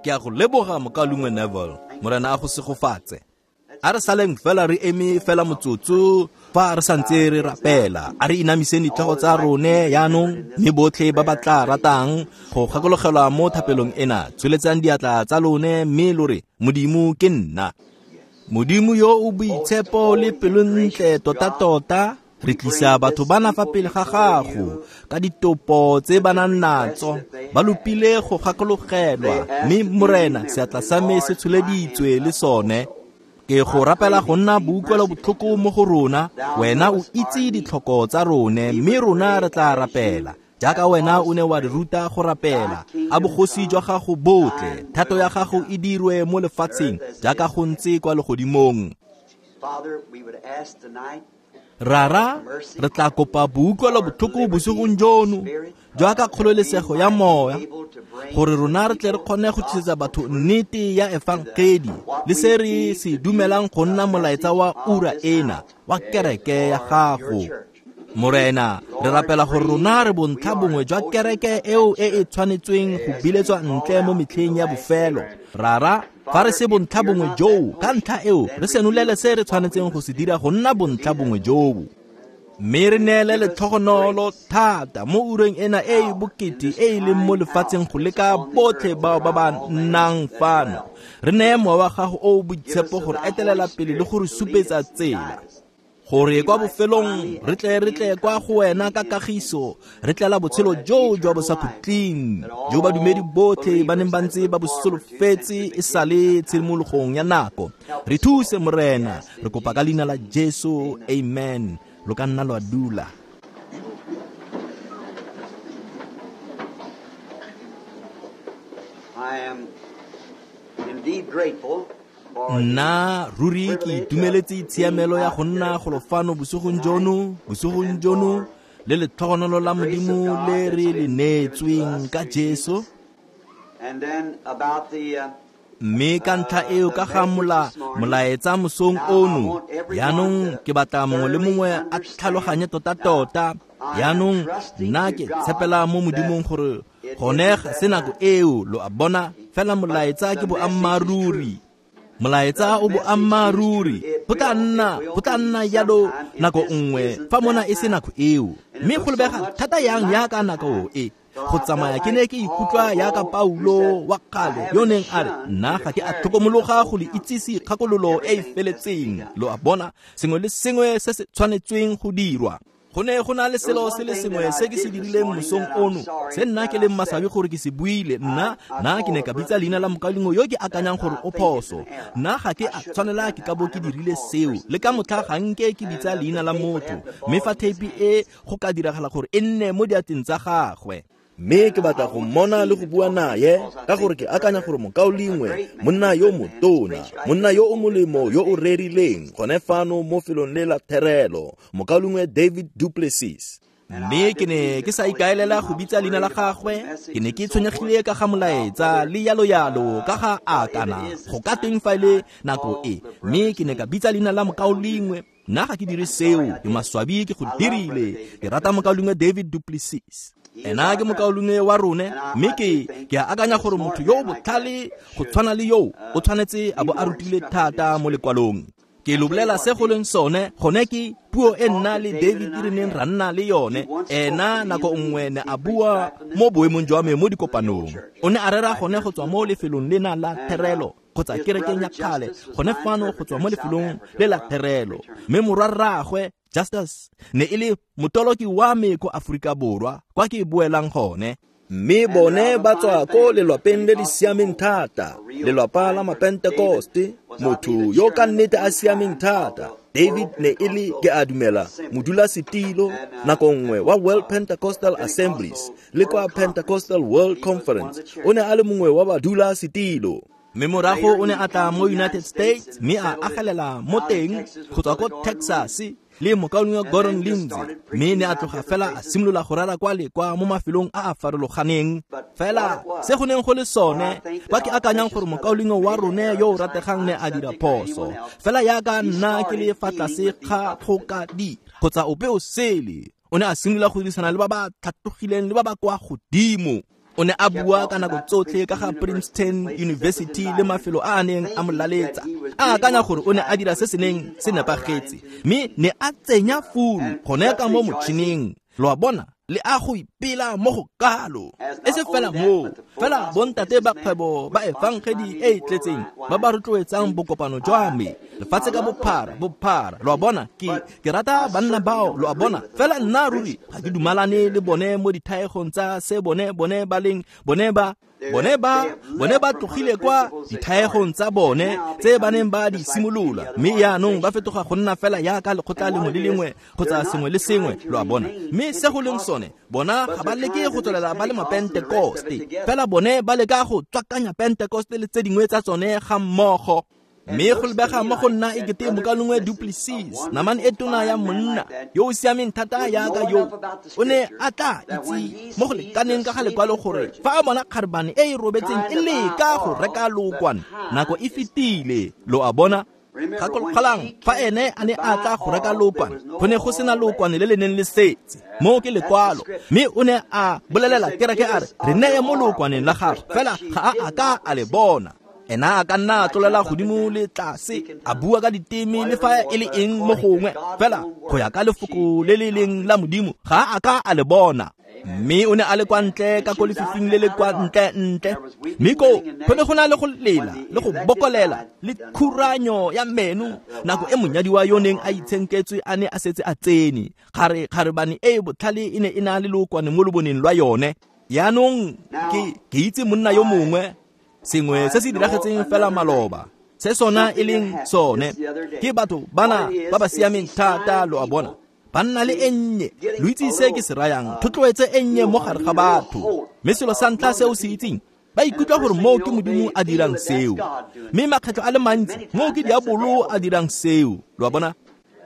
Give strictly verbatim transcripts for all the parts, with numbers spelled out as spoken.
Ke a go leboga mokaulengwe Neville, Morena a go segofatse. A re saleng fela re eme fela motsotso fa re santse re rapela. A re inamiseng ditlhogo tsa rone yaanong, mme botlhe ba ba tla ratang go gakologelwa mo thapelong ena, tsholetsang diatla tsa lone mme lo re, Modimo ke nna. Modimo yo o boitshepo le pelontle tota-tota, re tlisa batho bana fa pele ga gago ka ditopo tse ba nang natso, ba lopile go gakologelwa, mme Morena seatla sa me se tsholeditswe le sone. Ke go rapela go nna boutlwelo botlhoko mo go rona, wena o itse ditlhoko tsa rone, mme rona re tla rapela jaaka wena o ne wa re ruta go rapela. A bogosi jwa gago botle, thato ya gago e dirwe mo lefatsheng jaaka go ntse kwa legodimong. Rara, re tla kopa boutlwelo botlhoko bosigong jono jaaka kgololesego ya moya, gore rona re tle re kgone go tlisetsa batho nnete ya efangedi le se re se dumelang go nna molaetsa wa ura ena wa kereke ya gago. Morena, re rapela gore rona re bontlha bongwe jwa kereke eo e e tshwanetsweng go biletswa ntle mo metlheng ya bofelo. Rara, fa re se bontlha bongwe joo, ka ntlha eo re senolele se re tshwanetseng go se dira go nna bontlha bongwe joo. Mme re neele letlhogonolo thata mo ureng ena e e bokete e e leng mo lefatsheng go leka botlhe bao ba ba nnang fano. Re neye mowa wa gago o o boitshepo gore etelela pele le go re supetsa tsela, gore kwa bofelong re tle re tle kwa go wena ka kagiso, re tlela botshelo joo jwa bosakhutleng jo badumedi botlhe ba neng ba ntse ba bo solofetse e sale tshimologong ya nako. Re thuse Morena, re kopa ka leina la Jesu, amen. Lo ka nna lwa dula. I am indeed grateful. Nna ruri ke itumeletse tshiamelo ya go nna golo fano bosigong jono, bosigong jono le letlhogonolo la Modimo le re le neetsweng ka Jesu. And then about the uh, Mme ka ntlha eo ka ga mola molaetsa mosong ono, yaanong ke batla mongwe le mongwe a tlhaloganye tota-tota. Yaanong nna ke tshepela mo Modimong gore gone ga se nako eo, lo a bona, fela molaetsa ke boammaaruri. Molaetsa o boammaaruri, go tla nna go tla nna jalo nako nngwe fa mona e se nako eo, mme go lebega thata yang yaka nako e. Go tsamaya ke ne ke ikutlwa yaka Paulo wa kgale yo neng a re, nna ga ke a tlhokomologa go le itsise kgakololo e e feletseng. Lo a bona, sengwe le sengwe se se tshwanetsweng go dirwa. Go ne go na le selo se le sengwe se ke se dirileng mosong ono, se nna ke leng maswabi gore ke se buile. Nna nna ke ne ka bitsa leina la mokaulengwe yo ke akanyang gore o phoso. Nna ga ke a tshwanela ke ka bo ke dirile seo, le ka motlha ga nke ke bitsa leina la motho, mme fa theipi e go ka diragala gore e nne mo diatleng tsa gagwe. Mme ke batla go mmona le go bua naye, ka gore ke akanya gore mokaulengwe, monna yo motona, monna yo o molemo yo o rerileng gone fano mo felong le la therelo, mokaulengwe David Duplessis. Mme ke ne ke sa ikaelela go bitsa leina la gagwe, ke ne ke tshwenyegile ka ga molaetsa le yalo yalo ka ga a kana go ka teng fa e le nako e, mme ke ne ka bitsa leina la mokaulengwe. Nna ga ke dire seo, ke maswabi ke go dirile. Ke rata mokaulengwe David Duplessis. Ena ke mokaulengwe wa rone, mme ke ke a akanya gore motho yo o botlhale go tshwana le yo o tshwanetse a bo a rutile thata mo lekwalong. Ke lo bolela se go leng sone, gone ke puo e nna le David re neng ra nna le yone. Ena nako nngwe ne a bua mo boemong jwa me mo dikopanong. O ne a rera gone go tswa mo lefelong lena la therelo kgotsa kerekeng ya kgale, gone fano go tswa mo lefelong le la therelo. Mme morwarraagwe Justus ne e le motoloki wa me ko Aforika Borwa, kwa ke boelang gone. Mme bone ba tswa ko lelwapeng le le siameng thata, lelwapa la Mapentekoste, motho yo ka nnete a siameng thata. David ne e le, ke a dumela, modulasetilo nako nngwe wa World Pentecostal Assemblies le kwa Pentecostal World Conference. O ne a le mongwe wa badulasetilo. Mme morago o ne a tla mo United States mme a agelela mo teng go tswa ko Texas le mokaulengwe Gordon Lindsay, mme ne a tloga fela a simolola go rera kwa le kwa mo mafelong a a farologaneng. Fela se go neng go le sone, kwa ke akanyang gore mokaulengwe wa rone yo o rategang ne a dira phoso, fela yaka nna ke le fa tlase ga go ka dira kgotsa ope o sele, o ne a simolola go dirisana le ba ba tlhatlogileng le ba ba kwa godimo. O ne a bua ka nako tsotlhe ka ga Princeton University le mafelo a a neng a mo laletsa, a akanya gore o ne a dira se se neng se nepagetse, mme ne a tsenya furu gone ka mo motšhining. Lo a bona, le a go ipela mo go kalo. E se fela moo, fela bontate ba kgwebo ba efangedi e e tletseng ba ba rotloetsang bokopano jwa me lefatshe ka bophara bophara. Lo a bona, ke ke rata banna bao, lo a bona, fela nna ruri ga ke dumalane le bone mo dithaegong tsa se bone bone ba leng bone ba bone ba bone ba tlogile kwa dithaegong tsa bone tse ba neng ba di simolola, mme yaanong ba fetoga go nna fela yaka lekgotla lengwe le lengwe kgotsa sengwe le sengwe, lo a bona. Mme se go leng sone, bona ga ba leke go tswelela ba le mapentekoste, fela bone ba leka go tswakanya pentekoste le tse dingwe tsa tsone ga mmogo. Mme go lebega mo go nna e kete mokalengwe Duplessis, namane e tona ya monna yo o siameng thata yaka yo, o ne a tla itse mo go lekaneng ka ga lekwalo gore fa a bona kgarebane e e robetseng e leka go reka lookwane, nako e fetile, lo a bona. Gakologelang, fa ene a ne a tla go reka lookwane, go ne go sena lookwane le le neng le setse. Moo ke lekwalo. Mme o ne a bolelela kereke a re, re neye mo lookwaneng la gagwe, fela ga a a ka a le bona. Ena a ka nna a tlolela godimo le tlase, a bua ka diteme le fa e le eng mo gongwe, fela go ya ka lefoko le le leng la Modimo ga a ka a le bona. Mme o ne a le kwa ntle ka ko lefifing le le kwa ntle ntle, mme koo go ne go na le go lela le go bokolela le khuranyo ya meno nako e monyadiwa yo neng a itshenketswe a ne a setse a tsene. Kgare kgarebane e e botlhale e ne e na le lookwane mo loboneng lwa yone. Yaanong ke ke itse monna yo mongwe, sengwe se se diragetseng fela maloba, se sona e leng sone ke batho bana ba ba siameng thata, lo a bona, ba nna le e nnye. Lo itse se ke se rayang, thotloetse e nnye mo gare ga batho. Mme selo sa ntlha se o se itseng, ba ikutlwa gore moo ke Modimo a dirang seo, mme makgetlho a le mantsi moo ke diabolo a dirang seo, lo a bona.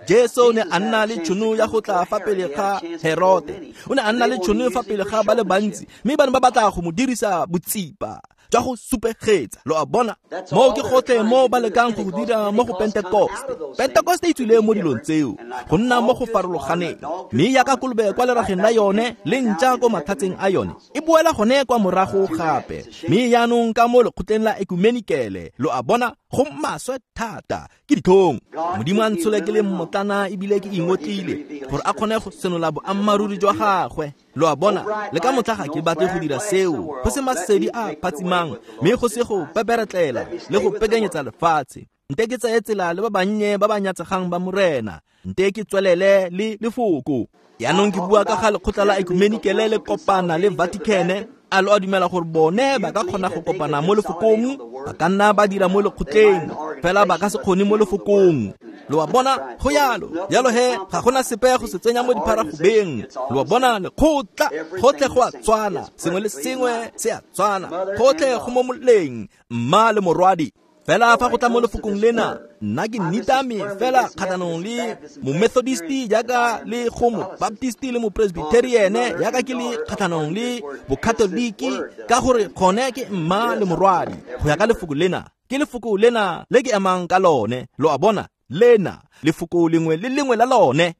Jesu o ne a nna le tšhono ya go tla fa pele ga Herote, o ne a nna le tšhono fa pele ga ba le bantsi, mme ba ne ba batla go mo dirisa botsipa jwa go supegetsa, lo a bona. Moo ke gotlhe mo ba lekang go go dira mo go Pentekoste. Pentekoste e tswile mo dilong tseo, go nna mo go farologaneng, mme yaka kolobe kwa lerageng la yone le ntša ko mathatseng a yone, e boela gone kwa morago gape. Mme yaanong ka mo lekgotleng la ekumenikele, lo a bona, go maswe thata, ke ditlhong. Modimo a ntshole ke le mmotlana ebile ke ingotlile gore a kgone go senola boammaaruri jwa gagwe, lo a bona. Le ka motlha ga ke batle go dira seo, go se masedi a phatsimang, mme go se go peperetlela le go pekanyetsa lefatshe. Nte ke tseye tsela le ba bannye ba ba nyatsegang ba Morena, nte ke tswelele le lefoko. Yaanong ke bua ka ga lekgotla la ekumenikele le kopana le Vatican. A lo a dumela gore bone ba ka kgona go kopana mo lefokong? Ba ka nna ba dira mo lekgotleng, fela ba ka se kgone mo lefokong. Lo a bona, go yalo. Jalo he, ga gona sepe go se tsenya mo dipharagobeng. Lo a bona, lekgotla gotlhe go a tshwana, sengwe le sengwe se a tshwana, gotlhe go mo moleng, mma le morwadi. Fela fa go tla mo lefokong lena, nna ke nitame fela kgatlhanong le momethodisti jaaka le go mobaptisti le mopresbyteriene, jaaka ke le kgatlhanong le bokatoliki, ka gore gone ke mma le morwadi. Go ya ka lefoko lena, ke lefoko lena le ke emang ka lone, lo a bona, lena lefoko lengwe le lengwe la lone.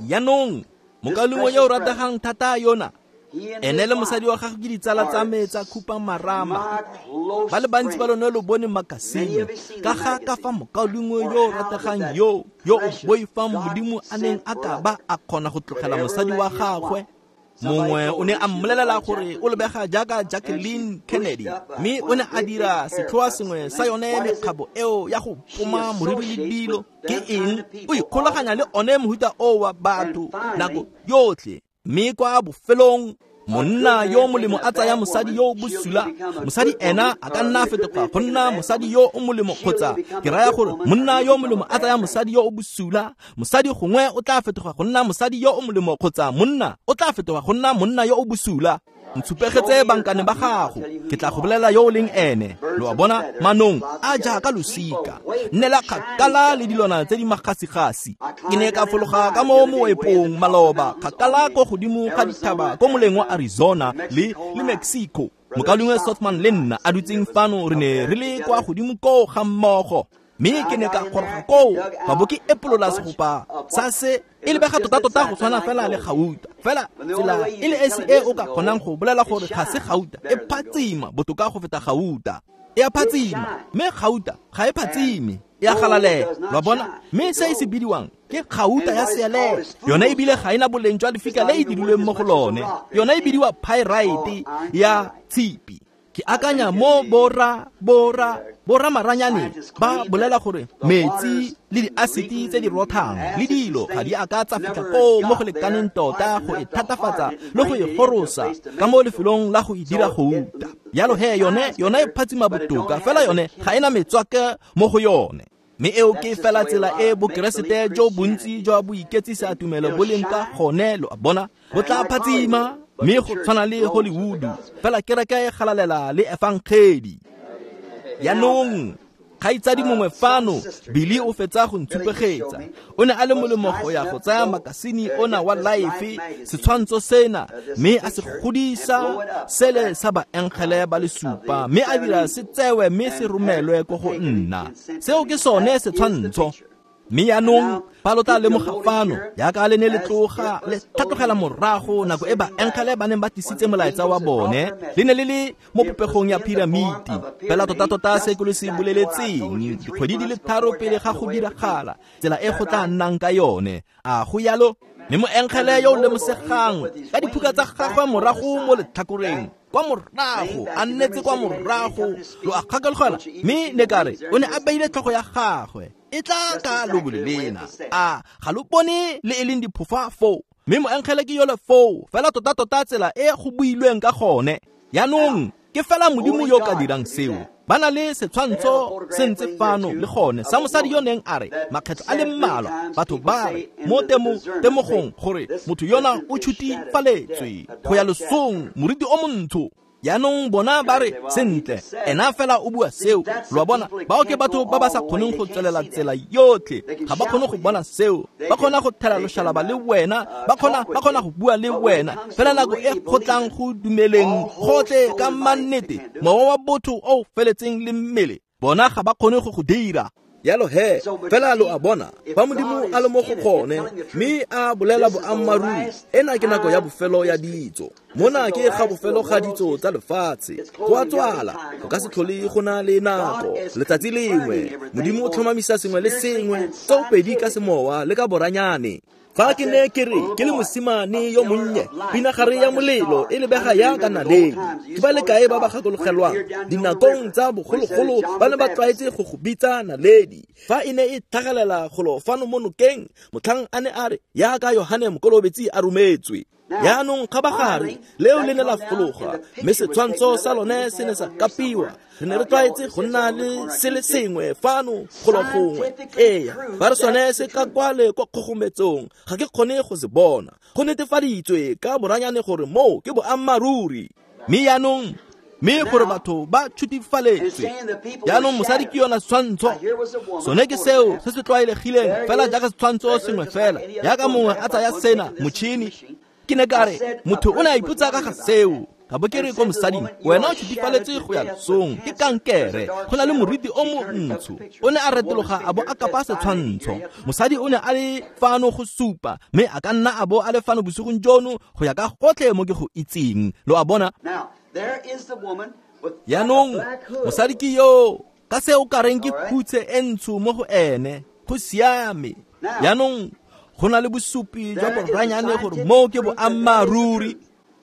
Yaanong mokalengwe yo o rategang thata yona, ene le mosadi wa gagwe ke ditsala tsa me tsa khupamarama. Ba le bantsi ba lone lo bone makasine ka ga ka fa mokaulengwe yo o rategang yo yo o boifang Modimo a neng a ka ba a kgona go tlogela mosadi wa gagwe. Mongwe o ne a mmolelela gore o lebega jaaka Jacqueline Kennedy, mme o ne a dira setlhoa sengwe sa yone mekgabo eo ya go poma moriri le dilo. Ke eng? O ikgolaganya le one mohuta o wa batho nako yotlhe. Mme kwa bofelong, monna yo molemo a tsaya mosadi yo o bosula. Mosadi ena a ka nna a fetoga go nna mosadi yo o molemo, kgotsa ke raya gore monna yo molemo a tsaya mosadi yo o bosula. Mosadi gongwe o tla fetoga go nna mosadi yo o molemo, kgotsa monna o tla fetoga go nna monna yo o bosula. Ntshupegetse bankane ba gago, ke tla go bolela yo o leng ene. Lo a bona, manong a jaaka losika, nnela kgakala le dilwana tse di magasigasi. Ke ne ka fologa ka mo moepong maloba, kgakala ko godimo ga dithaba ko moleng wa Arizona le le Mexico. Mokaulengwe Sothman le nna a dutseng fano, re ne re le kwa godimo koo ga mmogo. Mme ke ne ka goroga koo ka bo ke epolola segopa sa se e lebega tota-tota go tshwana fela le gauta. Fela tsela e le esi e o ka kgonang go bolela gore ga se gauta, e phatsima botoka go feta gauta. E a phatsima, mme gauta ga e phatsime, e a galalela. Lo a bona? Mme se e se bidiwang ke gauta ya sealele. Yone ebile ga ena boleng jwa lefika le e dirilweng mo go lone. Yone e bidiwa pyrite ya tshipi. Ke akanya mo bora bora bora maranyane ba bolela gore metsi le diasiti tse di rothang le dilo ga di a ka tsa fitlha koo mo go lekaneng tota go e thatafatsa le go e gorosa ka mo lefelong la go e dira gouta. Jalo he yone yone e phatsima botoka, fela yone ga ena metswake mo go yone. Mme eo ke fela tsela e bokeresete jo bontsi jwa boiketsisa tumelo bo leng ka gone, lo a bona, bo tla phatsima mme go tshwana le Hollywood, fela kereke e galalela le efangedi. Jaanong kgaitsadi mongwe fano, Billy o fetsa go ntshupegetsa. O ne a le molemo go ya go tsaya makasine ona wa Life, setshwantsho sena, mme a se godisa sele sa baengele ba le supa, mme a dira se tsewe mme se romelwe ko go nna. Seo ke sone setshwantsho. Mme jaanong fa lo tla lemoga fano, jaaka le ne le tloga le tlhatlogela morago nako e baengele ba neng ba tlisitse molaetsa wa bone, le ne le le mo popegong ya piramiti. Fela tota-tota se ke lo se boleletseng dikgwedi di le tharo pele ga go diragala, tsela e go tla nnang ka yone. A go yalo? Mme moengele yo o lemosegang ka diphuka tsa gagwe morago mo letlhakoreng, kwa morago, a nnetse kwa morago, lo a kgakologela. Mme ne ka re o ne a beile tlhogo ya gagwe e tla ka lobole lena. A ga lo bone le e leng diphofa foo? Mme moengele ke yole foo, fela tota-tota tsela e go builweng ka gone. Jaanong ke fela Modimo yo ka dirang seo. Ba na le setshwantsho se ntse fano le gone sa mosadi yo neng a re makgetlo a le mmalwa batho ba re mo temogong gore motho yona o tshutifaletswe go ya losong, moriti o montsho. Jaanong bona ba re sentle, ena fela o bua seo. Lo a bona, bao ke batho ba ba sa kgoneng go tswelela tsela yotlhe, ga ba kgone go bona seo. Ba kgona go thela loshalaba le wena, ba kgona ba kgona go bua le wena, fela nako e kgotlang go dumeleng gotlhe ka mannete, mowa wa botho o feletseng le mmele, bona ga ba kgone go go dira. Jalo he, fela lo a bona, fa Modimo a le mo go gone, mme a bolela boammaaruri, ena ke nako ya bofelo ya ditso. Mona ke ga bofelo ga ditso tsa lefatshe. Go a tswala, go ka se tlhole go na le nako. Letsatsi lengwe, Modimo o tlhomamisa sengwe le sengwe, tsoopedi ka semowa le ka boranyane. Fa ke ne ke re ke le mosimane yo monnye, pinagare ya molelo e lebega jaaka naledi. Ke ba le kae ba ba gakologelwang dinakong tsa bogologolo ba ne ba tlwaetse go go bitsa naledi. Fa e ne e tlhagelela golo fano mo nokeng, motlhang a ne a re jaaka Yohane Mokolobetsi a rometswe. Jaanong kgabagare leo le ne la fologa, mme setshwantsho sa lone se ne sa kapiwa. Re ne re tlwaetse go nna le se le sengwe fano golo gongwe. Ee, ba re sone se ka kwale kwa kgogometsong, ga ke kgone go se bona. Go netefaditswe ka boranyane gore moo ke boammaaruri. Mme jaanong, mme gore batho ba tshutifaletswe. Jaanong mosadi ke yona setshwantsho. Sone ke seo se se tlwaelegileng fela jaaka setshwantsho sengwe fela, jaaka mongwe a tsaya sena motšhini. Ke ne ka re motho o ne a ipotsa ka ga seo. Ka bo ke re ko mosading, wena o tshutifaletse go ya losong, ke kankere, go na le moriti o montsho. O ne a retologa a bo a kapa setshwantsho. Mosadi o ne a le fano go supa, mme a ka nna a bo a le fano bosigong jono go ya ka gotlhe mo ke go itseng. Lo a bona? Jaanong mosadi ke yo, ka se o ka reng ke khutse e ntsho mo go ene, go siame. Jaanong go na le bosupi jwa boranyane gore moo ke boammaaruri.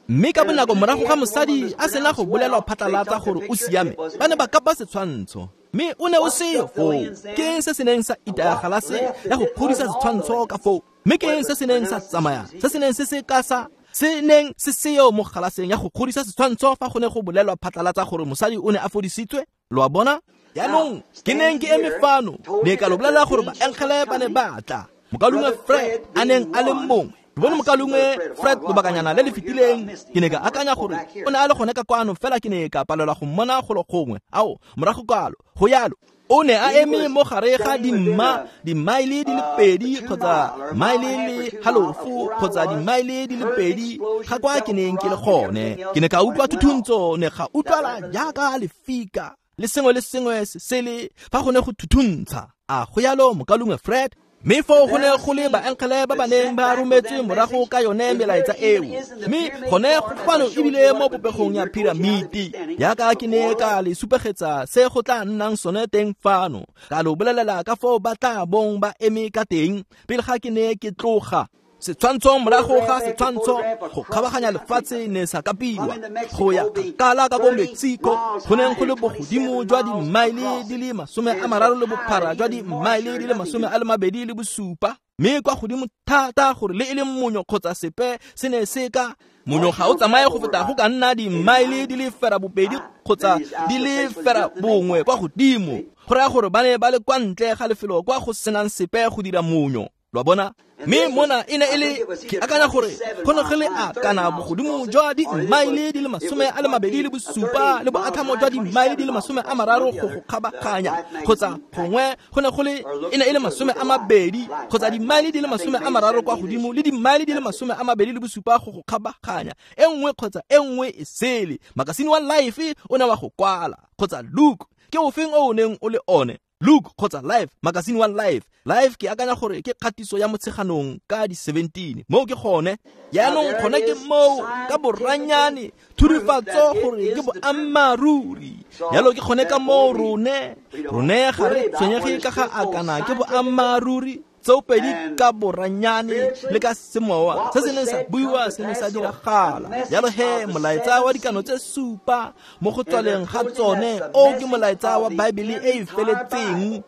Mme ka bonako morago ga mosadi a sena go bolelwa phatlalatsa gore o siame, ba ne ba kapa setshwantsho. Mme o ne o seo foo. Ke eng se se neng sa itaya galase ya go kgodisa setshwantsho ka foo? Mme ke eng se se neng sa tsamaya, se se neng se se ka sa se neng se seo mo galaseng ya go kgodisa setshwantsho fa go ne go bolelwa phatlalatsa gore mosadi o ne a fodisitswe? Lo a bona? Jaanong ke neng ke eme fano, ne ka lo bolela gore baengele ba ne ba tla. Mokaulengwe Fred a neng a le mongwe. Ke bone mokaulengwe Fred lobakanyana le le fetileng, ke ne ka akanya gore o ne a le gone ka kwano, fela ke ne ka palelwa go mmona golo gongwe. Ao, morago kwalo, go yalo. O ne a eme mo gare ga dimma, dimaele di le pedi kgotsa maele le halofo kgotsa dimaele di le pedi ga kwa ke neng ke le gone. Ke ne ka utlwa thuthuntso, ne ga utlwala jaaka lefika. le sengwe le sengwe se sele fa go ne go thuthuntsha. A go yalo mokalungwe Fred? Mme foo go ne go le baengele ba ba neng ba rometswe morago ka yone melaetsa eo. Mme gone go fano ebile mo popegong ya piramiti, yaka ke ne ka le supegetsa se go tla nnang sone teng fano, ka lo bolelela ka foo ba tla bong ba eme ka teng pele ga ke ne ke tloga. Setshwantsho morago ga setshwantsho go kgabaganya lefatshe ne sa kapiwa go ya kgakala ka ko Mexico, go neng go le bogodimo jwa dimmaele di le masome a mararo le bophara jwa dimmaele di le masome a le mabedi le bosupa, mme kwa godimo thata gore le e leng monyo kgotsa sepe se ne se ka monyo ga o tsamaye go feta go ka nna dimmaele di le fera bobedi kgotsa di le fera bongwe kwa godimo, go raya gore ba ne ba le kwa ntle ga lefelo kwa go senang sepe go dira monyo. Lo bona? Mme mona e ne e le ke akanya gore go ne go le a kana bogodimo jwa dimmaele di le masome a le mabedi le bosupa le boatlhamo jwa dimmaele di le masome a mararo go go kgabaganya, kgotsa gongwe go ne go le e ne e le masome a mabedi kgotsa dimmaele di le masome a mararo kwa godimo le dimmaele di le masome a mabedi le bosupa go go kgabaganya, e nngwe kgotsa e nngwe e sele. Makasine wa Life o ne wa go kwala, kgotsa Luke ke ofeng o o neng o le one, Luke kgotsa Life, makasine wa Life. Life ke akanya gore ke kgatiso ya Motsheganong ka di seventeen. Moo ke gone. Jaanong gone ke moo ka boranyane thurifatso gore ke boammaaruri. Jalo ke gone ka moo rone rone ga re tshwenyege ka ga akana ke boammaaruri tsoopedi ka boranyane le ka semowa se se neng sa buiwa se ne sa diragala. Jalo he molaetsa wa dikano tse supa mo go tswaleng ga tsone o ke molaetsa wa Baebele e e feletseng.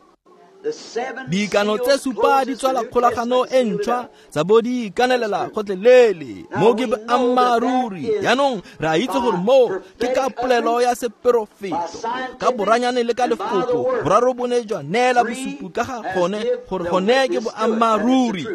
Dikano tse supa di tswala kgolagano e ntšhwa tsa bo di ikanelela gotlhelele. Mo ke boammaaruri. Jaanong re a itse gore moo ke ka polelo ya seperofeto, ka boranyane le ka lefoko boraro bo ne jwa neela bosupi ka ga gone gore gone ke boammaaruri.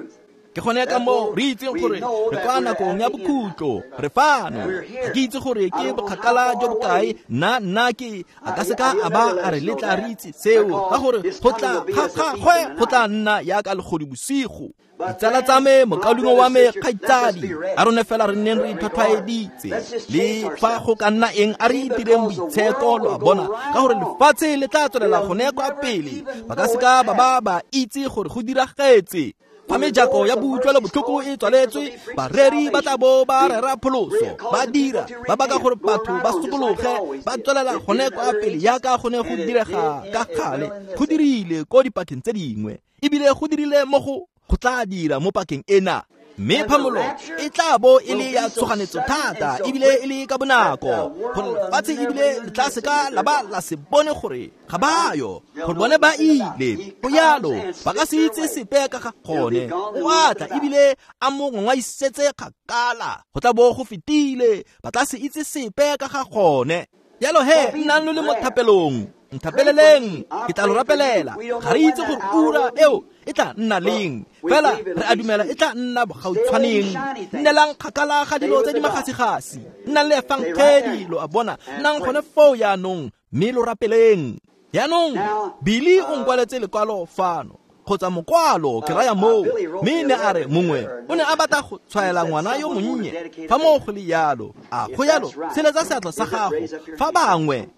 Ke gone ka moo re itseng gore re kwa nakong ya bokhutlo, re fano. Ga ke itse gore ke bokgakala jo bokae, nna nna ke a ka seka a ba a re letla re itse seo, ka gore go tla ga gagwe go tla nna yaka legodu bosigo. Ditsala tsa me, mokaulengwe wa me, kgaitsadi, a rone fela re nneng re itlhwatlhwaeditse le fa go ka nna eng a re itireng boitsheko, lo a bona, ka gore lefatshe le tla tswelela gone kwa pele. Ba ka seka ba ba ba itse gore go diragetse. Fa mejako ya boutlwelo botlhoko e tswaletswe, bareri ba tla bo ba rera pholoso, ba dira ba baka gore batho ba sokologe, ba tswelela gone kwa pele yaka go ne go direga ka gale. Go dirile ko dipakeng tse dingwe, ebile go dirile mo go go tla dira mo pakeng ena. Mme phamolo e tla bo e le ya tshoganetso thata ebile e le ka bonako, gore lefatshe ebile le tla seka la ba la se bone gore ga ba yo, gore bone ba ile. Go yalo ba ka se itse sepe ka ga gone. O a tla ebile a mo ngwaisetse kgakala, go tla bo go fetile, ba tla se itse sepe ka ga gone. Jalo he nnang lo le mo thapelong, nthapeleleng, ke tla lo rapelela. Ga re itse gore ura eo e tla nna leng, fela re a dumela e tla nna bogautshwaneng. Nnelang kgakala ga dilo tse di magasigasi, nnang le efangedi, lo a bona, nnang gone foo jaanong mme lo rapeleng. Jaanong Billy o nkwaletse lekwalo fano, kgotsa mokwalo ke raya moo, mme ne a re mongwe o ne a batla go tshwaela ngwana yo monnye. Fa moo go le yalo, a go yalo, tsheletsa seatla sa gago. Fa bangwe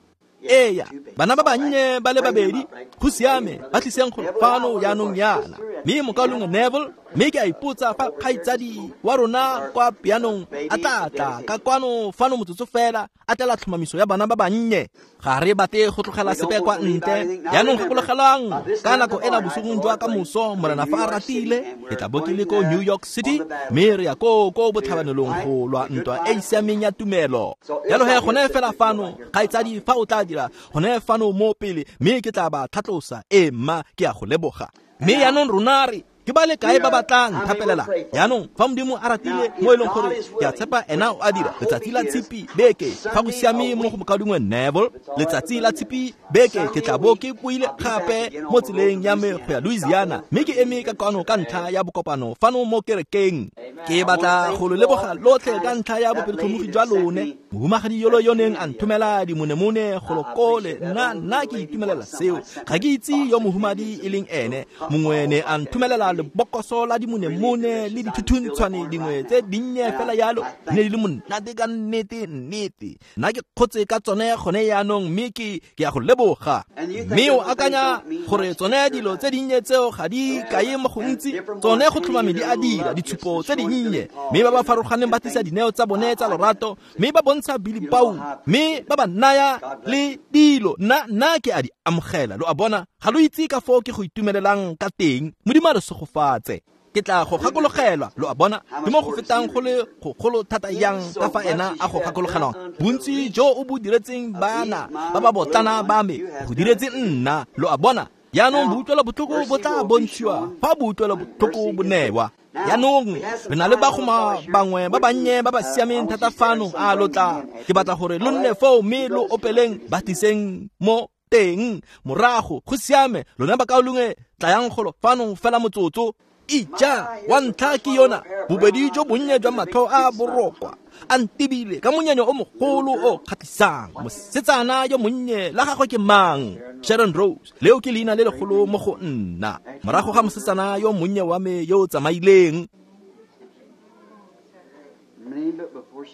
eya, bana ba bannye ba le babedi, go siame, ba tliseng gore fano jaanong yana. Mme mokaulengwe Neville, mme ke a ipotsa fa kgaitsadi wa rona kwa pianong a tla tla ka kwano fano motsotso fela, a tlela tlhomamiso ya bana ba bannye. Ga re batle go tlogela sepe kwa ntle. Jaanong gakologelwang ka nako ena bosigong jwa ka moso, Morena fa a ratile, ke tla bo ke le ko New York City, mme re ya ko ko botlhabanelong go lwa ntwa e e siameng ya tumelo. Jalo he gone fela fano, kgaitsadi fa o tla dira gone fano mo pele, mme ke tla ba tlhatlosa. Ee mma, ke a go leboga. Mme jaanong rona re ke ba le kae ba ba tla nthapelela? Jaanong fa Modimo a ratile mo e leng gore ke a tshepa ena o a dira, letsatsi la tshipi beke fa go siame mo go mokaulengwe Neville, letsatsi la tshipi beke ke tla bo ke boile gape mo tseleng ya me go ya Louisiana, mme ke eme ka kwano ka ntlha ya bokopano fano mo kerekeng. Ke batla go lo leboga lotlhe ka ntlha ya bopelotlhomogi jwa lone. Mohumagadi yolo yo neng a nthomela dimonemone go lo kole, nna nna ke itumelela seo. Ga ke itse yo mohumadi e leng ene, mongwe ne a nthomelela lebokoso la dimonemone le dithuthuntshwane dingwe tse dinnye fela yalo ne di le monate ka nnete nnete. Nna ke kgotse ka tsone gone yaanong mme ke ke a go leboga. Mme o akanya gore tsone dilo tse dinnye tseo ga di kaye mo gontsi, tsone go tlhomame di a dira ditshupo tse dinnye. Mme ba ba farologaneng ba tlisa dineo tsa bone tsa lorato, mme ba bontsha Billy Paul, mme ba ba naya le dilo. Nna nna ke a di amogela. Lo a bona, ga lo itse ka foo ke go itumelelang ka teng. Modimo a re segofatse. Ke tla go gakologelwa. Lo a bona, ke mo go fetang go le gogolo thata yang ka fa ena a go gakologelwang. Bontsi jo o bo diretseng bana ba ba botlana ba me, go diretse nna. Lo a bona, yaanong boutlwelo botlhoko bo tla bontshiwa fa boutlwelo botlhoko bo newa. Yaanong re na le bagoma bangwe ba bannye ba ba siameng thata fano. A lo tla, ke batla gore lo nne foo mme lo opeleng ba tliseng mo teng morago. Go siame, lona bakaulengwe tlayang golo fano fela motsotso. Ija wa ntlha ke yona, bobedi jo bonnye jwa matlho a borokwa a ntebile ka monyenyo o mogolo o kgatlhisang. Mosetsana yo monnye la gagwe ke mang? Sharon Rose. Leo ke leina le legolo mo go nna, morago ga mosetsana yo monnye wa me yo o tsamaileng.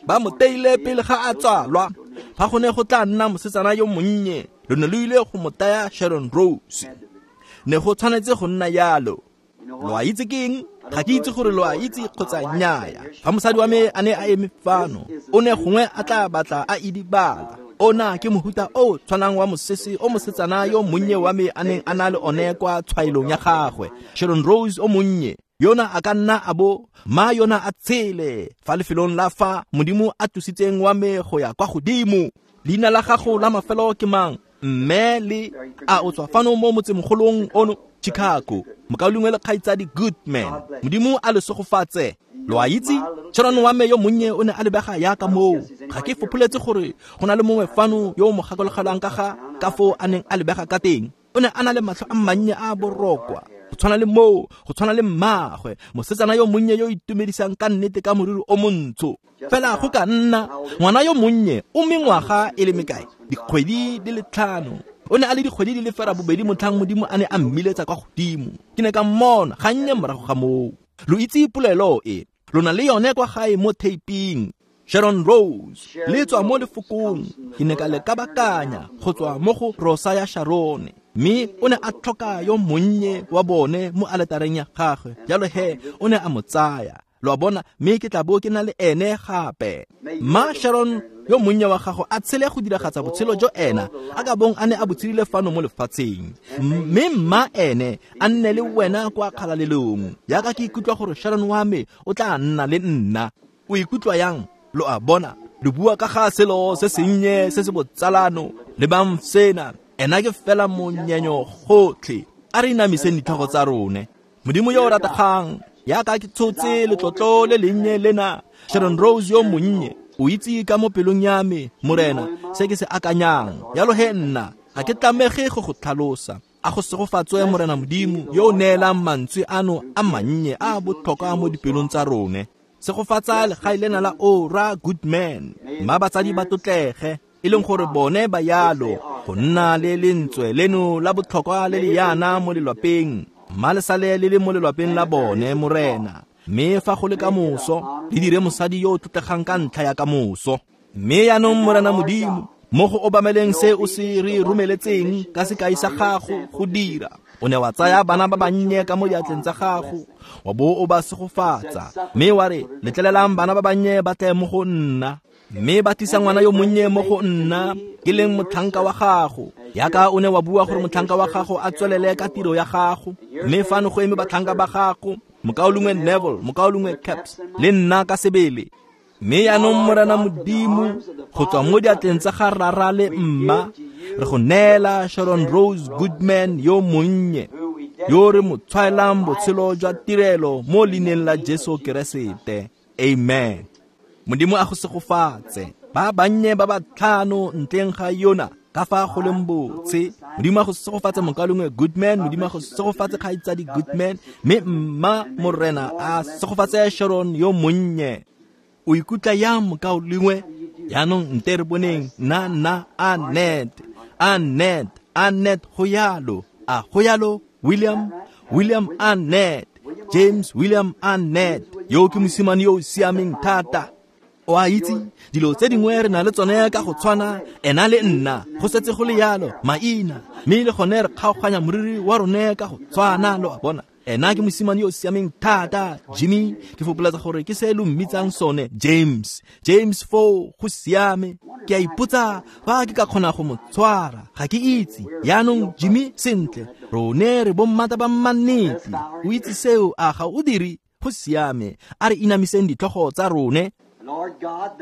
Ba mo teile pele ga a tsalwa. Fa go ne go tla nna mosetsana yo monnye, lo ne lo ile go mo taya Sharon Rose. Ne go tshwanetse go nna yalo. Lo a itse keng? Ga ke itse gore lo a itse kgotsa nnyaya. Fa mosadi wa me a ne a eme fano, o ne gongwe a tla batla a idibala. Ona ke mohuta o tshwanang wa mosese o mosetsana yo monnye wa me a neng a na le one kwa tshwaelong ya gagwe. Sharon Rose o monnye yona a ka nna a bo ma yona a tshele fa lefelong la fa Modimo a tlositseng wa me go ya kwa godimo. Leina la gago la mafelo ke mang? Mme le a o tswa fano mo motsemogolong ono, Chicago. Mokaulengwe le kgaitsadi Goodman, Modimo a le segofatse. Lo a itse, Sharon wa me yo monnye o ne a lebega yaka moo. Ga ke fopholetse gore go na le mongwe fano yo o mo gakologelwang ka ga ka foo a neng a lebega ka teng. O ne a na le matlho a mannye a borokwa, go tshwana le moo, go tshwana le mmagwe, mosetsana yo monnye yo itumedisang ka nnete ka moriri o montsho. Fela go ka nna ngwana yo monnye o mengwaga e le mekae? Dikgwedi di le tlhano. O ne a le dikgwedi di le fera bobedi motlhang Modimo a ne a mmiletsa kwa godimo. Ke ne ka mmona gannye morago ga moo. Lo itse polelo e, lo na le yone kwa gae mo taping. Sharon Rose le tswa mo lefokong. Ke ne ka le kabakanya go tswa mo go Rosa ya Sharon, mme o ne a tlhoka yo monnye wa bone mo aletareng ya gagwe. Jalo he o ne a mo tsaya. Lo a bona, mme ke tla bo ke na le ene gape. Ma Sharon yo monnye wa gago a tshele go diragatsa botshelo jo ena a ka bong a ne a bo tshedile fano mo lefatsheng, mme mma ene a nne le wena kwa kgalalelong. Yaka ke ikutlwa gore Sharon wa me o tla nna le nna. O ikutlwa yang? Lo a bona, lo bua ka ga selo se sennye se se botsalano. Lebang sena, ena ke fela monyenyo gotlhe. A re inamiseng ditlhogo tsa rone. Modimo yo o rategang, yaka ke tshotse letlotlo le lennye lena, Sharon Rose yo monnye, o itse ka mo pelong ya me, Morena, se ke se akanyang. Yalo he nna ga ke tlamege go go tlhalosa. A go segofatswe Morena Modimo yo o neelang mantswe ano a mannye a botlhokwa mo dipelong tsa rone. Segofatsa legae lena la Ora Goodman, mma batsadi ba tlotlege, e leng gore bone ba yalo go nna le lentswe leno la botlhokwa le le yana mo lelwapeng. Mma le sale le le mo lelwapeng la bone, Morena. Mme fa go le ka moso, le dire mosadi yo o tlotlegang ka ntlha ya ka moso. Mme yaanong Morena Modimo, mo go obameleng se o se re romeletseng ka sekai sa gago go dira, o ne wa tsaya bana ba bannye ka mo diatleng tsa gago, wa bo o ba segofatsa, mme wa re, letlelelang bana ba bannye ba tle mo go nna. Mme ba tlisa ngwana yo monnye mo go nna, ke leng motlhanka wa gago. Yaka o ne wa bua gore motlhanka wa gago a tswelele ka tiro ya gago, mme fano go eme batlhanka ba gago, mokaulengwe Neville, mokaulengwe Caps, le nna ka sebele. Mme yaanong Morena Modimo, go tswa mo diatleng tsa ga rara le mma, re go neela Sharon Rose Goodman yo monnye, yo re mo tshwaelang botshelo jwa tirelo mo leineng la Jesu Keresete. Amen. Modimo a go segofatse. Ba bannye ba ba tlhano ntleng ga yona ka fa go leng botse. Modimo a go segofatse mokaulengwe Goodman, Modimo a go segofatse kgaitsadi Goodman, mme mma Morena a segofatse Sharon yo monnye. O ikutlwa yang mokaulengwe? Yaanong nte re boneng nna nna Annette, Annette, Annette go yalo. A go yalo William, William Annette. James William Arnett, yo ke mosimane yo o siameng thata. O a itse, dilo tse dingwe re na le tsone ka go tshwana, ena le nna, go setse go le yalo, maina, mme le gone re kgaoganya moriri wa rone ka go tshwana, lo a bona. Ena ke mosimane yo o siameng thata, Jimmy, ke fopolatsa gore ke se lo mmitsang sone, James. James foo, go siame. Ke a ipotsa fa ke ka kgona go mo tshwara, ga ke itse. Yaanong Jimmy, sentle, rone re bommata ba mmannete. O itse seo, a ga o dire? Go siame. A re inamiseng ditlhogo tsa rone.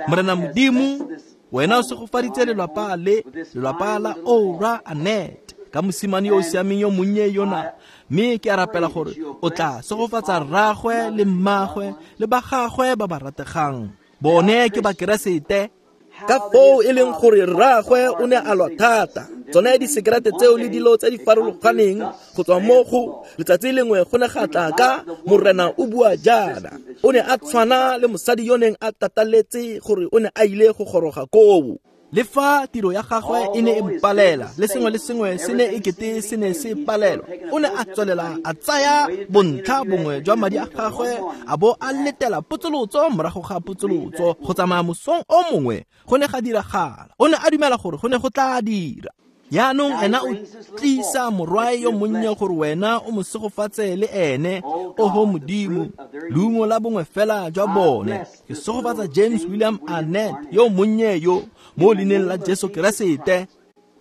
Morena Modimo, wena o segofaditse lelapa le, lelapa la Oura Annette, ka mosimane yo o siameng yo monnye yona. Mme ke a rapela gore o tla segofatsa rraagwe le mmagwe le ba gagwe ba ba rategang. Bone ke Bakeresete. Ka foo e leng gore rraagwe o ne a lwa thata, tsone disekerete tseo le dilo tse di farologaneng go tswa mo go letsatsi lengwe go ne ga tla ka Morena o bua jaana. O ne a tshwana le mosadi yo neng a tataletse gore o ne a ile go goroga koo. Le fa tiro ya gagwe e ne e mpalela, le sengwe le sengwe se ne e kete se ne se palelwa, o ne a tswelela a tsaya bontlha bongwe jwa madi a gagwe a bo a letela potsolotso morago ga potsolotso go tsamaya mosong o mongwe. Go ne ga diragala. O ne a dumela gore go ne go tla dira. Yaanong ena o tlisa morwae yo monnye gore wena o mo segofatse le ene. Oho Modimo, leungo la bongwe fela jwa bone. Ke segofatsa James William Arnett yo monnye yo mo leineng la Jesu Keresete.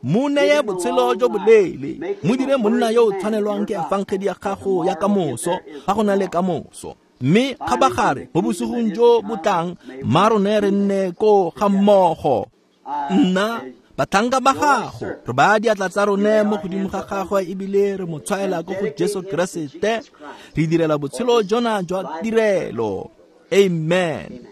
Mo neye botshelo jo boleele, mo dire monna yo o tshwanelwang ke efangedi ya gago ya kamoso, fa go na le kamoso. Mme kgabagare mo bosigong jo bo tlang, mma rone re nne ko ga mmogo. Nna batlhanka ba gago, re baya diatla tsa rone mo godimo ga gagwe ebile re mo tshwaela ko go Jesu Keresete. Re direla botshelo jona jwa tirelo. Amen.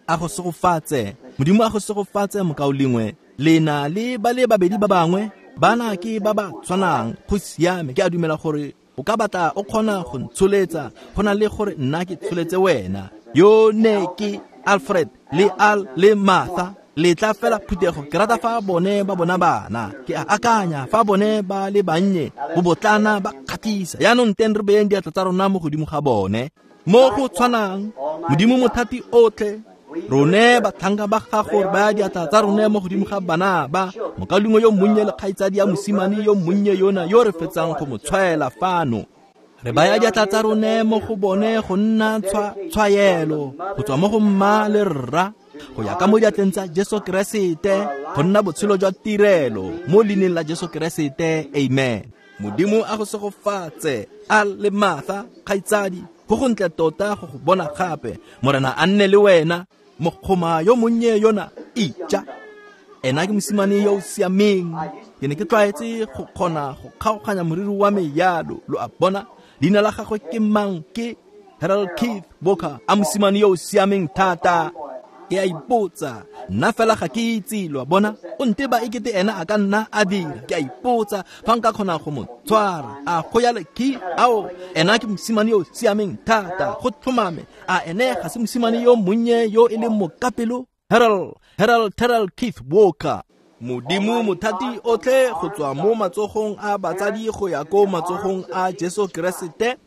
A go segofatse. Modimo a go segofatse mokaulengwe. Le na le ba le babedi ba bangwe, bana ke ba ba tshwanang. Go siame. Ke a dumela gore o ka batla o kgona go ntsholetsa, go na le gore nna ke tsholetse wena. Yo ne ke Alfred le Al le Martha. Le tla fela phuthego. Ke rata fa bone ba bona bana. Ke a akanya fa bone ba le bannye, bobotlana ba kgatlhisa. Yaanong teng re beyeng diatla tsa rona mo godimo ga bone. Mo go tshwanang, Modimo mothati otlhe, rone batlhanka ba gago re baya diatla tsa rone mo godimo ga bana ba. Mokaulengwe yo monnye le kgaitsadi ya mosimane yo monnye yona yo re fetsang go mo tshwaela fano. Re baya diatla tsa rone mo go bone go nna tshwaelo go tswa mo go mma le rra, go ya ka mo diatleng tsa Jesu Keresete, go nna botshelo jwa tirelo mo leineng la Jesu Keresete. Amen. Modimo a go segofatse. Al le Martha, kgaitsadi, go gontle tota go go bona gape. Morena a nne le wena. Mokgoma yo monnye yona, ija. Ena ke mosimane yo o siameng. Ke ne ke tlwaetse go kgona go kgaoganya moriri wa me yalo, lo a bona. Leina la gagwe ke mang? Ke Harold Keith Walker. A mosimane yo o siameng thata. Ke a ipotsa, nna fela ga ke itse, lo a bona. O nteba ekete ena a ka nna a dira. Ke a ipotsa fa nka kgona go mo tshwara. A go ya le Keith? Ao, ena ke mosimane yo o siameng thata. Go tlhomame. A ene ga se mosimane yo monnye yo e leng mokapelo? Harold, Harold Terrell Keith Walker. Modimo mothati otlhe, go tswa mo matsogong a batsadi go ya ko matsogong a Jesu Keresete.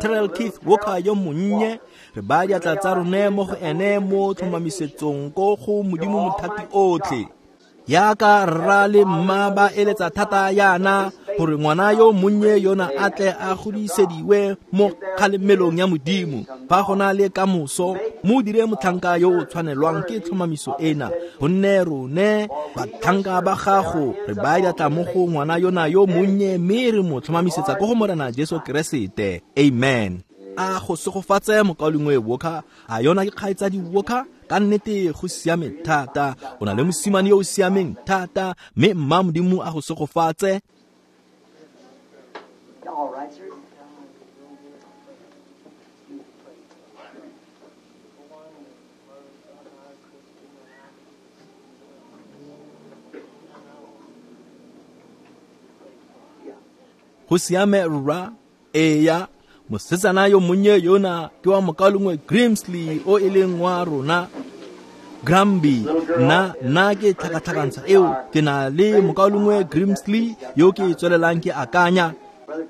Terrell Keith Walker yo monnye, re baya diatla tsa rone mo go ene mo tlhomamisetsong ko go Modimo mothati otlhe. Yaka rra le mma ba eletsa thata yana gore ngwana yo monnye yona a tle a godisediwe mo kgalemelong ya Modimo. Fa go na le kamoso, mo dire motlhanka yo o tshwanelwang ke tlhomamiso ena, gonne rone batlhanka ba gago re baya diatla mo go ngwana yona yo monnye, mme re mo tlhomamisetsa ko go Morena Jesu Keresete. Amen. A go segofatse mokaulengwe Walker. A yona ke kgaitsadi Walker? Ka nnete go siame thata. O na le mosimane yo o siameng thata, mme mma Modimo a go segofatse. All right, sir. Go siame rra. Eya, mosetsana yo monnye yona ke wa mokaulengwe Grimsley o e leng wa rona. Gramby, nna nna ke tlhakatlhakantsha eo. Ke na le mokaulengwe Grimsley yo ke tswelelang ke akanya.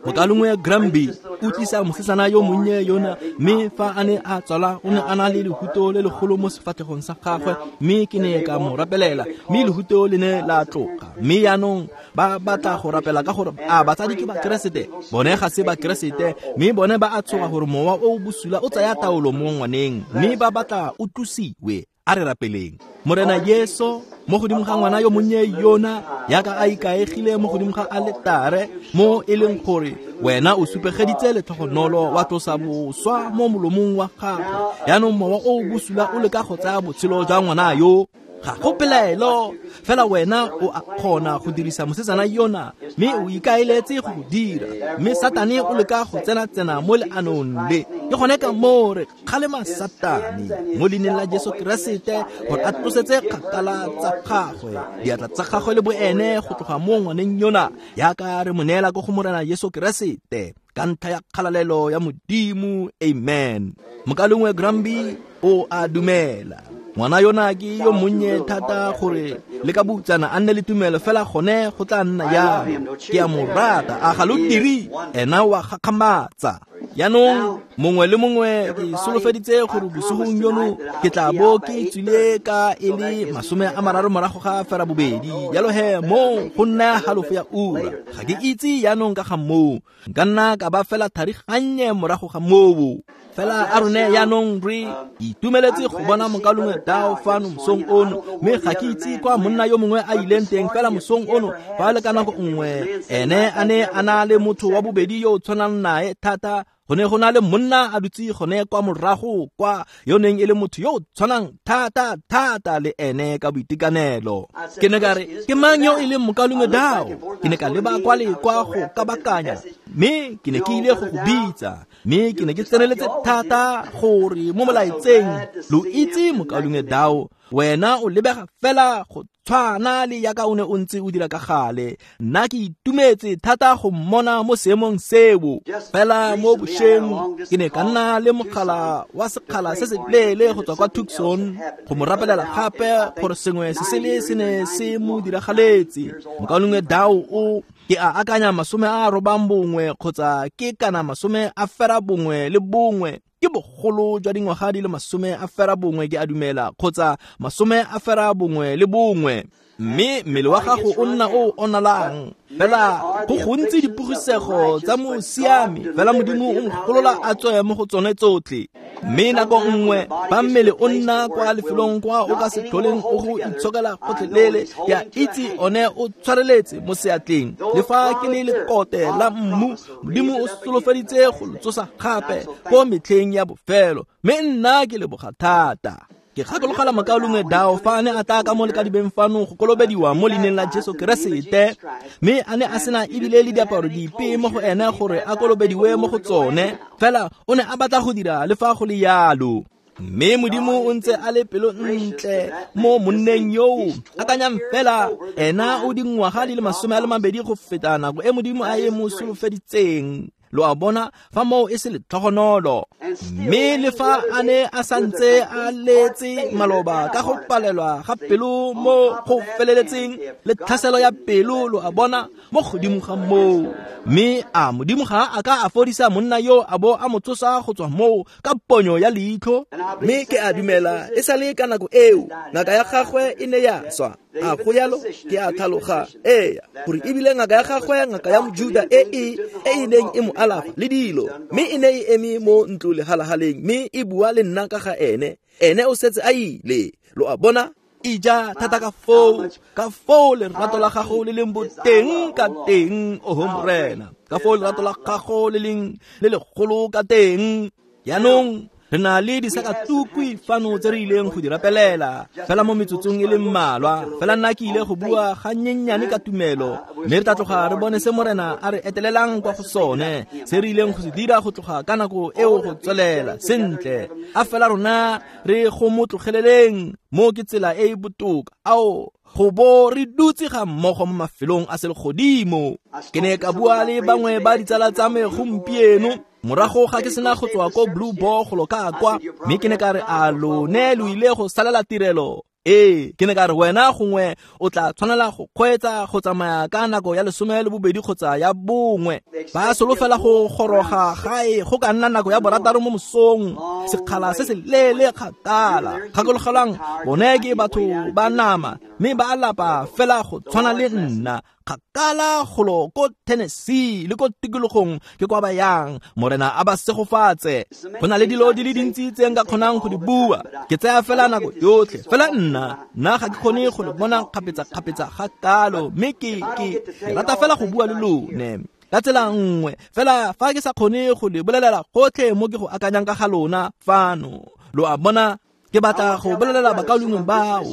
Mokalongwe Gramby o tlisa mosetsana yo monnye yona, mme fa a ne a tswala o ne a na le lehuto le legolo mo sefatlhegong sa gagwe, mme ke ne ka mo rapelela, mme lehuto le ne la tloga. Mme yaanong ba batla go rapela ka gore a batsadi ke Bakeresete, bone ga se Bakeresete, mme bone ba a tshoga gore mowa o o bosula o tsaya taolo mo ngwaneng, mme ba batla o tlosiwe. A re rapeleng. Morena Jesu, mo godimo ga ngwana yo monnye yona yaka a ikaegile mo godimo ga aletare, mo e leng gore wena o supegeditse letlhogonolo wa tlosa boswa mo molomong wa gagwe. Yaanong mowa o o bosula o leka go tsaya botshelo jwa ngwana yo. Ga go pelaelo, fela wena o a kgona go dirisa mosetsana yona, mme o ikaeletse go go dira. Mme Satane o leka go tsena-tsena mo leanong le. Ke gone ka moo re kgalema Satane mo leineng la Jesu Keresete gore a tlosetse kgakala tsa gagwe, diatla tsa gagwe le boene go tloga mo ngwaneng yona, yaka re mo neela ko go Morena Jesu Keresete ka ntlha ya kgalalelo ya Modimo. Amen. Mokalongwe Gramby o a dumela. Ngwana yona ke yo monnye thata gore le ka butsana a nne le tumelo, fela gone go tla nna jalo. Ke a mo rata, a ga lo dire? Ena wa gakgamatsa. Yaanong mongwe le mongwe ke solofeditse gore bosigong yono ke tla bo ke tswile ka e le masome a mararo morago ga fera bobedi. Jalo he mo go nna halofo ya ura. Ga ke itse yaanong ka ga moo, nka nna ka ba fela thari gannye morago ga moo. Fela a rone yaanong re itumeletse go bona mokalongwe Dao fano mosong ono, mme ga ke itse kwa monna yo mongwe a ileng teng. Fela mosong ono fa le ka nako nngwe ene a ne a na le motho wa bobedi yo o tshwanang nae thata. Go ne go na le monna a dutse gone kwa morago kwa, yo neng e le motho yo o tshwanang thata thata le ene ka boitekanelo. Ke ne ka re, ke mang yo e leng mokalongwe Dao? Ke ne ka leba kwa le kwa go kabakanya, mme ke ne ke ile go go bitsa, mme ke ne ke tseneletse thata gore mo molaetseng lo itse mokalongwe Dao, wena o lebega fela go tshwana le yaka o ne o ntse o dira ka gale. Nna ke itumetse thata go mmona mo seemong seo. Fela mo bošeng ke ne ka nna le mogala wa sekgala se se leele go tswa kwa Tucson go mo rapelela gape gore sengwe se sele se ne se mo diragaletse. Mokalongwe Dao o ke a akanya masome a robang bongwe kgotsa ke kana masome a fera bongwe le bongwe, ke bogolo jwa dingwaga di le masome a fera bongwe ke a dumela, kgotsa masome a fera bongwe le bongwe. Mme mmele wa gago o nna o onalang. Fela go gontsi dipogisego tsa mosiami, fela Modimo o mogolola a tswe mo go tsone tsotlhe. Mme nako nngwe fa mmele o nna kwa lefelong kwa o ka se tlholeng o go itshokela gotlhelele, ke a itse one o tshwareletse mo seatleng. Le fa ke le lekote la mmu, Modimo o solofeditse go lo tsosa gape ko metlheng ya bofelo, mme nna ke leboga thata. Ke gakologela mokalongwe Dao fa a ne a tla ka mo lekadibeng fano go kolobediwa mo leineng la Jesu Keresete, mme a ne a sena ebile le diaparo dipe mo go ene gore a kolobediwe mo go tsone, fela o ne a batla go dira le fa go le yalo. Mme Modimo o ntse a le pelo ntle mo monneng yoo. Akanyang fela, ena o dingwaga di le masome a le mabedi go feta nako e Modimo a e mo solofeditseng. Lo a bona fa moo e se letlhogonolo. Mme le fa a ne a santse a letse maloba ka go palelwa ga pelo mo go feleletseng le tlhaselo ya pelo, lo a bona mo godimo ga moo. Mme a Modimo ga a ka a fodisa monna yo a bo a mo tsosa go tswa moo ka ponyo ya leitlho. Mme ke a dumela e sale ka nako eo ngaka ya gagwe e ne ya swa. A go yalo ke a tlhaloga, ee, gore ebile ngaka ya gagwe, ngaka ya Mojuda e e e e neng e mo alafa le dilo, mme e ne e eme mo ntlo lehalahaleng mme e bua le nna ka ga ene. Ene o setse a ile. Lo a bona? Ija thata ka foo, ka foo lerato la gago le leng boteng ka teng, oho Morena, ka foo lerato la gago le leng le legolo ka teng. Yaanong re na le disakatukwi fano tse re ileng go di rapelela fela mo metsotsong e le mmalwa. Fela nna ke ile go bua gannyenyane ka tumelo, mme re tla tloga re bone se Morena a re etelelang kwa go sone, se re ileng go se dira go tloga ka nako eo go tswelela sentle. A fela rona re go mo tlogeleleng mo ke tsela e e botoka. Ao go bo re dutse ga mmogo mo mafelong a selegodimo. Ke ne ka bua le bangwe ba ditsala tsa me gompieno morago ga ke sena go tswa ko Blue Ball go lo ka kwa, mme ke ne ka re a lone lo ile go salela tirelo Ee, ke ne ka re wena gongwe o tla tshwanela go kgweetsa go tsamaya ka nako ya lesome le bobedi kgotsa ya bongwe. Ba solofela go goroga gae go ka nna nako ya borataro mo mosong, sekgala se se leele kgakala. Gakologelwang, bone ke batho ba nama mme ba lapa fela go tshwana le nna. Kgakala golo ko Tennessee le ko tikologong ke kwa ba yang. Morena a ba segofatse. Go na le dilo di le dintsi tse nka kgonang go di bua, ke tsaya fela nako yotlhe. Fela nna nna ga ke kgone go le bona kgapetsa-kgapetsa ga kalo, mme ke ke rata fela go bua le lone ka tsela nngwe. Fela fa ke sa kgone go le bolelela gotlhe mo ke go akanyang ka ga lona fano, lo a bona. Ke batla go bolelela bakaulengwe bao,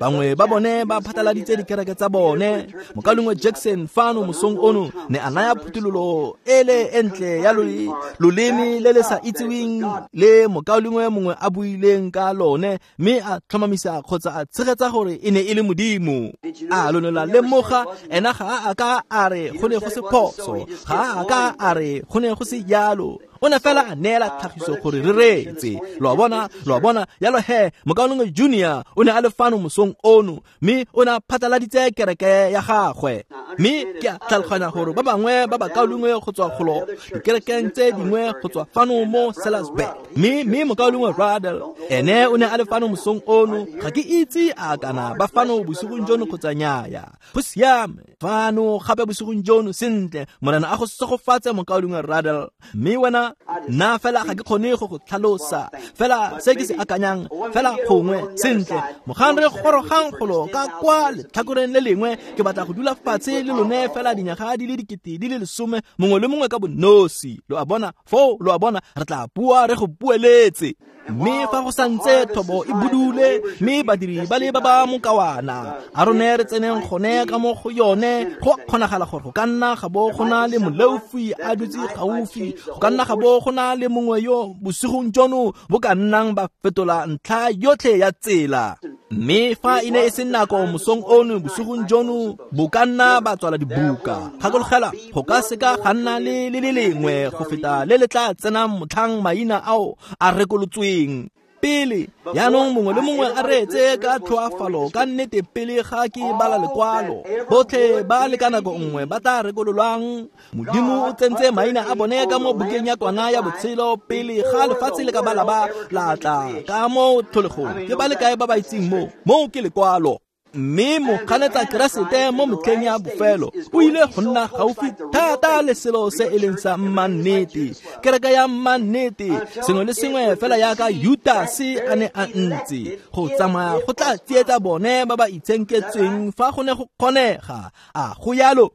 bangwe ba bone ba phataladitse dikereke tsa bone. Mokaulengwe Jackson fano mosong ono ne a naya phuthololo ele e ntle ya loleme le le sa itseweng le mokaulengwe mongwe a buileng ka lone, mme a tlhomamisa kgotsa a tshegetsa gore e ne e le Modimo. A lo ne la lemoga, ena ga a ka a re go ne go se phoso, ga a ka a re go ne go se jalo. O ne fela a neela tlhagiso gore re reetse. Lo a bona, lo a bona. Yalo he, mokaulengwe Junior o ne a le fano mosong ono, mme o ne a phataladitse kereke ya gagwe. Mme ke a tlhaloganya gore ba bangwe ba bakaulengwe go tswa golo dikerekeng tse dingwe go tswa fano mo Sellersburg, mme mme mokaulengwe Radel ene o ne a le fano mosong ono. Ga ke itse a kana ba fano bosigong jono kgotsa nnyaya. Go siame fano gape bosigong jono. Sentle, Morena a go segofatse mokaulengwe Radel. Mme wena, nna fela ga ke kgone go go tlhalosa fela se ke se akanyang fela gongwe. Sentle, mogang re gorogang golo ka kwa letlhakoreng le lengwe, ke batla go dula fatshe le lone fela dinyaga di le dikete di le lesome, mongwe le mongwe ka bonosi. Lo a bona foo, lo a bona, re tla bua re go bueletse. Mme fa go santse thobo e budule, mme badiri ba le ba ba mokawana, a rone re tseneng gone ka mo go yone. Go kgonagala gore go ka nna ga bo go na le moleofi a dutse gaufi, go ka nna ga bo go na le mongwe yo bosigong jono bo ka nnang ba fetola ntlha yotlhe ya tsela. Mme fa e ne e se nako mosong ono, bosigong jono bo ka nna ba tswala dibuka. Gakologela, go ka seka ga nna le le le lengwe go feta le le tla tsenang motlhang maina ao a rekolotsweng pele. Yaanong mongwe le mongwe a reetse ka tlhoafalo ka nnete pele ga ke bala lekwalo. Botlhe ba le ka nako nngwe ba tla rekololwang. Modimo o tsentse maina a bone ka mo bukeng ya kwana ya botshelo pele ga lefatshe le ka bala ba la tla ka mo tlholegong. Ke ba le kae ba ba itseng mo? Moo ke lekwalo. Mme moganetsa Keresete mo metlheng ya bofelo o ile go nna gaufi thata le selo se e leng sa mmannete, kereke ya mmannete, sengwe le sengwe fela yaka Judase a ne a ntse. Go tsamaya go tla tsietsa bone ba ba itshenketsweng fa go ne go kgonega. A go yalo?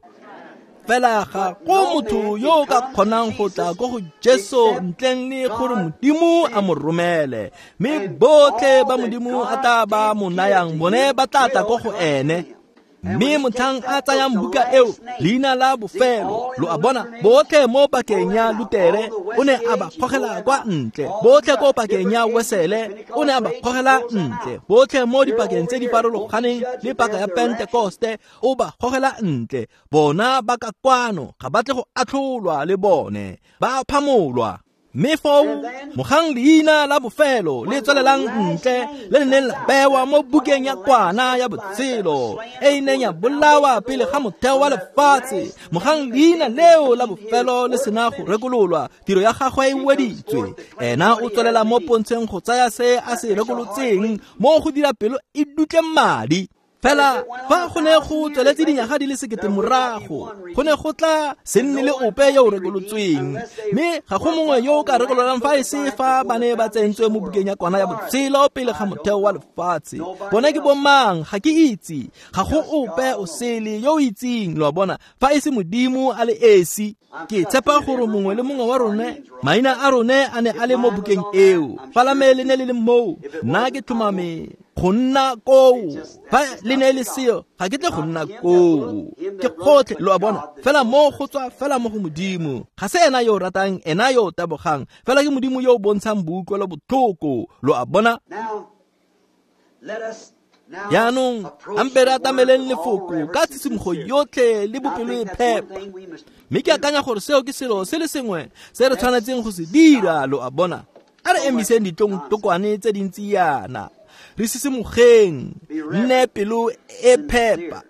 Fela ga go motho yo o ka kgonang go tla ko go Jesu ntleng le gore Modimo a mo romele. Mme botlhe ba Modimo a tla ba mo nayang bone ba tla tla ko go ene. Mme motlhang a tsayang buka eo, leina la bofelo, lo a bona, botlhe mo pakeng ya Lutere o ne a ba gogela kwa ntle, botlhe ko pakeng ya Wesele o ne a ba gogela ntle, botlhe mo dipakeng tse di farologaneng le paka ya Pentekoste o ba gogela ntle. Bona ba ka kwano ga ba tle go atlholwa le bone, ba phamolwa. Mme foo mogang leina la bofelo le tswelelang ntle le le neng la bewa mo bukeng ya kwana ya botshelo e e neng ya bolawa pele ga motheo wa lefatshe, mogang leina leo la bofelo le sena go rekololwa, tiro ya gagwe e weditswe. Ena o tswelela mo pontsheng go tsaya se a se rekolotseng mo go dira pelo e dutle madi. Fela fa go ne go tsweletse dinyaga di le sekete morago, go ne go tla se nne le ope yo o rekolotsweng. Mme ga go mongwe yo o ka rekololang fa e se fa ba ne ba tsentswe mo bukeng ya kwana ya botshelo pele ga motheo wa lefatshe. Bone ke bomang? Ga ke itse. Ga go ope o sele yo o itseng, lo a bona, fa e se Modimo a le esi. Ke tshepa gore mongwe le mongwe wa rone, maina a rone a ne a le mo bukeng eo. Fa la me le ne le le moo, nna ke tlhomame go nna koo. Fa le ne le seo, ga ke tle go nna koo. Ke gotlhe, lo a bona, fela mo go tswa fela mo go Modimo. Ga se ena yo o ratang, ena yo o tabogang, fela ke Modimo yo o bontshang boutlwelo botlhoko, lo a bona. Yaanong ampe re atameleng lefoko ka tshisimogo yotlhe le bopelo e phepa. Mme ke akanya gore seo ke selo se le sengwe se re tshwanetseng go se dira, lo a bona. A re emiseng ditlongtlokwane tse dintsi yana. Re sisimogeng, nne pelo e phepa.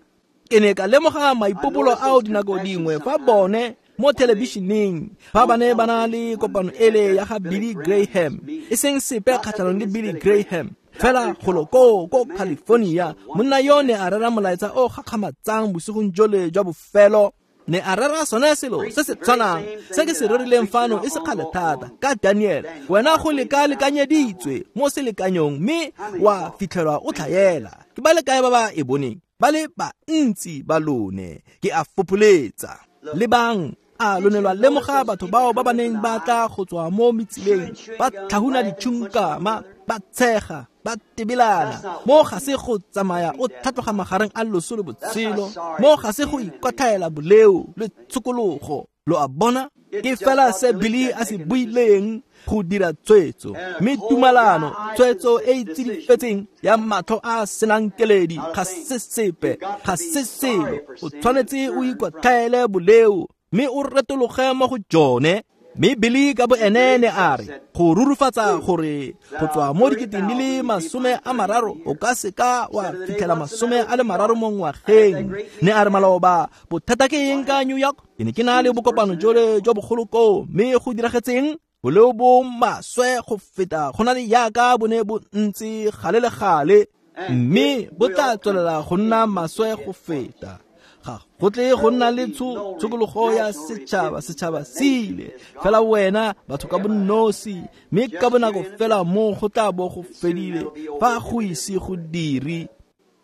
Ke ne ka lemoga maipobolo ao dinako dingwe fa bone mo thelebišeneng fa ba ne ba na le kopano ele ya ga Billy Graham, e seng sepe kgatlhanong le Billy Graham, fela golo koo ko California, monna yo ne a rera molaetsa o gakgamatsang bosigong jole jwa bofelo. Ne a rera sone selo se se tshwanang se ke se rerileng fano e se kgale thata ka Daniel. Wena go leka-lekanyeditswe mo selekanyong mme wa fitlhelwa o tlhaela. Ke ba le kae ba ba e boneng? Ba le bantsi ba lone. Ke a fopholetsa. Lebang, a lo ne lwa lemoga batho bao ba ba neng ba tla go tswa mo metsileng, ba tlhahuna ditšhunkama, ba tshega, ba tebelana. Mo ga se go tsamaya o tlhatloga magareng a loso le botshelo, mo ga se go ikwatlhaela boleo le tshokologo. Lo a bona? Ke fela se Billy a se buileng go dira tshwetso, mme tumalano, tshwetso e e tsidifetseng ya matlho a senang keledi, ga se sepe, ga se selo. O tshwanetse o ikwatlhaele boleo mme o retologe mo go jone. Mme Billy ka bo ene ne a re go rurufatsa gore go tswa mo diketeng di le masome a mararo o ka seka wa fitlhela masome a le mararo mo ngwageng. Ne a re maloba bothata ke eng ka New York? Ke ne ke na le bokopano jole jo bogolo koo, mme go diragetseng? Boleo bo maswe go feta go na le yaka bo ne bo ntse gale le gale, mme bo tla tswelela go nna maswe go feta. Ga go tle go nna le tshokologo ya setšhaba, setšhaba se ile fela wena batho ka bonosi, mme ka bonako fela mo go tla bo go fedile fa go ise go dire.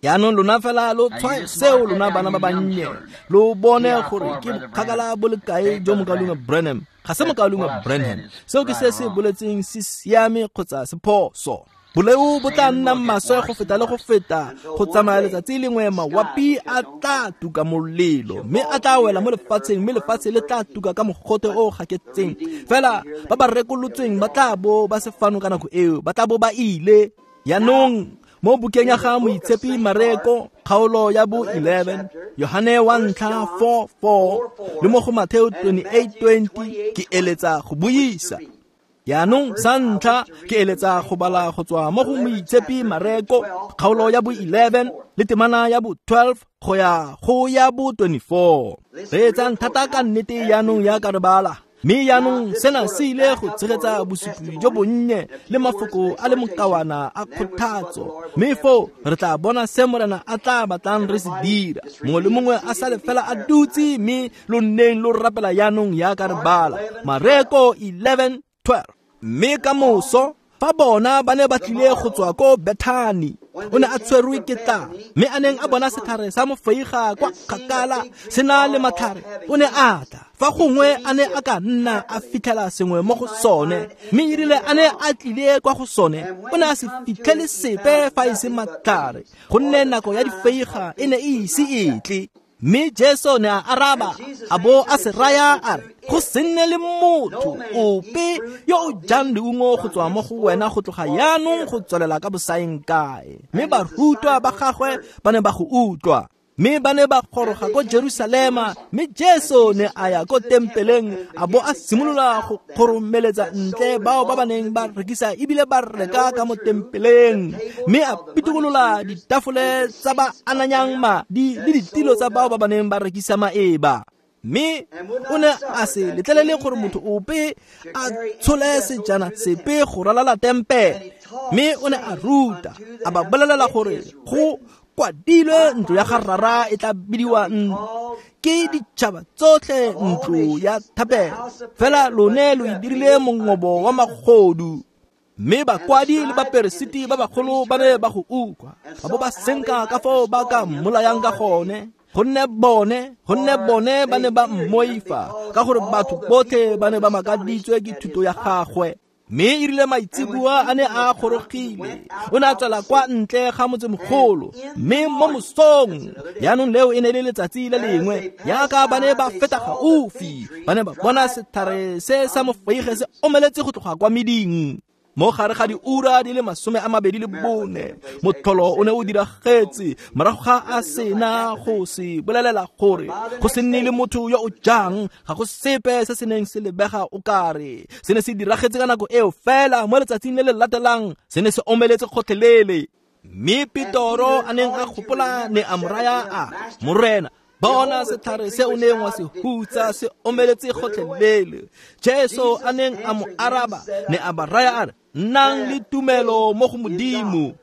Yaanong lona fela lo tshwae seo lona bana ba bannye, lo bone gore ke bokgakala bo le kae jo mokaulengwe Branham. Ga se mokaulengwe Branham, seo ke se se boletseng se siame kgotsa se phoso. Boleo bo tla nna maswe go feta le go feta go tsamaya letsatsi lengwe mawapi a tla tuka molelo, mme a tla wela mo lefatsheng, mme lefatshe le tla tuka ka mogote o gaketseng. Fela ba ba rekolotsweng ba tla bo ba se fano ka nako eo, ba tla bo ba ile. Yaanong mo bukeng ya ga Moitshepi Mareko kgaolo ya bo eleven, Yohane wa ntlha four four le mo go Mateo twenty-eight twenty, ke eletsa go buisa. Yaanong sa ntlha ke eletsa go bala go tswa mo go Moitshepi Mareko kgaolo ya bo eleven le temana ya bo twelve go ya go ya bo twenty-four. Reetsang thata ka nnete yaanong ya ka re bala. Mme yaanong sena se ile go tshegetsa bosupi jo bonnye le mafoko a le mokawana a kgothatso, mme foo re tla bona se Morena a tla batlang re se dira. Mongwe le mongwe a sale fela a dutse, mme lo nneng lo rapela yaanong ya ka re bala. Mareko eleven twelve. Mme ka moso fa bona ba ne ba tlile go tswa ko Bethani, o ne a tshwerwe ke tlala, mme a neng a bona setlhare sa mofeiga kwa kgakala se na le matlhare, o ne a tla. Fa gongwe a ne a ka nna a fitlhela sengwe mo go sone, mme erile a ne a tlile kwa go sone, o ne a se fitlhele sepe fa e se matlhare, gonne nako ya difeiga e ne e ise e tle. Mme Jesu ne a araba a bo a se raya a re, go se nne le motho ope yo o jang leungo go tswa mo go wena go tloga yaanong go tswelela ka bosaeng kae. Mme barutwa ba gagwe ba ne ba go utlwa. Mme ba ne ba goroga ko Jerusalema, mme Jesu ne a ya ko tempeleng a bo a simolola go kgoromeletsa ntle bao ba ba neng ba rekisa ebile ba reka ka mo tempeleng, mme a pitikolola ditafole tsa ba ananyang madi le ditilo tsa bao ba ba neng ba rekisa maeba. Mme o ne a se letlelele gore motho ope a tshole sejana sepe go ralala tempele, mme o ne a ruta a ba bolelela gore go kwadilwe ntlo ya ga Rara e tla bidiwa ke ditšhaba tsotlhe ntlo ya thapelo, fela lone lo e dirile mongobo wa magodu. Mme bakwadi le baperesiti ba bagolo ba ne ba go utlwa, ba bo ba senka ka foo ba ka mmolayang ka gone, gonne bone gonne bone ba ne ba mmoifa, ka gore batho botlhe ba ne ba makaditswe ke thuto ya gagwe. Mme erile maitseboa a ne a gorogile, o ne a tswela kwa ntle ga motsemogolo, mme mo mosong yaanong leo e ne le letsatsi le lengwe, yaka ba ne ba feta gaufi, ba ne ba bona setlhare se sa mofeige se omeletse go tloga kwa meding. Mo gare ga diura di le masome a mabedi le bone, motlholo o ne o diragetse morago ga a sena go se bolelela gore go se nne le motho yo o jang, ga go sepe se se neng se lebega o kare se ne se diragetse ka nako eo fela. Mo letsatsing le le latelang se ne se omeletse gotlhelele. Mme Petoro a neng a gopola ne a mo raya a Morena, bona setlhare se o neng wa se hutsa se omeletse gotlhelele. Jesu a neng a mo araba ne a ba raya a re, nnang le tumelo mo go Modimo.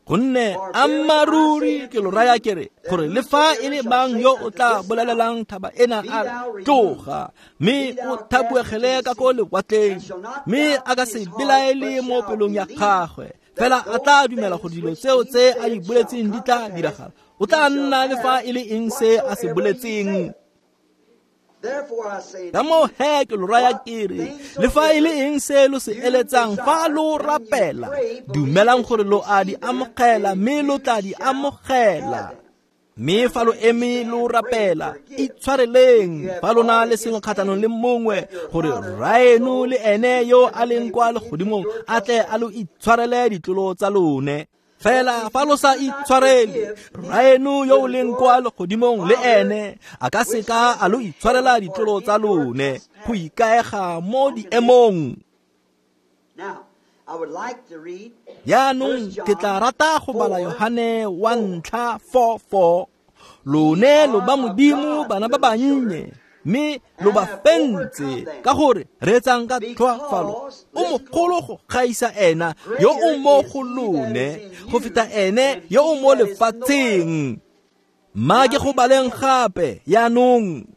Gonne ammaruri ke lo raya ke re, gore le fa e le mang yo o tla bolelelang thaba ena a re, tloga, mme o thabuegele ka ko lewatleng, mme a ka se belaele mo pelong ya gagwe, fela a tla dumela gore dilo tseo tse a di boletseng di tla diragala, o tla nna le fa e le eng se a se boletseng. Ka moo he ke lo raya ke re, le fa e le eng se lo se eletsang fa lo rapela, dumelang gore lo a di amogela, mme lo tla di amogela. Mme fa lo eme lo rapela, itshwareleng fa lo na le sengwe kgatlhanong le mongwe, gore Rraeno le ene yo a leng kwa legodimong a tle a lo itshwarele ditlolo tsa lone. Fela fa lo sa itshwarele, Rraeno yo o leng kwa legodimong le ene a ka seka a lo itshwarela ditlolo tsa lone. Go ikaega mo diemong. Jaanong ke tla rata go bala Yohane wa ntlha four four. Lone lo ba Modimo bana ba bannye, mme lo ba fentse, ka gore reetsang ka tlhoafalo, o mogolo go gaisa ena yo o mo go lone go feta ene yo o mo lefatsheng. Mma ke go baleng gape jaanong.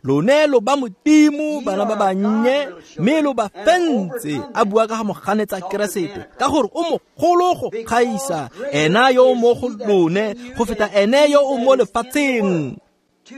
Lone lo ba Modimo bana ba bannye, mme lo ba fentse, a bua ka ga moganetsa Keresete, ka gore o mogolo go gaisa ena yo o mo go lone go feta ene yo o mo lefatsheng.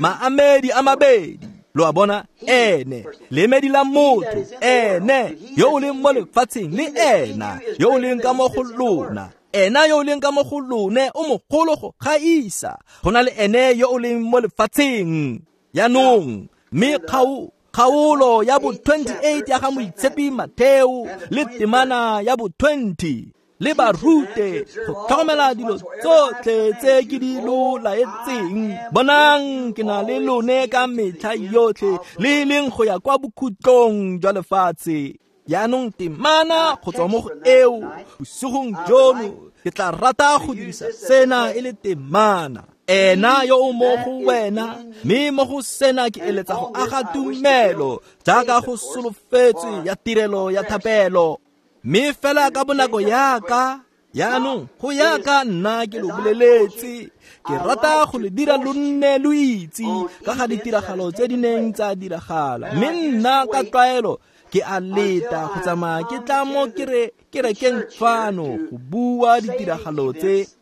Maamedi a mabedi, lo a bona, ene lemedi la motho, ene yo o leng mo lefatsheng le ena yo o leng ka mo go lona. Ena yo o leng ka mo go lone o mogolo go gaisa go na le ene yo o leng mo lefatsheng. Jaanong mme kgaolo ya bo twenty-eight ya ga Moitshepi Matheo le temana ya bo twenty, le ba rute go tlhokomela dilo tsotlhe tse ke di lo laetseng. Bonang ke na le lone ka metlha yotlhe, le leng go ya kwa bokhutlong jwa lefatshe. Jaanong temana go tswa mo go eo bosigong jono ke tla rata go dirisa sena e le temana. Ena yo o mo go wena, mme mo go sena ke eletsa go aga tumelo jaaka go solofetswe ya tirelo ya thapelo. Mme fela ka bonako yaka, jaanong go yaka nna ke lo boleletse, ke rata go le dira lo nne lo itse ka ga ditiragalo tse di neng tsa diragala. Mme nna ka tlwaelo ke a leta go tsamaya ke tla mo kerekeng fano go bua ditiragalo tse.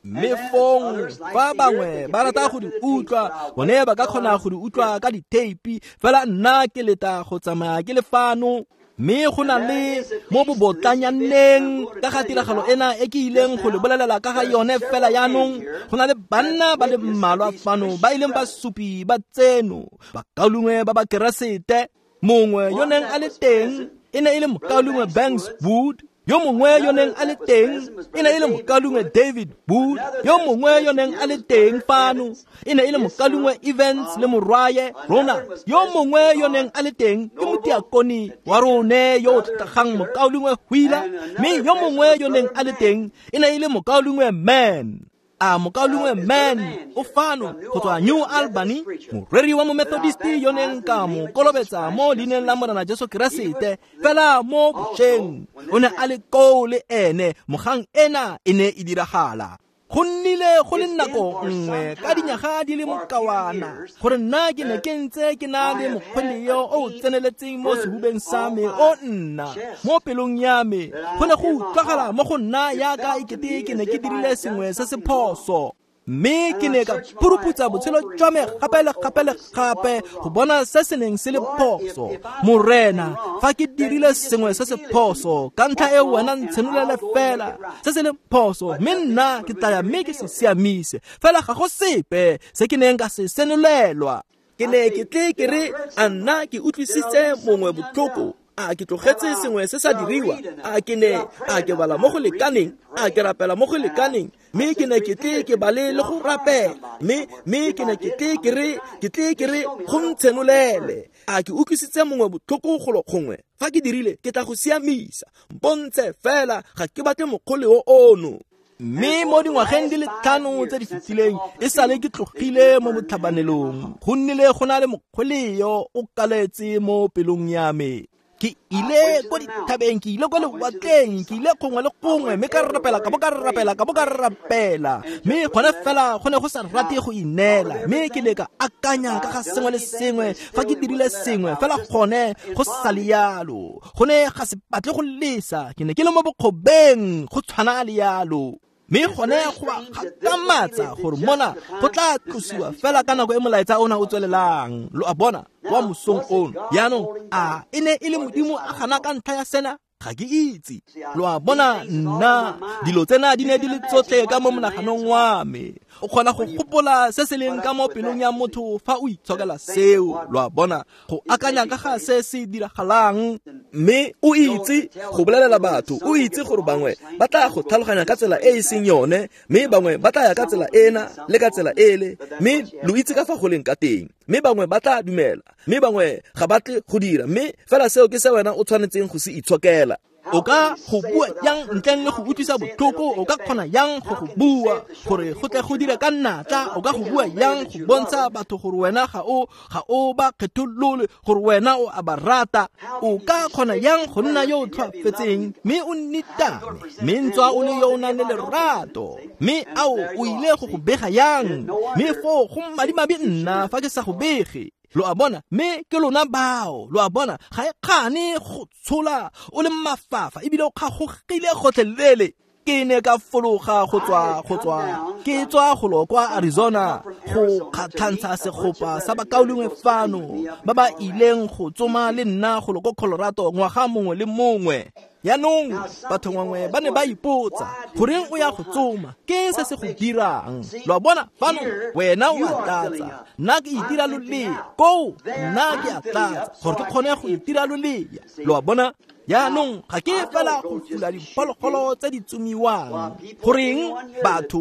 Mme fong fa bangwe ba rata go di utlwa, bone ba ka kgona go di utlwa ka ditheipi, fela nna ke leta go tsamaya ke le fano. Mme go na le mo bobotlanyaneng ka ga tiragalo ena e ke ileng go le bolelela ka ga yone fela jaanong. Go na le banna ba le mmalwa fano ba ileng basupi ba tseno, bakaulengwe ba ba Keresete. Mongwe yo neng a le teng e ne e le mokaulengwe Banks Wood, yo mongwe yo neng a le teng e ne e le mokaulengwe David Wood, yo mongwe yo neng a le teng fano e ne e le mokaulengwe Evans le morwaye Ronald, yo mongwe yo neng a le teng ke motiakoni wa rone yo o tlotlegang mokaulengwe Wheeler, mme yo mongwe yo neng a le teng e ne e le mokaulengwe Mann. A mokaulengwe Mann o fano go tswa New Albany, moreri wa Momethodisti yo neng ka mo kolobetsa mo leineng la Morena Jesu Keresete fela mo bošeng. O ne a le koo le ene mogang ena e ne e diragala. Go nnile go le nako nngwe ka dinyaga di le mokawana gore nna ke ne ke ntse ke na le mokgweleo o o tseneletseng mo sehubeng sa me o nna mo pelong ya me. Go ne go utlwagala mo go nna yaka ekete ke ne ke dirile sengwe se se phoso. Mme ke ne ka puruputsa botshelo jwa me gape le gape le gape go bona se se neng se le phoso. Morena, fa ke dirile sengwe se se phoso, ka ntlha e wena ntshenolele fela se se leng phoso, mme nna ke tla ya mme ke se siamise. Fela ga go sepe se ke neng ka se senolelwa. Ke ne ke tle ke re, a nna ke utlwisitse mongwe botlhoko, a ke tlogetse sengwe se sa diriwa, a ke ne a ke bala mo go lekaneng, a ke rapela mo go lekaneng, mme ke ne ke tle ke bale le go rapela, mme mme ke ne ke tle ke re ke tle ke re go ntshenolele, a ke utlwisitse mongwe botlhoko golo gongwe. Fa ke dirile ke tla go siamisa, mpontshe fela, ga ke batle mokgoleo ono. Mme mo dingwageng di le tlhano tse di fetileng e sale ke tlogile mo botlhabanelong, go nnile go na le mokgweleo o kaletse mo pelong ya me. Ke ile ko dithabeng, ke ile ko lewatleng, ke ile gongwe le gongwe, mme ka rapela ka bo ka rapela ka bo ka rapela, mme gone fela go ne go sa rate go ineela. Mme ke ne ka akanya ka ga sengwe le sengwe fa ke dirile sengwe fela gone go sa le yalo, go ne ga se batle go lesa. Ke ne ke le mo bokgobeng go tshwana le yalo. Mme gone go a gakgamatsa gore mona go tla tlosiwa fela ka nako e molaetsa ona o tswelelang. Lo a bona wa mosong ono. Jaanong a e ne e le Modimo a gana ka ntlha ya sena? Ga ke itse. Lo a bona, nna dilo tsena di ne di le tsotlhe ka mo monaganong wa me. O kgona go gopola se se leng ka mo pelong ya motho fa o itshokela seo. Lo a bona, go akanya ka ga se se diragalang, mme o itse go bolelela batho, o itse gore bangwe ba tla go tlhaloganya ka tsela e e seng yone, mme bangwe ba tla ya ka tsela ena le ka tsela ele, mme lo itse ka fa go leng ka teng, mme bangwe ba tla dumela, mme bangwe ga ba tle go dira, mme fela seo ke se wena o tshwanetseng go se itshokela. O ka go bua yang ntleng le go utlwisa botlhoko? O ka kgona yang go go bua gore go tle go dire ka natla? O ka go bua yang go bontsha batho gore wena ga o ga o ba kgetholole, gore wena o a ba rata? O ka kgona yang go nna yo o tlhoafetseng mme o nnitame, mme ntswa o le yo o nang le lerato, mme ao o ile go go bega yang? Mme foo go madimabe nna fa ke sa go bege. Lo a bona, mme ke lona bao. Lo a bona, ga e kgane go tshola o le mafafa ebile o kgagogile gotlhelele. Ke ne ka fologa go tswa go tswa ke tswa golo kwa Arizona go kgatlhantsha segopa sa bakaulengwe fano ba ba ileng go tsoma le nna golo ko Colorado ngwaga mongwe le mongwe. Jaanong batho bangwe ba ne ba ipotsa, goreng o ya go tsoma? Ke eng se se go dirang? Lo a bona, fano wena o a tlatsa, nna ke itira lolea koo, nna ke a tlatsa gore ke kgone go itira lolea. Lo a bona, jaanong ga ke fela go fula diphologolo tse di tsomiwang. Goreng batho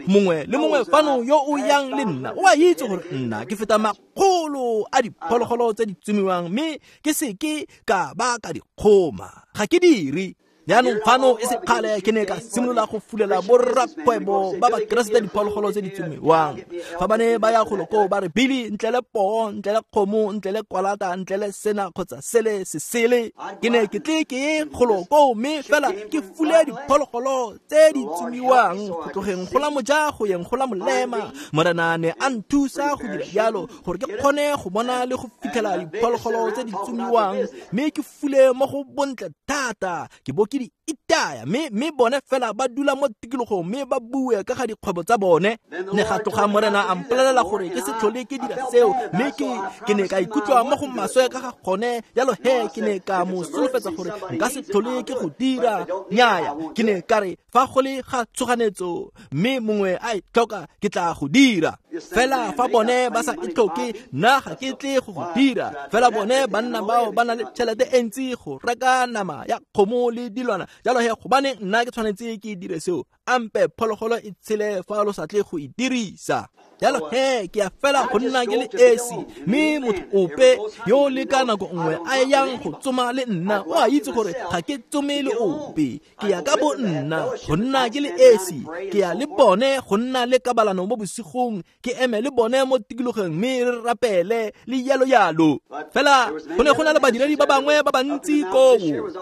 mongwe le mongwe fano yo o yang le nna o a itse gore nna ke feta makgolo a diphologolo tse di tsomiwang, mme ke se ke ka ba ka di kgoma. Ga ke dire. Jaanong fano e se kgale ke ne ka simolola go fulela borrakgwebo ba Bakeresete diphologolo tse di tsomiwang. Fa ba ne ba ya golo koo ba re, Billy, ntle le poo, ntle le kgomo, ntle le kwalata, ntle le sena kgotsa sele se sele, ke ne ke tle ke ye golo koo mme fela ke fule diphologolo tse di tsomiwang go tlogeng go la moja go yeng go la molema. Morena ne a nthusa go dira jalo gore ke kgone go bona le go fitlhela diphologolo tse di tsomiwang, mme ke fule mo go bontle thata. Ke bo ke di itaya, mme mme bone fela ba dula mo tikologong mme ba bue ka ga dikgwebo tsa bone. Ne ga tloga Morena a mpolelela gore ke se tlhole ke dira seo, mme ke ke ne ka ikutlwa mo go maswe ka ga gone. Jalo he ke ne ka mo solofetsa gore nka se tlhole ke go dira. Nnyaya, ke ne ka re fa go le ga tshoganetso mme mongwe a e tlhoka ke tla go dira. Fela fa bone ba sa e tlhoke, nna ga ke tle go go dira. Fela bone banna bao ba na le tšhelete e ntsi go reka nama ya kgomo le dilwana, jalo he gobane nna ke tshwanetse ke dire seo. Ampe phologolo e tshele fa lo sa tle go e dirisa. Jalo he ke a fela go nna ke le esi, mme motho ope yo le ka nako nngwe a yang go tsoma le nna o a itse gore ga ke tsome le ope. Ke ya ka bo nna go nna ke le esi, ke ya le bone go nna le kabalano mo bosigong, ke eme le bone mo tikologong mme re rapele le yalo yalo. Fela go ne go na le badiredi ba bangwe ba bantsi koo.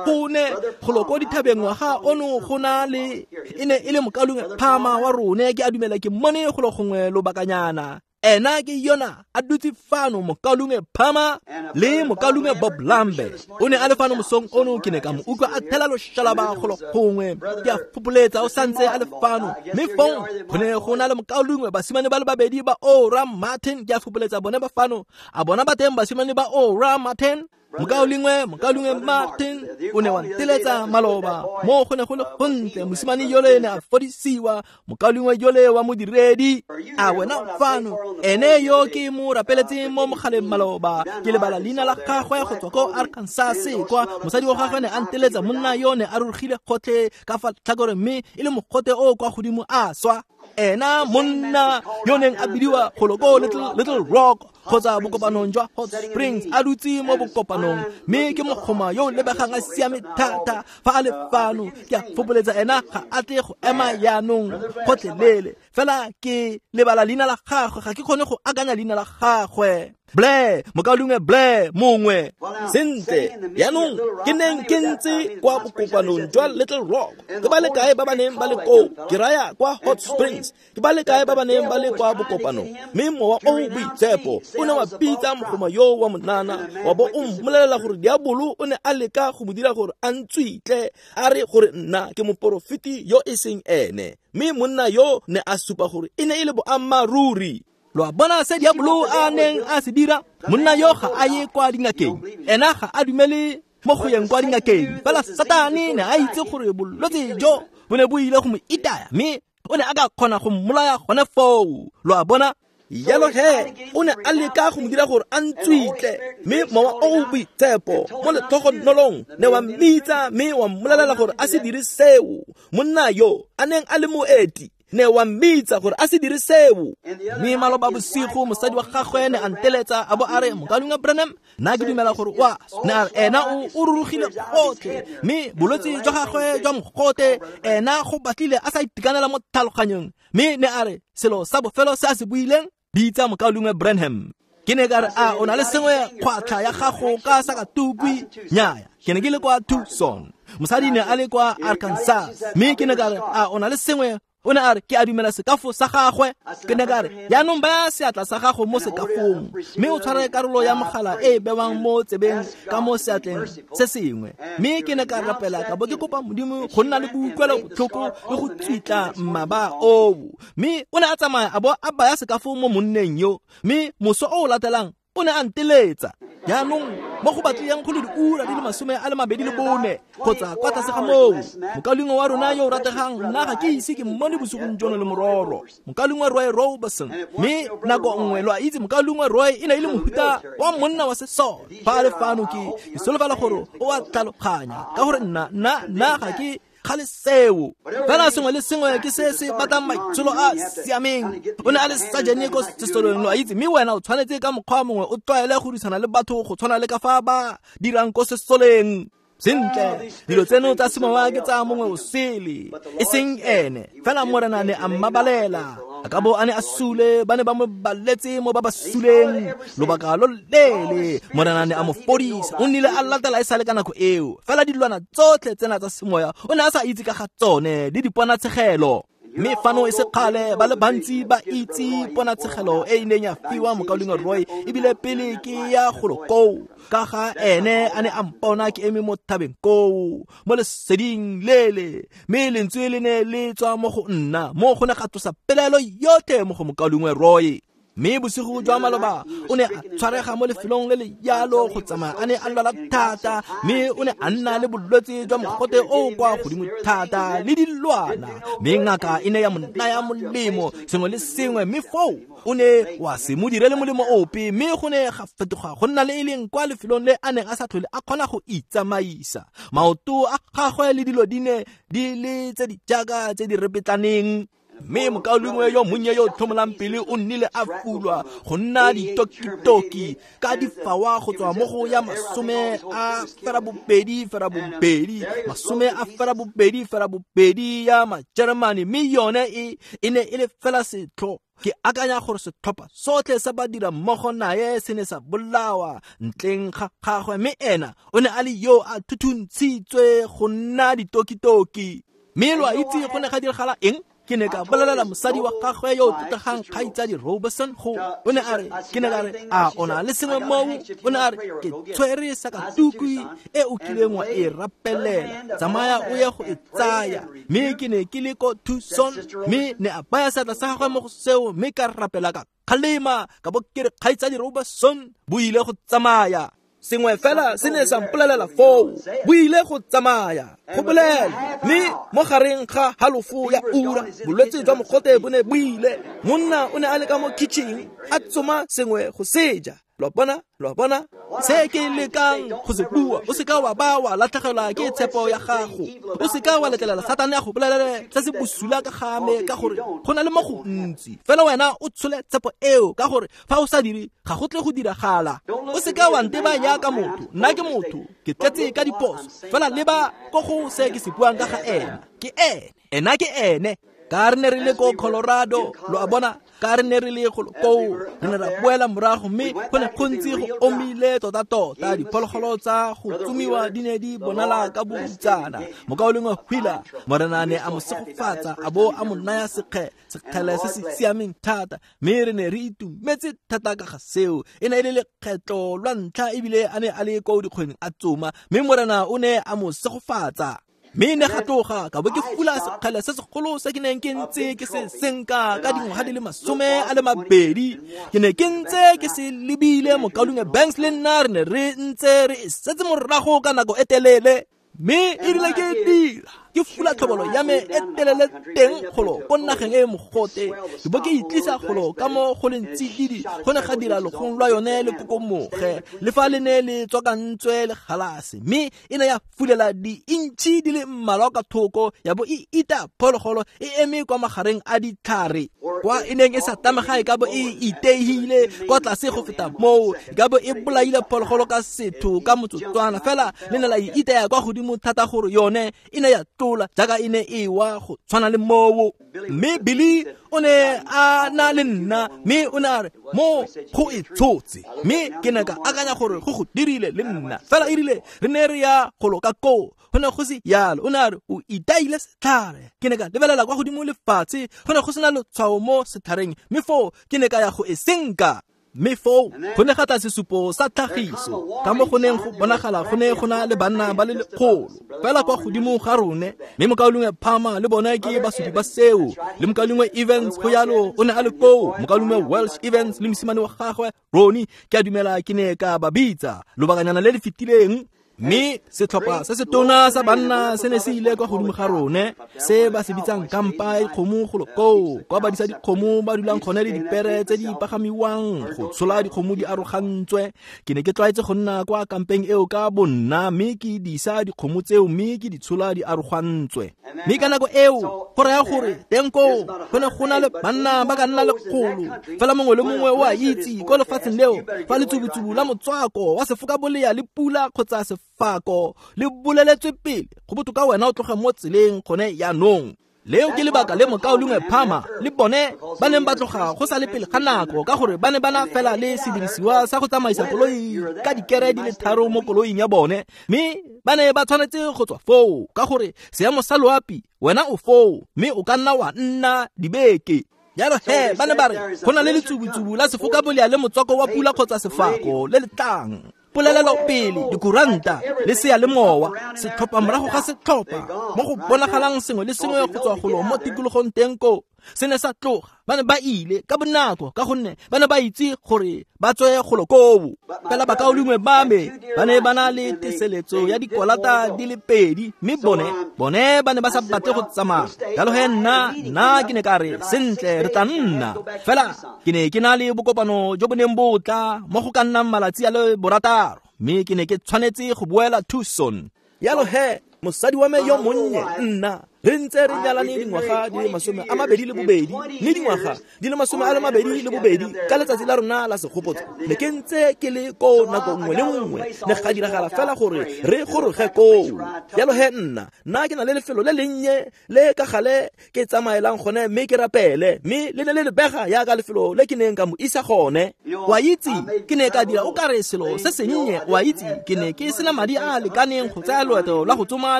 Go ne golo ko dithabeng ngwaga ono go na le e ne e le mokaulengwe Phama wa rone, ke a dumela ke mmone golo gongwe lobakanyana. Ena ke yona a dutse fano, mokaulengwe Phama le mokaulengwe Bob Lambe. O ne a le fano mosong ono, ke ne ka mo utlwa a thela loshalaba golo gongwe. Ke a fopoletsa o santse a le fano. Mme fong go ne go na le mokaulengwe basimane ba le babedi ba Ora Martin, ke a fopoletsa bone ba fano. A bona ba teng basimane ba Ora Martin? Mokaulengwe mokaulengwe Martin o ne wa nteletsa maloba mo go ne go le gontle. Mosimane yole ne a fodisiwa, mokaulengwe yole wa modiredi a wena fano, ene yo ke mo rapeletseng mo mogaleng maloba. Ke lebala leina la gagwe go tswa ko Arkansas kwa. Mosadi wa gagwe ne a nteletsa, monna yo ne a rurugile gotlhe ka fa tlhakoreng mme e le mogote o kwa godimo a swa. Ena monna yo neng a bidiwa golo ko Little, Little Rock kgotsa bokopanong jwa Hot Springs, a dutse mo bokopanong, mme ke mogoma yo o lebegang a siame thata fa a le fano. Ke a fopoletsa ena ga a tle go ema jaanong gotlhelele, fela ke lebala leina la gagwe, ga ke kgone go akanya leina la gagwe. Blair, mokaulengwe Blair mongwe. Sentle, jaanong ke neng ke ntse kwa bokopanong jwa Little Rock. Ke ba le kae ba ba neng ba le koo? Ke raya kwa Hot Springs. Ke ba le kae ba ba neng ba le kwa bokopanong? Mme mowa o o boitshepo o ne wa bitsa mogoma yo wa monana, wa bo o mmolelela gore diabolo o ne a leka go mo dira gore a ntswitle, a re gore nna ke moporofeti yo e seng ene. Mme monna yo ne a supa gore e ne e le boammaaruri. Lo a bona se diabolo a neng a se dira? Monna yo ga a ye kwa dingakeng, ena ga a dumele mo go yeng kwa dingakeng. Fela Satane ne a itse gore bolwetse jo bo ne bo ile go mo itaya, mme o ne a ka kgona go mmolaya gone foo. Lo a bona? Jalo he o ne a leka go mo dira gore a ntswitle, mme mowa o o boitshepo mo letlhogonolong ne wa mmitsa mme wa mmolelela gore a se dire seo. Monna yo a neng a le moeti ne wa mmitsa gore a se dire seo. Mme maloba bosigo mosadi wa gagwe ne a nteletsa a bo a re, mokaulengwe Branham, nna ke dumela gore wa ne a re ena o o rurugile gotlhe, mme bolwetse jwa gagwe jwa mogote ena go batlile a sa itekanela mo tlhaloganyong. Mme ne a re selo sa bofelo se a se buileng, bitsa mokaulengwe Branham. Ke ne ka re, a o na le sengwe kgwatlha ya gago ka sakatukwi? Nnyaya, ke ne ke le kwa Tucson, mosadi ne a le kwa Arkansas. Mme ke ne ka re, a o na le sengwe? O ne a re, ke a dumela sekafo sa gagwe. Ke ne ka re, jaanong baya seatla sa gago mo sekafong, mme o tshware karolo ya mogala e e bewang mo tsebeng ka mo seatleng se sengwe. Mme ke ne ka rapela ka bo ke kopa Modimo go nna le boutlwelo botlhoko le go tswitla mmaba oo. Mme o ne a tsamaya a bo a baya sekafo mo monneng yo, mme moso o o latelang o ne a nteletsa. Jaanong mo go batlileng go le diura di le masome a le mabedi le bone kgotsa kwa tlase ga moo, mokaulengwe wa rona yo o rategang, nna ga ke ise ke mmone bosigong jono le mororo, mokaulengwe Roy Roberson. Mme nako nngwe lo a itse mokaulengwe Roy e ne e le mohuta wa monna wa sesole. Fa a le fano ke ke solofela gore o a tlhaloganya, ka gore nna nna nna ga ke gale seo. Fela sengwe le sengwe ke se se batlang maitsholo a siameng. O ne a le sajene ko sesoleng, lo a itse, mme wena o tshwanetse ka mokgwa mongwe o tlwaele go dirisana le batho go tshwana le ka fa ba dirang ko sesoleng. Sentle, dilo tseno tsa semowa ke tsa mongwe o sele, e seng ene. Fela Morena ne a mmabalela, a ka bo a ne a sule, ba ne ba mo baletse mo ba ba suleng lobaka lo leele. Morena ne a mo fodisa, o nnile a latela e sale ka nako eo. Fela dilwana tsotlhe tsena tsa semoya o ne a sa itse ka ga tsone le diponatshegelo. Mme fano e se kgale ba le bantsi ba itse ponatshegelo e e neng ya fiwa mokaulengwe Roy, ebile pele ke ya golo koo, ka ga ene a ne a mpona ke eme mo thabeng koo mo leseding lele, mme lentswe le ne le tswa mo go nna, mo go ne ga tlosa pelaelo yotlhe mo go mokaulengwe Roy. Mme bosigo jwa maloba o ne a tshwarega mo lefelong le le jalo go tsamaya a ne a lwala thata, mme o ne a nna le bolwetse jwa mogote o kwa godimo thata le dilwana, mme ngaka e ne ya mo naya molemo sengwe le sengwe, mme foo o ne wa se mo direle molemo ope, mme go ne ga fetoga go nna le e leng kwa lefelong le a neng a sa tlhole a kgona go itsamaisa. Maoto a gagwe le dilo di ne di le tse di jaaka tse di repetlaneng. Mme mokaulengwe yo monnye yo o tlhomolang pele o nnile a fulwa go nna ditokitoki ka difawa go tswa mo go ya masome a ferabobedi ferabobedi masome a ferabobedi ferabobedi ya Majeremane, mme yone e e ne e le fela setlho. Ke akanya gore setlhopha sotlhe sa badira mmogo naye se ne sa bolawa ntleng ga gagwe, mme ena o ne a le yo a thuthuntshitswe go nna ditokitoki. Mme lo a itse go ne ga diragala eng? Ke ne ka bolelela mosadi wa gagwe yo o tlotlegang kgaitsadi Roberson go, o ne a re, ke ne ka re, a o na le sengwe moo? O ne a re, ke tshwere sakatukwi e o kileng wa e rapelela, tsamaya o ye go e tsaya. Mme ke ne ke le ko Tucson, mme ne a baya seatla sa gagwe mo go seo, mme ka rapela ka kgalema ka bo ke re, kgaitsadi Roberson, bo ile go tsamaya. Sengwe fela se ne sa mpolelela foo, bo ile go tsamaya, go bolela. Mme mo gareng ga halofo ya ura, bolwetse jwa mogote bo ne bo ile. Monna o ne a le ka mo kitchen a tsoma sengwe go seja, Lo a bona? Lo a bona? Se ke lekang go se bua, o seka wa ba wa latlhegelwa ke tshepo ya gago. O seka wa letlelela Satane a go bolelele se se bosula ka ga me, ka gore go na le mo go ntsi. Fela wena o tshole tshepo eo, ka gore fa o sa dire ga go tle go diragala. O seka wa nteba jaaka motho, nna ke motho, ke tletse ka diphoso. Fela leba ko go se ke se buang ka ga ena. Ke ene, ena ke ene. Ka re ne re le ko Colorado, lo a bona, ka re ne re le golo koo, re ne ra boela morago, mme go ne go ntse go omile tota-tota. Diphologolo tsa go tsomiwa di ne di bonala ka bohutsana. Mokaulengwe Wheeler, Morena ne a mo segofatsa, a bo a mo naya sekge, sekgele se se siameng thata, mme re ne re itumetse thata ka ga seo. E ne e le lekgetlo lwa ntlha ebile a ne a le ko dikgweng a tsoma, mme Morena o ne a mo segofatsa. Mme ne ga tloga ka bo ke fula sekgele se segolo se ke neng ke ntse ke se senka ka dingwaga di le masome a le mabedi. Ke ne ke ntse ke se lebile mokaulengwe Banks le nna re ne re ntse re e setse morago ka nako e telele. Mme e rile ke dira ke fula tlhobolo ya me e telele teng golo ko nageng e mogote, ke bo ke itlisa golo ka mo go leng tsididi. Go ne ga dira logong lwa yone le kokomoge, le fa le ne le tswakantswe le galase, mme e ne ya fulela diintšhi di le mmalwa ka thoko, ya bo e ita phologolo e eme kwa magareng a ditlhare, kwa e neng e sa tlamega e ka bo e iteihile kwa tlase go feta moo, e ka bo e bolaile phologolo ka setho ka motsotswana. Fela le ne la e itaya kwa godimo thata gore yone e ne ya tlola jaaka e ne e wa go tshwana le moo. Mme Billy o ne a na le nna, mme o ne a re mo go e tshotse, mme ke ne ka akanya gore go go dirile le nna. Fela e rile re ne re ya golo ka koo, go ne go se yalo. O ne a re o itaile setlhare. Ke ne ka lebelela kwa godimo lefatshe, go ne go sena letshwao mo setlhareng, mme foo ke ne ka ya go e senka. Mme foo go ne ga tla sesupo sa tlhagiso, ka mo go neng go bonagala go ne go na le banna ba le lekgolo fela kwa godimo ga rone. Mme mokaulengwe Palmer le bone ke basupi ba seo, le mokaulengwe Evans go yalo o ne a le koo, mokaulengwe Welsh Evans le mosimane wa gagwe Ronnie, ke a dumela ke ne ka ba bitsa lobakanyana le le fetileng. Mme setlhopha se se tona sa banna se ne se ile kwa godimo ga rone, se ba se bitsang kampa e kgomo golo koo, kwa badisa dikgomo ba dulang gone le dipere tse di pagamiwang go tshola dikgomo di arogantswe. Ke ne ke tlwaetse go nna kwa kampeng eo ka bonna, mme ke disa dikgomo tseo mme ke di tshola di arogantswe. Mme ka nako eo go raya gore teng koo go ne go na le banna ba ka nna lekgolo. Fela mongwe le mongwe o a itse ko lefatsheng leo fa letsubutsubu la motswako wa sefokabolea le pula kgotsa sefako le boleletswe pele, go botoka wena o tloge mo tseleng gone jaanong. Leo ke lebaka le mokaulengwe Palmer le bone ba neng ba tloga go sa le pele ga nako, ka gore ba ne ba na fela le sedirisiwa sa go tsamaisa koloi ka dikere di le tharo mo koloing ya bone, mme ba ne ba tshwanetse go tswa foo ka gore seemo sa loapi wena o foo, mme o ka nna wa nna dibeke. Jalo he ba ne ba re go na le letsubutsubu la sefokabolea le motswako wa pula kgotsa sefako le le tlang. Polelelo pele, dikuranta le seyalemowa, setlhopha morago ga setlhopha, mo go bonagalang sengwe le sengwe go tswa golo mo tikologong teng koo se ne sa tloga. Ba ne ba ile ka bonako ka gonne ba ne ba itse gore ba tswe golo koo. Fela bakaulengwe ba me ba ne ba na le teseletso ya dikolata di le pedi, mme bone bone ba ne ba sa batle go tsamaya. Jalo he nna nna ke ne ka re sentle re tla nna. Fela ke ne ke na le bokopano jo bo neng bo tla mo go ka nnang malatsi a le borataro, mme ke ne ke tshwanetse go boela Tucson. Jalo he mosadi wa me yo monnye nna re ntse re nyalane dingwaga di le masome a mabedi le bobedi, mme dingwaga di le masome a le mabedi le bobedi ka letsatsi la rona la segopotso ne ke ntse ke le koo nako nngwe le nngwe, ne ga diragala fela gore re goroge koo. Jalo he nna nna ke na le lefelo le lennye le ka gale ke tsamaelang gone mme ke rapele, mme le ne le lebega jaaka lefelo le ke neng ka mo isa gone. Wa itse ke ne ka dira o kare selo se sennye, wa itse ke ne ke sena madi a a lekaneng go tsaya loeto la go tsoma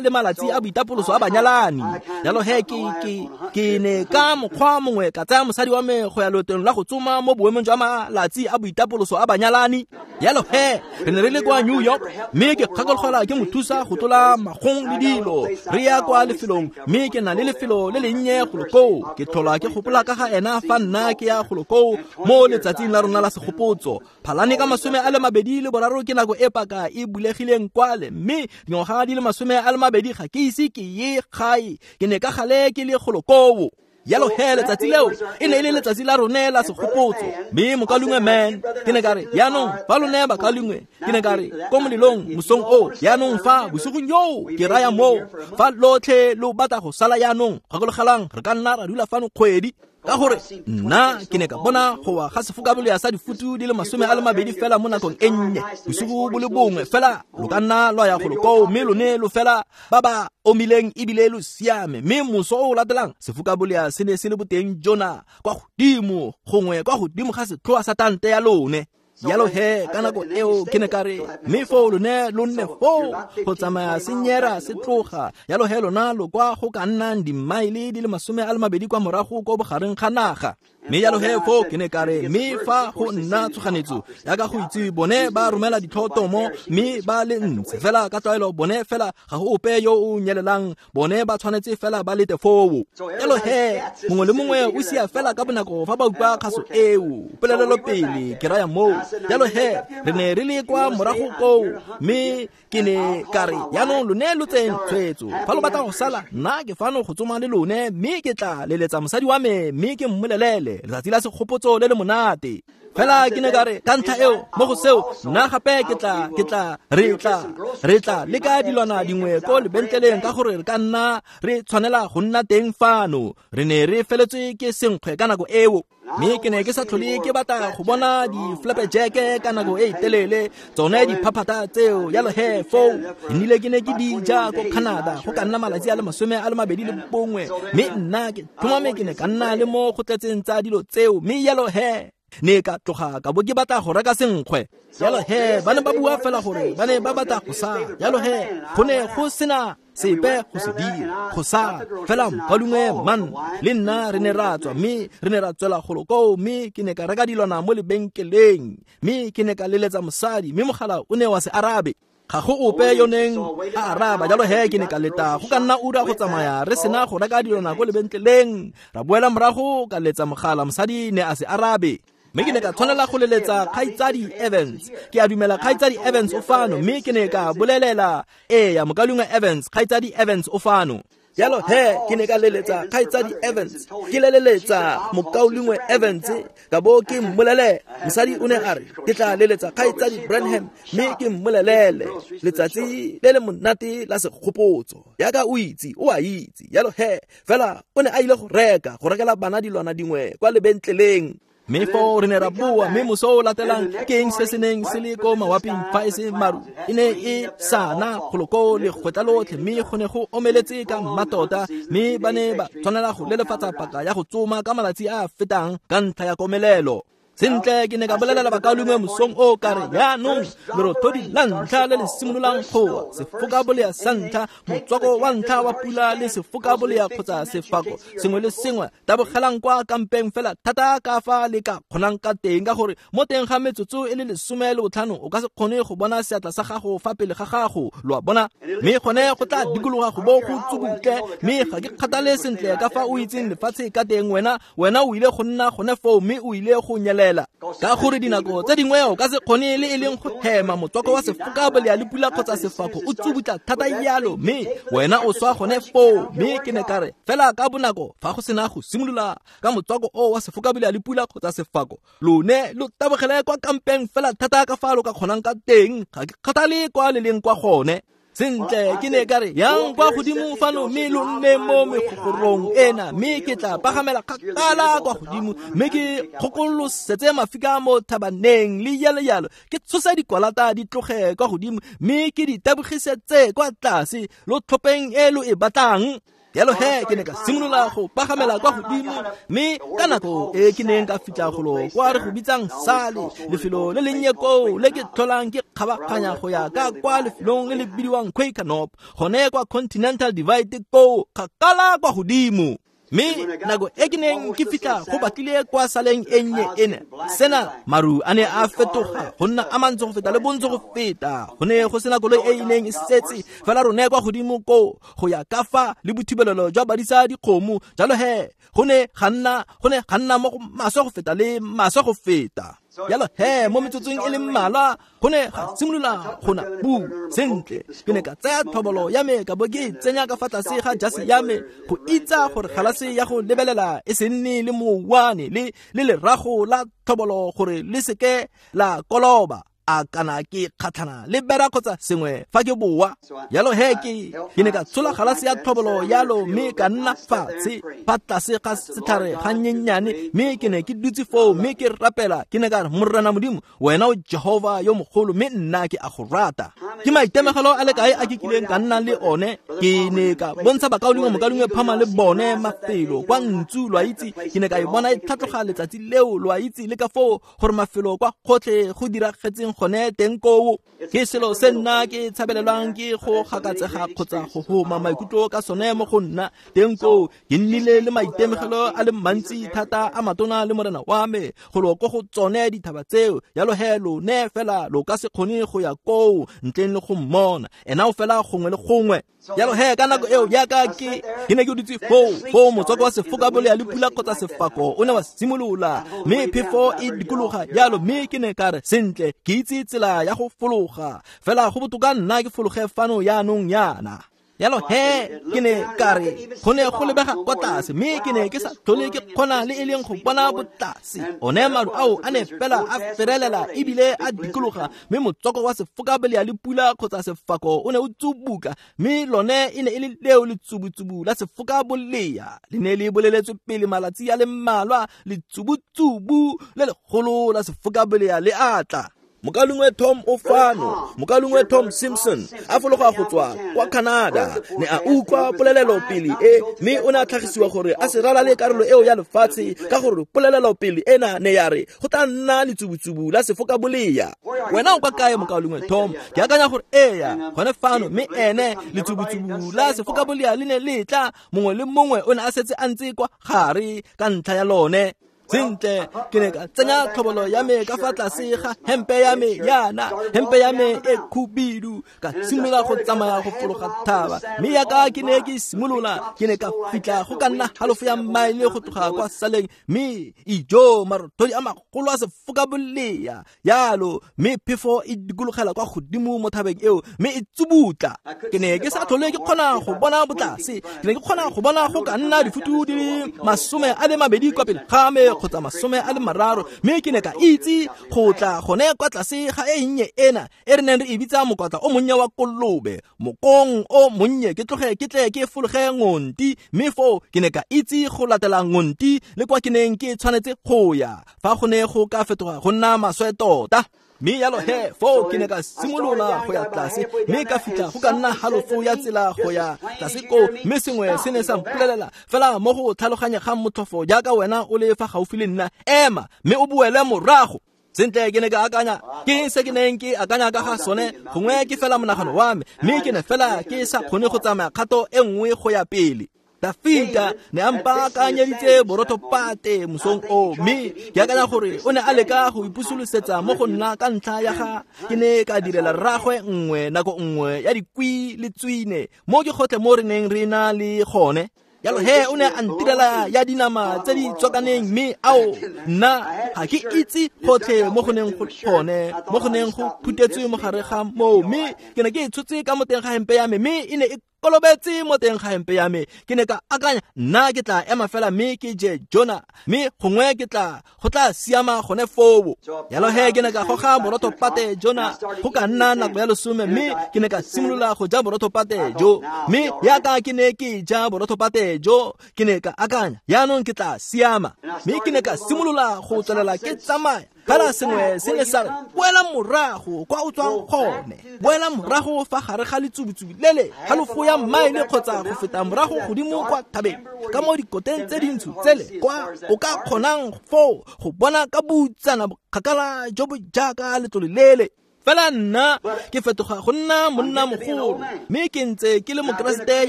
le malatsi a boitapoloso a banyalani. Jalo he ke ke ke ne ka mokgwa mongwe ka tsaya mosadi wa me go ya loetong la go tsoma mo boemong jwa malatsi a boitapoloso a banyalani. Jalo he re ne re le kwa New York, mme ke kgakologelwa ke mo thusa go tlola magong le dilo. Re ya kwa lefelong, mme ke na le lefelo le lennye golo koo. Ke tlhola ke gopola ka ga ena fa nna ke ya golo koo mo letsatsing la rona la segopotso. Phalane ka masome a le mabedi le boraro ke nako e paka e bulegileng kwale, mme dingwaga di le masome a le mabedi ga ke ise ke ye gae. Ke ne ka gale ke le golo koo. Jalo he letsatsi leo e ne e le letsatsi la rone la segopotso. Mme mokalungwe man, ke ne ka re jaanong fa lone bakalungwe, ke ne ka re ko molelong mosong o, jaanong fa bosigong yo ke raya moo, fa lotlhe lo batla go sala jaanong, gakologelang re ka nna ra dula fano kgwedi. Ka gore nna ke ne ka bona go wa ga sefokabolea sa difutu di le masome a le mabedi fela mo nakong e nnye, bosigo bo le bongwe fela lo ka nna lwa ya golo koo, mme lone lo fela ba ba omileng ebile lo siame. Mme moso o o latelang sefokabolea se ne se le boteng jona kwa godimo, gongwe kwa godimo ga setlhoa sa tante ya lone. Jalo he ka nako eo ke ne ka re mme foo lone lo nne foo go tsamaya senyera se tloga. Jalo he lona lo kwa go ka nnang dimmaele di le masome a le mabedi kwa morago ko bogareng ga naga. Mme jalo he foo ke ne ka re mme fa go nna tshoganetso yaka go itse bone ba romela ditlhotomo mme ba le ntse fela ka tlwaelo bone fela ga go ope yo o nyelelang, bone ba tshwanetse fela ba lete foo. Jalo he mongwe le mongwe o sia fela ka bonako fa ba utlwa kgaso eo polelelopele ke raya moo. Jalo he re ne re le kwa morago koo, mme ke ne ka re jaanong lone lo tseng tshwetso, fa lo batla go sala nna ke fano go tsoma le lone, mme ke tla leletsa mosadi wa me mme ke mmolelele letsatsi la segopotso le le monate. Fela ke ne ka re ka ntlha eo mo go seo nna gape ke tla ke tla re tla re tla leka dilwana dingwe ko lebentleleng ka gore re ka nna re tshwanela go nna teng fano. Re ne re feletswe ke senkgwe ka nako eo, mme ke ne ke sa tlhole ke batla go bona di-flapjack ka nako e telele, tsone diphaphata tseo. Jalo he foo nnile ke ne ke di ja ko Canada go ka nna malatsi a le masome a le mabedi le bongwe, mme nna ke tlhomame ke ne ka nna le mo go tletseng tsa dilo tseo. Mme jalo he ne ka tloga ka bo ke batla go reka senkgwe. Jalo he ba ne ba bua fela gore ba ne ba batla go sala. Jalo he go ne go sena sepe go se dira go sala fela mokalungwe man le nna re ne ra tswa, mme re ne ra tswela golo koo, mme ke ne ka reka dilwana mo lebenkeleng, mme ke ne ka leletsa mosadi, mme mogala o ne wa se arabe. Ga go ope yo neng a araba. Jalo he ke ne ka leta go ka nna ura go tsamaya re sena go reka dilwana ko lebenkeleng, ra boela morago ka letsa mogala, mosadi ne a se arabe. Mme ke ne ka tshwanela go leletsa kgaitsadi Evans. Ke a dumela kgaitsadi Evans o fano, mme ke ne ka bolelela eya mokalungwe Evans, kgaitsadi Evans o fano. Jalo he ke ne ka leletsa kgaitsadi Evans, ke leleletsa mokaulengwe Evans, ka bo ke mmolele. Mosadi o ne a re ke tla leletsa kgaitsadi Branham mme ke mmolelele letsatsi le le monate la segopotso. Yaka o itse, o a itse. Jalo he fela o ne a ile go reka go rekela bana dilwana dingwe kwa lebentleleng. Mme foo re ne ra boa, mme moso o latelang ke eng se se neng se le ko mawaping fa e se maru, e ne e sana golo koo legwetla lotlhe, mme go ne go omeletse ka mmatota, mme ba ne ba tshwanela go lelefatsa paka ya go tsoma ka malatsi a a fetang ka ntlha ya komelelo. Sentle ke ne ka bolelela bakalungwe mosong o ka re jaanong lerothodi la ntlha le le simololang go wa, sefokabolea sa ntlha, motswako wa ntlha wa pula le sefokabolea kgotsa sefako sengwe le sengwe, tabogelang kwa kampeng fela thata ka fa le ka kgonang ka teng, ka gore mo teng ga metsotso e le lesome le botlhano o ka se kgone go bona seatla sa gago fa pele ga gago, lo a bona. Mme gone go tla dikologa go bo go tsubutle, mme ga ke kgathale sentle ka fa o itseng lefatshe ka teng, wena wena o ile go nna gone foo, mme o ile go nyelela. Ka gore dinako tse dingwe o ka se kgone le e leng go hema motswako wa sefokabolea le pula kgotsa sefako o tsubutla thata jalo, mme wena o swa gone foo. Mme ke ne ka re fela ka bonako fa go sena go simolola ka motswako o wa sefokabolea le pula kgotsa sefako, lone lo tabogele kwa kampeng fela thata ka fa lo ka kgonang ka teng, ga ke kgathale kwa le leng kwa gone. Sentle ke ne ka re yang kwa godimo fano mme lo nne mo megogorong ena, mme ke tla pagamela kgakala kwa godimo, mme ke kgokolosetse mafika mo thabaneng le jalo jalo, ke tshosa dikwalata di tloge kwa godimo mme ke di tabogisetse kwa tlase, lo tlhopheng e lo e batlang. Jalo he ke ne ka simolola go pagamela kwa godimo, mme ka nako e ke neng ka fitlha golo kwa re go bitsang sale, lefelo le lennye koo le ke tlholang ke kgabaganya go ya ka kwa lefelong le le bidiwang Quaker Knob, gone kwa Continental Divide koo kgakala kwa godimo. Mme nako e ke neng ke fitlha go batlile kwa saleng e nnye ena, sena maru a ne a fetoga go nna a mantsi go feta le bontsi go feta. Go ne go sena koloi e e neng e setse fela rone kwa godimo koo go ya ka fa le bothibelelo jwa badisa dikgomo. Jalo he go ne ga nna go ne ga nna mo go maswe go feta le maswe go feta. Jalo he mo metsotsong e le mmalwa go ne ga simolola go na pula. Sentle, ke ne ka tsaya tlhobolo ya me ka bo ke e tsenya ka fa tlase ga jase ya me go itsa gore galase ya go lebelela e se nne le mouwane le le lerago la tlhobolo gore le seke la koloba. A kana ke kgatlhana le bera kgotsa sengwe fa ke boa. Jalo he ke ke ne ka tshola galase ya tlhobolo yalo mme ka nna fatshe fa tlase ga setlhare ga nnyenyane, mme ke ne ke dutse foo mme ke rapela. Ke ne ka re, Morena Modimo, wena o Jehova yo mogolo, mme nna ke a go rata. Ke maitemogelo a le kae a ke kileng ka nna le one. Ke ne ka bontsha bakaulengwe mokaulengwe Phama le bone mafelo kwa ntsu, lo a itse. Ke ne ka e bona e tlhatloga letsatsi leo, lo a itse, le ka foo gore mafelo kwa gotlhe go diragetseng gone teng koo. Ke selo se nna ke tshabelelwang ke go gakatsega kgotsa go homa maikutlo ka sone mo go nna teng koo. Ke nnile le maitemogelo a le mantsi thata a matona le morena wa me go lo ko go tsone dithaba tseo. Jalo he lone fela lo ka se kgone go ya koo ntleng le go mmona, ena o fela gongwe le gongwe. Jalo he ka nako eo jaaka ke ke ne ke dutse foo foo motswako wa sefokabolea le pula kgotsa sefako o ne wa simolola, mme phefo e dikologa jalo, mme ke ne ka re, sentle, ke itse tsela ya go fologa, fela go botoka nna ke fologe fano jaanong yana. Jalo he ke ne ka re, go ne go lebega kwa tlase, mme ke ne ke sa tlhole ke kgona le e leng go bona botlase. One maru ao a ne fela a ferelela ebile a dikologa, mme motswako wa sefokabolea le pula kgotsa sefako o ne o tsubuka, mme lone e ne e le leo letsubutsubu la sefokabolea. Le ne le boleletswe pele malatsi a le mmalwa, letsubutsubu le legolo la sefokabolea le atla. Mokaulengwe Tom o fano, mokaulengwe Tom Simpson a fologa go tswa kwa Canada, ne a utlwa polelelo pele e, mme o ne a tlhagisiwa gore a se ralale karolo eo ya lefatshe ka gore polelelo pele ena ne ya re go tla nna letsubutsubu la sefokabolea. Wena o kwa kae, mokaulengwe Tom? Ke akanya gore eya gone fano, mme ene letsubutsubu la sefokabolea le ne le tla, mongwe le mongwe o ne a setse a ntse kwa gare ka ntlha ya lone. Sentle, ke ne ka tsenya tlhobolo ya me ka fa tlase ga hempe ya me yana, hempe ya me e khubidu, ka simolola go tsamaya go fologa thaba. Mme yaka ke ne ke simolola, ke ne ka fitlha go ka nna halofo ya maele go tloga kwa saleng, mme ijo marothodi a magolo a sefokabolea yalo, mme phefo e dikologela kwa godimo mo thabeng eo, mme e tsubutla. Ke ne ke sa tlhole ke kgona go bona botlase, ke ne ke kgona go bona go ka nna difutu di le masome a le mabedi kwa pele ga me kgotsa masome a le mararo, mme ke ne ka itse go tla gone kwa tlase ga e nnye ena e re neng re e bitsa mokwatla o monnye wa kolobe, mokong o monnye, ke tloge ke tle ke fologe ngonti, mme foo ke ne ka itse go latela ngonti le kwa ke neng ke tshwanetse go ya fa go ne go ka fetoga go nna maswe tota. Mme jalo he foo ke ne ka simolola go ya tlase, mme ka fitlha go ka nna halofo ya tsela go ya tlase koo, mme sengwe se ne sa mpolelela fela mo go tlhaloganyegang motlhofo jaaka wena o le fa gaufi le nna, ema mme o boele morago. Sentle, ke ne ka akanya, ke eng se ke neng ke akanya ka ga sone? Gongwe ke fela monagano wa me, mme ke ne fela ke sa kgone go tsamaya kgato e nngwe go ya pele. Dafita ne a mpaakanyeditse borotho-pate mosong o, mme ke akanya gore o ne a leka go ipusolosetsa mo go nna ka ntlha ya ga ke ne ka direla rraagwe nngwe nako nngwe ya dikwi le tswine mo ke gotlhe mo re neng re na le gone. Jalo he o ne a ntirela ya dinama tse di tswakaneng, mme ao nna ga ke itse gotlhe mo go neng go gone, mo go neng go phutetswe mo gare ga moo, mme ke ne ke e tshotse ka mo teng ga hempe ya me, mme e ne e kolobetse mo teng ga hempe ya me. Ke ne ka akanya, nna ke tla ema fela mme ke je jona, mme gongwe ke tla go tla siama gone foo. Jalo he ke ne ka goga borotho-pate jona go ka nna nako ya lesome, mme ke ne ka simolola go ja borotho-pate jo, mme yaka ke ne ke ja borotho-pate jo, ke ne ka akanya, jaanong ke tla siama. Mme ke ne ka simolola go tswelela ke tsamaya. Fela sengwe se ne sa re, boela morago kwa o tswang gone, boela morago fa gare ga letsubutsubu lele halofo ya maele kgotsa go feta morago godimo kwa thabeng, ka mo dikoteng tse dintsho tsele kwa o ka kgonang foo go bona ka boutsana bokgakala jo bo jaaka letlole lele. Fela nna ke fetoga go nna monna mogolo, mme ke ntse ke le mokeresete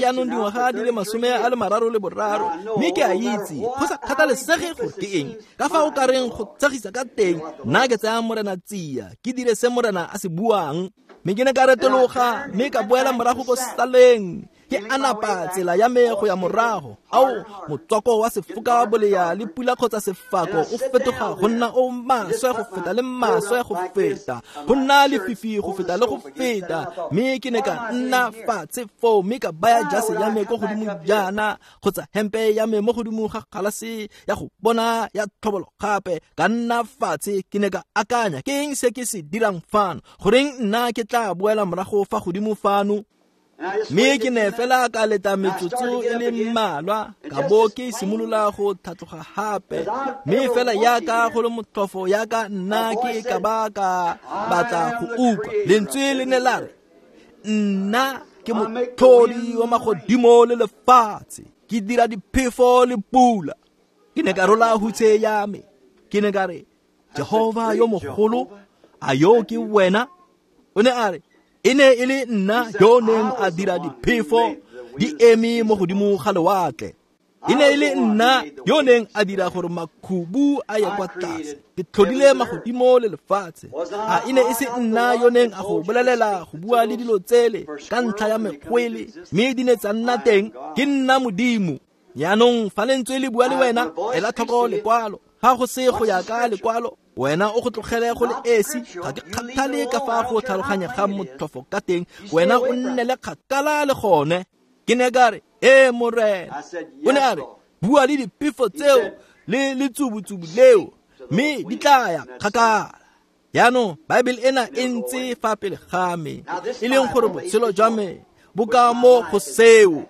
jaanong dingwaga di le masome a le mararo le boraro, mme ke a itse go sa kgathalesege gore ke eng ka fa o ka reng go tshegisa ka teng, nna ke tsaya morena tsia, ke dire se morena a se buang. Mme ke ne ka retologa mme ka boela morago ko saleng. Ke anapa tsela ya me go ya morago. Ao, motswako wa sefoka bolea le pula kgotsa sefako o fetoga go nna o maswe go feta le maswe go feta, go nna lefifi go feta le go feta. Mme ke ne ka nna fatshe foo mme ka baya jase ya me ko godimo jaana kgotsa hempe ya me mo godimo ga galase ya go bona ya tlhobolo gape. Ka nna fatshe, ke ne ka akanya, ke eng se ke se dirang fano? Goreng nna ke tla boela morago fa godimo fano? Mme ke ne fela ka leta metsotso e le mmalwa, ka bo ke simolola go tlhatloga gape. Mme fela yaka go le motlhofo yaka nna ke ka ba ka batla go utlwa lentswe le ne la re, nna ke motlhodi wa magodimo le lefatshe, ke dira diphefo le pula. Ke ne ka rola hutshe ya me, ke ne ka re, Jehova yo mogolo, a yo ke wena? O ne a re, e ne e le nna yo neng a dira diphefo di eme mo godimo ga lewatle. E ne e le nna yo neng a dira gore makhubu a ye kwa tlase. Ke tlhodile magodimo le lefatshe. A e ne e se nna yo neng a go bolelela go bua le dilo tsele ka ntlha ya mekgwele, mme di ne tsa nna teng? Ke nna Modimo. Jaanong fa lentswe le bua le wena, ela tlhoko lekwalo. Ga go se go ya ka lekwalo, wena o go tlogele go le esi. Ga ke kgathale ka fa go tlhaloganya ga motlhofo ka teng, wena o nne le kgakala le gone. Ke ne ka re, ee Morena. O ne a re, bua le diphefo tseo le letsubutsubu leo, mme di tla ya kgakala. Jaanong Baebele ena e ntse fa pele ga me, e leng gore botshelo jwa me bo ka mo go seo.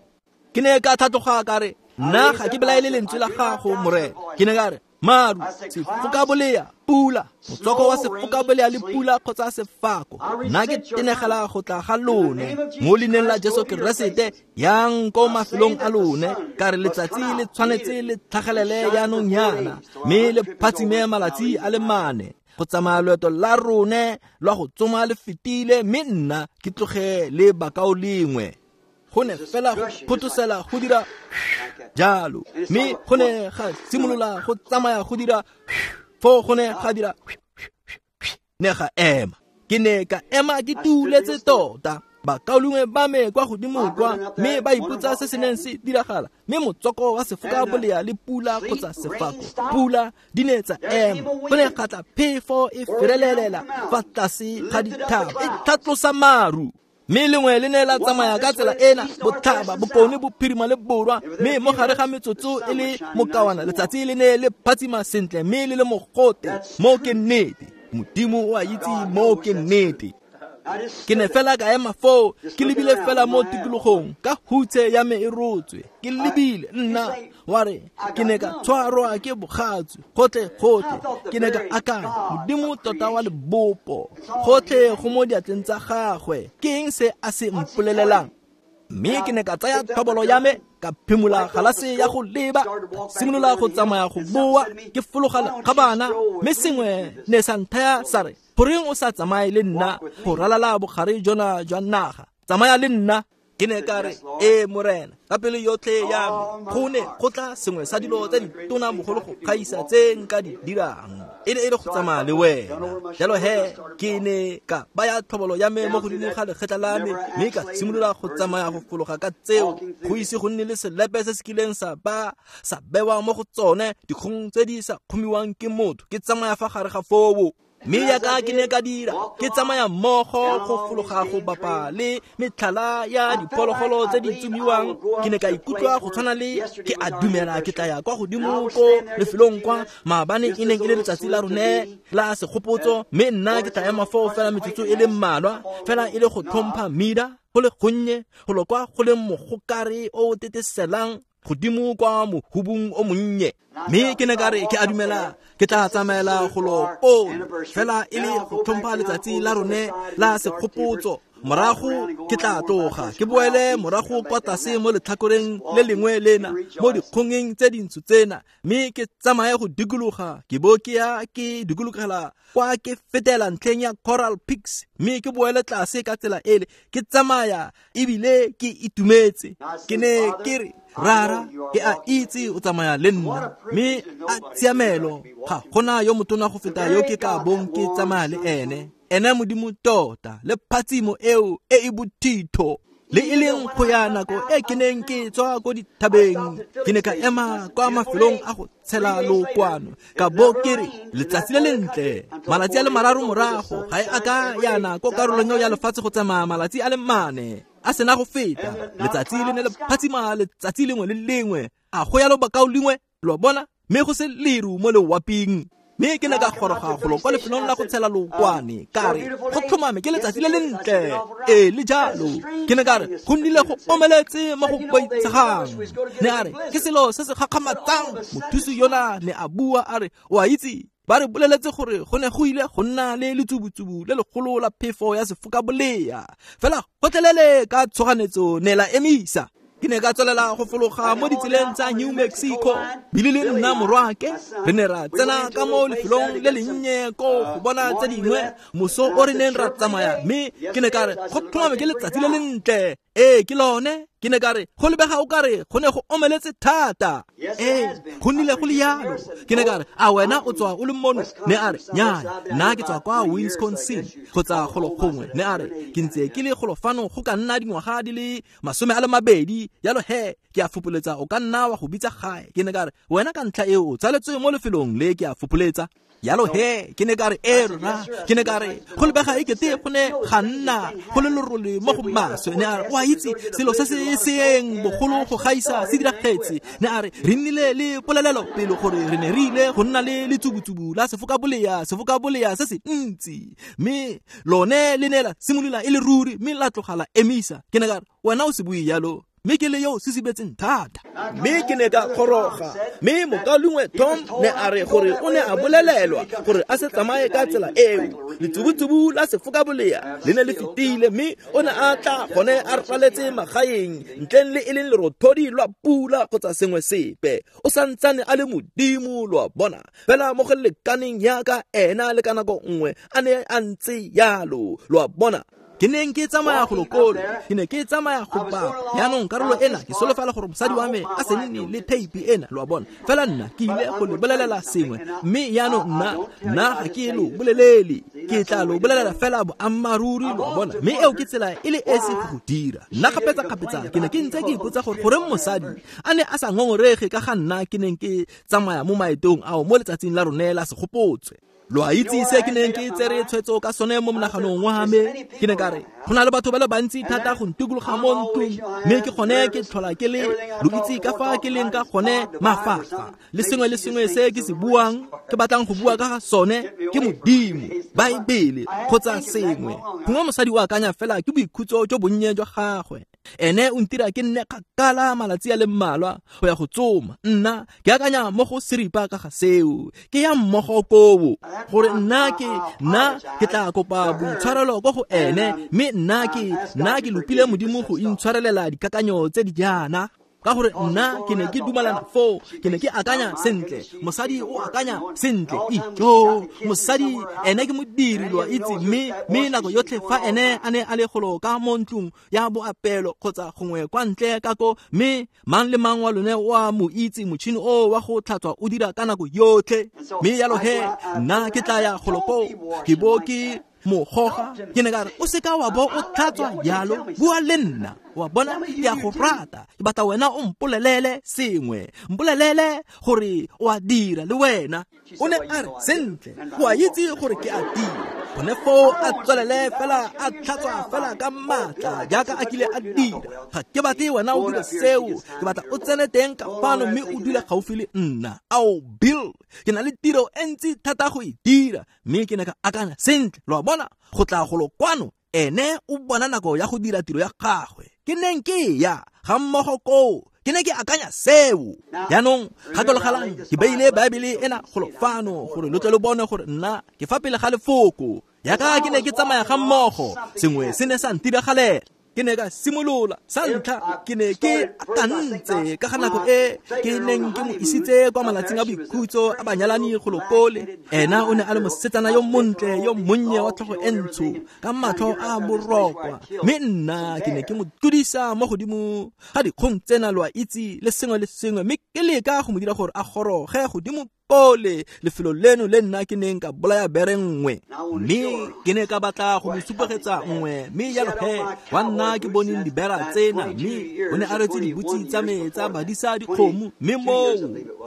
Ke ne ka tlhatloga ka re, nna ga ke belaele lentswe la gago Morena. Ke ne ka re, maru, sefoka bolea, pula, motswako wa sefoka bolea le pula kgotsa sefako, nna ke tenegela go tla ga lone mo leineng la Jesu Keresete, yang ko mafelong a lone. Ka re letsatsi le tshwanetse le tlhagelele jaanong yana, mme le phatsime malatsi a le mane. Go tsamaya loeto la rone lwa go tsoma le fetile, mme nna ke tloge le bakao lengwe. Go ne fela go photosela go dira jalo, mme go ne ga simolola go tsamaya go dira foo, go ne ga dira ne ga ema. Ke ne ka ema ke tuletse tota. Bakaulengwe ba me kwa godimo kwa, mme ba ipotsa se se neng se diragala. Mme motswako wa sefoka bolea le pula kgotsa sefako, pula di ne tsa ema. Go ne ga tla phefo e ferelelela fa tlase ga dithaba, e tlhatlosa maru. Mme lengwe le ne la tsamaya ka tsela ena, botlhaba, bokone, bophirima le borwa. Mme mo gare ga metsotso e le mokawana, letsatsi le ne le phatsima sentle mme le le mogote. Mo ke nnete, Modimo o a itse mo ke nnete. Ke ne fela ka ema foo, ke lebile fela mo tikologong, ka hutshe ya me e rotswe. Ke lebile nna wa re, ke ne ka tshwarwa ke bogatsu gotlhe gotlhe. Ke ne ka akanya, Modimo tota wa lebopo, gotlhe go mo diatleng tsa gagwe, ke eng se a se mpolelelang? Mme ke ne ka tsaya tlhobolo ya me, ka phimola galase ya go leba, simolola go tsamaya go boa, ke fologa lekgabana. Mme sengwe ne sa nthaya sa re, goreng o sa tsamaye le nna go ralala bogare jona jwa naga? Tsamaya le nna. Ke ne ka re, ee Morena, ka pelo yotlhe ya me. Go ne go tla sengwe sa dilo tse ditona bogolo go gaisa tse nka di dirang, e ne e le go tsamaya le wena. Jalo he, ke ne ka baya tlhobolo ya me mo godimo ga legetla la me, mme ka simolola go tsamaya go fologa ka tseo. Go ise go nne le selepe se se kileng sa ba sa bewa mo go tsone, dikgong tse di sa kgomiwang ke motho. Ke tsamaya fa gare ga foo. Mme yaka ke ne ka dira, ke tsamaya mmogo go fologa go bapa le metlhala ya diphologolo tse di tsomiwang. Ke ne ka ikutlwa go tshwana le ke a dumela ke tla ya kwa godimo ko lefelong kwa maabane e neng e le letsatsi la rone la segopotso, mme nna ke tla ema foo fela metsotso e le mmalwa, fela e le go tlhompha Mida go le gonnye, go lo kwa go leng mogokare o teteselang godimo kwa mohubung o monnye. Mme ke ne ka re, ke a dumela ke tla tsamaela go lo koo, fela e le go tlhompha letsatsi la rone la segopotso. Morago ke tla tloga ke boele morago kwa tlase mo letlhakoreng le lengwe lena, mo dikgongeng tse dintsho tsena, mme ke tsamaye go dikologa, ke bo ke ya ke dikologela kwa ke fetela ntlheng ya Coral Peaks, mme ke boele tlase ka tsela ele. Ke tsamaya ebile ke itumetse. Ke ne ke re, Rara, ke a itse o tsamaya le nna, mme a tshiamelo ga gona yo motona go feta yo ke ka bong ke tsamaya le ene. Ene Modimo tota le phatsimo eo e e bothitho. Le e leng go ya nako e ke neng ke tswa ko dithabeng, ke ne ka ema kwa mafelong a go tshela lokwano, ka bo ke re letsatsi le lentle. Malatsi a le mararo morago ga e a ka yana ko karolong eo ya lefatshe go tsamaya malatsi a le mane a sena go feta. Letsatsi le ne le phatsima letsatsi lengwe le lengwe, a go yalo bakao lengwe, lo bona, mme go se leru mo lewaping. Mme ke ne ka goroga golo kwa lefelong la go tshela lookwane, ka re go tlhomame ke letsatsi le lentle. Ee, le jalo. Ke ne ka re go nnile go omeletse mo go boitshegang. Ne a re ke selo se se gakgamatsang. Mothusi yona ne a bua a re, o a itse, ba re boleletse gore go ne go ile go nna le letsubutsubu le legolo la phefo ya sefokabolea, fela gotlhelele ka tshoganetso ne la emisa. Ke ne ka tswelela go fologa mo ditseleng tsa New Mexico. Bile le nna morwake re ne ra tsena ka mo lefelong le lennye ko go bona tse dingwe moso o re neng ra tsamaya, mme ke ne ka re go tlhomame ke letsatsi le lentle. Ee, ke lone. Ke ne ka re go lebega o ka re go ne go omeletse thata. Ee, go nnile go le yalo. Ke ne ka re a wena o tswa o le mono? Ne a re nyaa, nna ke tswa kwa Wisconsin kgotsa golo gongwe. Ne a re ke ntse ke le golo fano go ka nna dingwaga di le masome a le mabedi, yalo he ke a fopoletsa o ka nna wa go bitsa gae. Ke ne ka re wena ka ntlha eo o tsaletswe mo lefelong le, ke a fopoletsa. Yalo he, ke ne ka re e rona. Ke ne ka re go lebega e kete go ne ga nna go le lerole mo go maswe. Ne a re o a itse selo se se seeng bogolo go gaisa se diragetse. Ne a re re nnile le polelelo pele gore re ne re ile go nna le letsubutsubu la sefokabolea, sefokabolea se se ntsi, mme lone le ne la simolola e le ruri, mme la tloga la emisa. Ke ne ka re wena o se bue yalo, mme ke le yo se sibetseng thata. Mme ke ne ka goroga, mme mokaulengwe Tom ne a re gore o ne a bolelelwa gore a se tsamaye ka tsela eo. Letsubutsubu la sefokabolea le ne le fetile, mme o ne a tla gone a raletse magaeng ntleng le e leng lerothodi lwa pula kgotsa sengwe sepe. O santsane a le Modimo, lo a bona, fela mo go lekaneng yaka ena le ka nako nngwe a ne a ntse yalo, lo a bona. Ke neng ke tsamaya go lokolo, ke ne ke tsamaya go bapa. Yaanong karolo ena ke solofela gore mosadi wa me a se nne le tape ena, lo a bona. Fela nna ke ile go le bolelela sengwe, mme yaanong nna nna ga ke lo bolelele, ke tla lo bolelela fela boammaaruri, lo a bona. Mme eo ke tsela e le esi go go dira. Nna kgapetsa-kgapetsa ke ne ke ntse ke ipotsa gore goreng mosadi a ne a sa ngongorege ka ga nna ke neng ke tsamaya mo maetong ao mo letsatsing la rone la segopotswe. Lo a itse se ke neng ke tsere tshwetso ka sone mo monaganong wa me. Ke ne ka re go na le batho ba le bantsi thata go ntikologa mo ntlong, mme ke gone ke tlhola ke le, lo itse ka fa ke leng ka gone mafafa, le sengwe le sengwe se ke se buang, ke batlang go bua ka ga sone ke Modimo, Baebele kgotsa sengwe. Gongwe mosadi o akanya fela ke boikhutso jo bonnye jwa gagwe. Ene o ntira ke nne kgakala malatsi a le mmalwa go ya go tsoma. Nna ke akanya mo go seripa ka ga seo, ke ya mmogo koo gore nna ke nna ke tla kopa boitshwarelo ko go ene, mme nna ke nna ke lopile Modimo go intshwarelela dikakanyo tse di jaana. Ka gore nna ke ne ke dumalana foo, ke ne ke akanya sentle, mosadi o akanya sentle, ijo mosadi ene ke modiri, lo a itse. Mme mme nako yotlhe fa ene a ne a le golo ka mo ntlong ya boapelo kgotsa gongwe kwa ntle ka ko, mme mang le mang wa lone o a mo itse, motšhini o wa go tlhatswa o dira ka nako yotlhe. Mme yalo he nna ke tla ya golo koo, ke bo ke mo goga. Ke ne ka re o seka wa bo o tlhatswa yalo, bua le nna, wa bona, ke a go rata, ke batla wena o mpolelele sengwe, mpolelele gore o a dira le wena. O ne a re sentle, o a itse gore ke a dira. Gone foo a tswelele fela a tlhatswa fela ka maatla jaaka a kile a dira. Ga ke batle wena o dire seo, ke batla o tsene teng ka fano mme o dule gaufi le nna. Ao Bill, ke na le tiro e ntsi thata go e dira. Mme ke ne ka akanya sentle, lo a bona, go tla golo kwano ene o bona nako ya go dira tiro ya gagwe. Ke neng ke ya ga mmogo koo, ke ne ke akanya seo. Yaanong gakologelang ke beile Baebele ena golo fano gore lo tle lo bone gore nna ke fa pele ga lefoko. Yaka ke ne ke tsamaya ga mmogo, sengwe se ne sa ntiragalela. Ke ne ka simolola sa ntlha, ke ne ke akantse ka ga nako e ke neng ke mo isitse kwa malatsing a boikhutso a banyalani go lokole. Ena o ne a le mosetsana yo montle yo monnye wa tlhogo e ntsho ka matlho a borokwa, mme nna ke ne ke mo tlodisa mo godimo ga dikgong tsena, lo a itse, le sengwe le sengwe, mme ke leka go mo dira gore a goroge godimo kole lefelo leno le nna ke neng ka bolaya bere nngwe mme ke ne ka batla go mo supegetsa nngwe mme jalo he wa nna ke boneng dibera tsena mme o ne a retse dibutsi tsa me tsa badisa dikgomo mme moo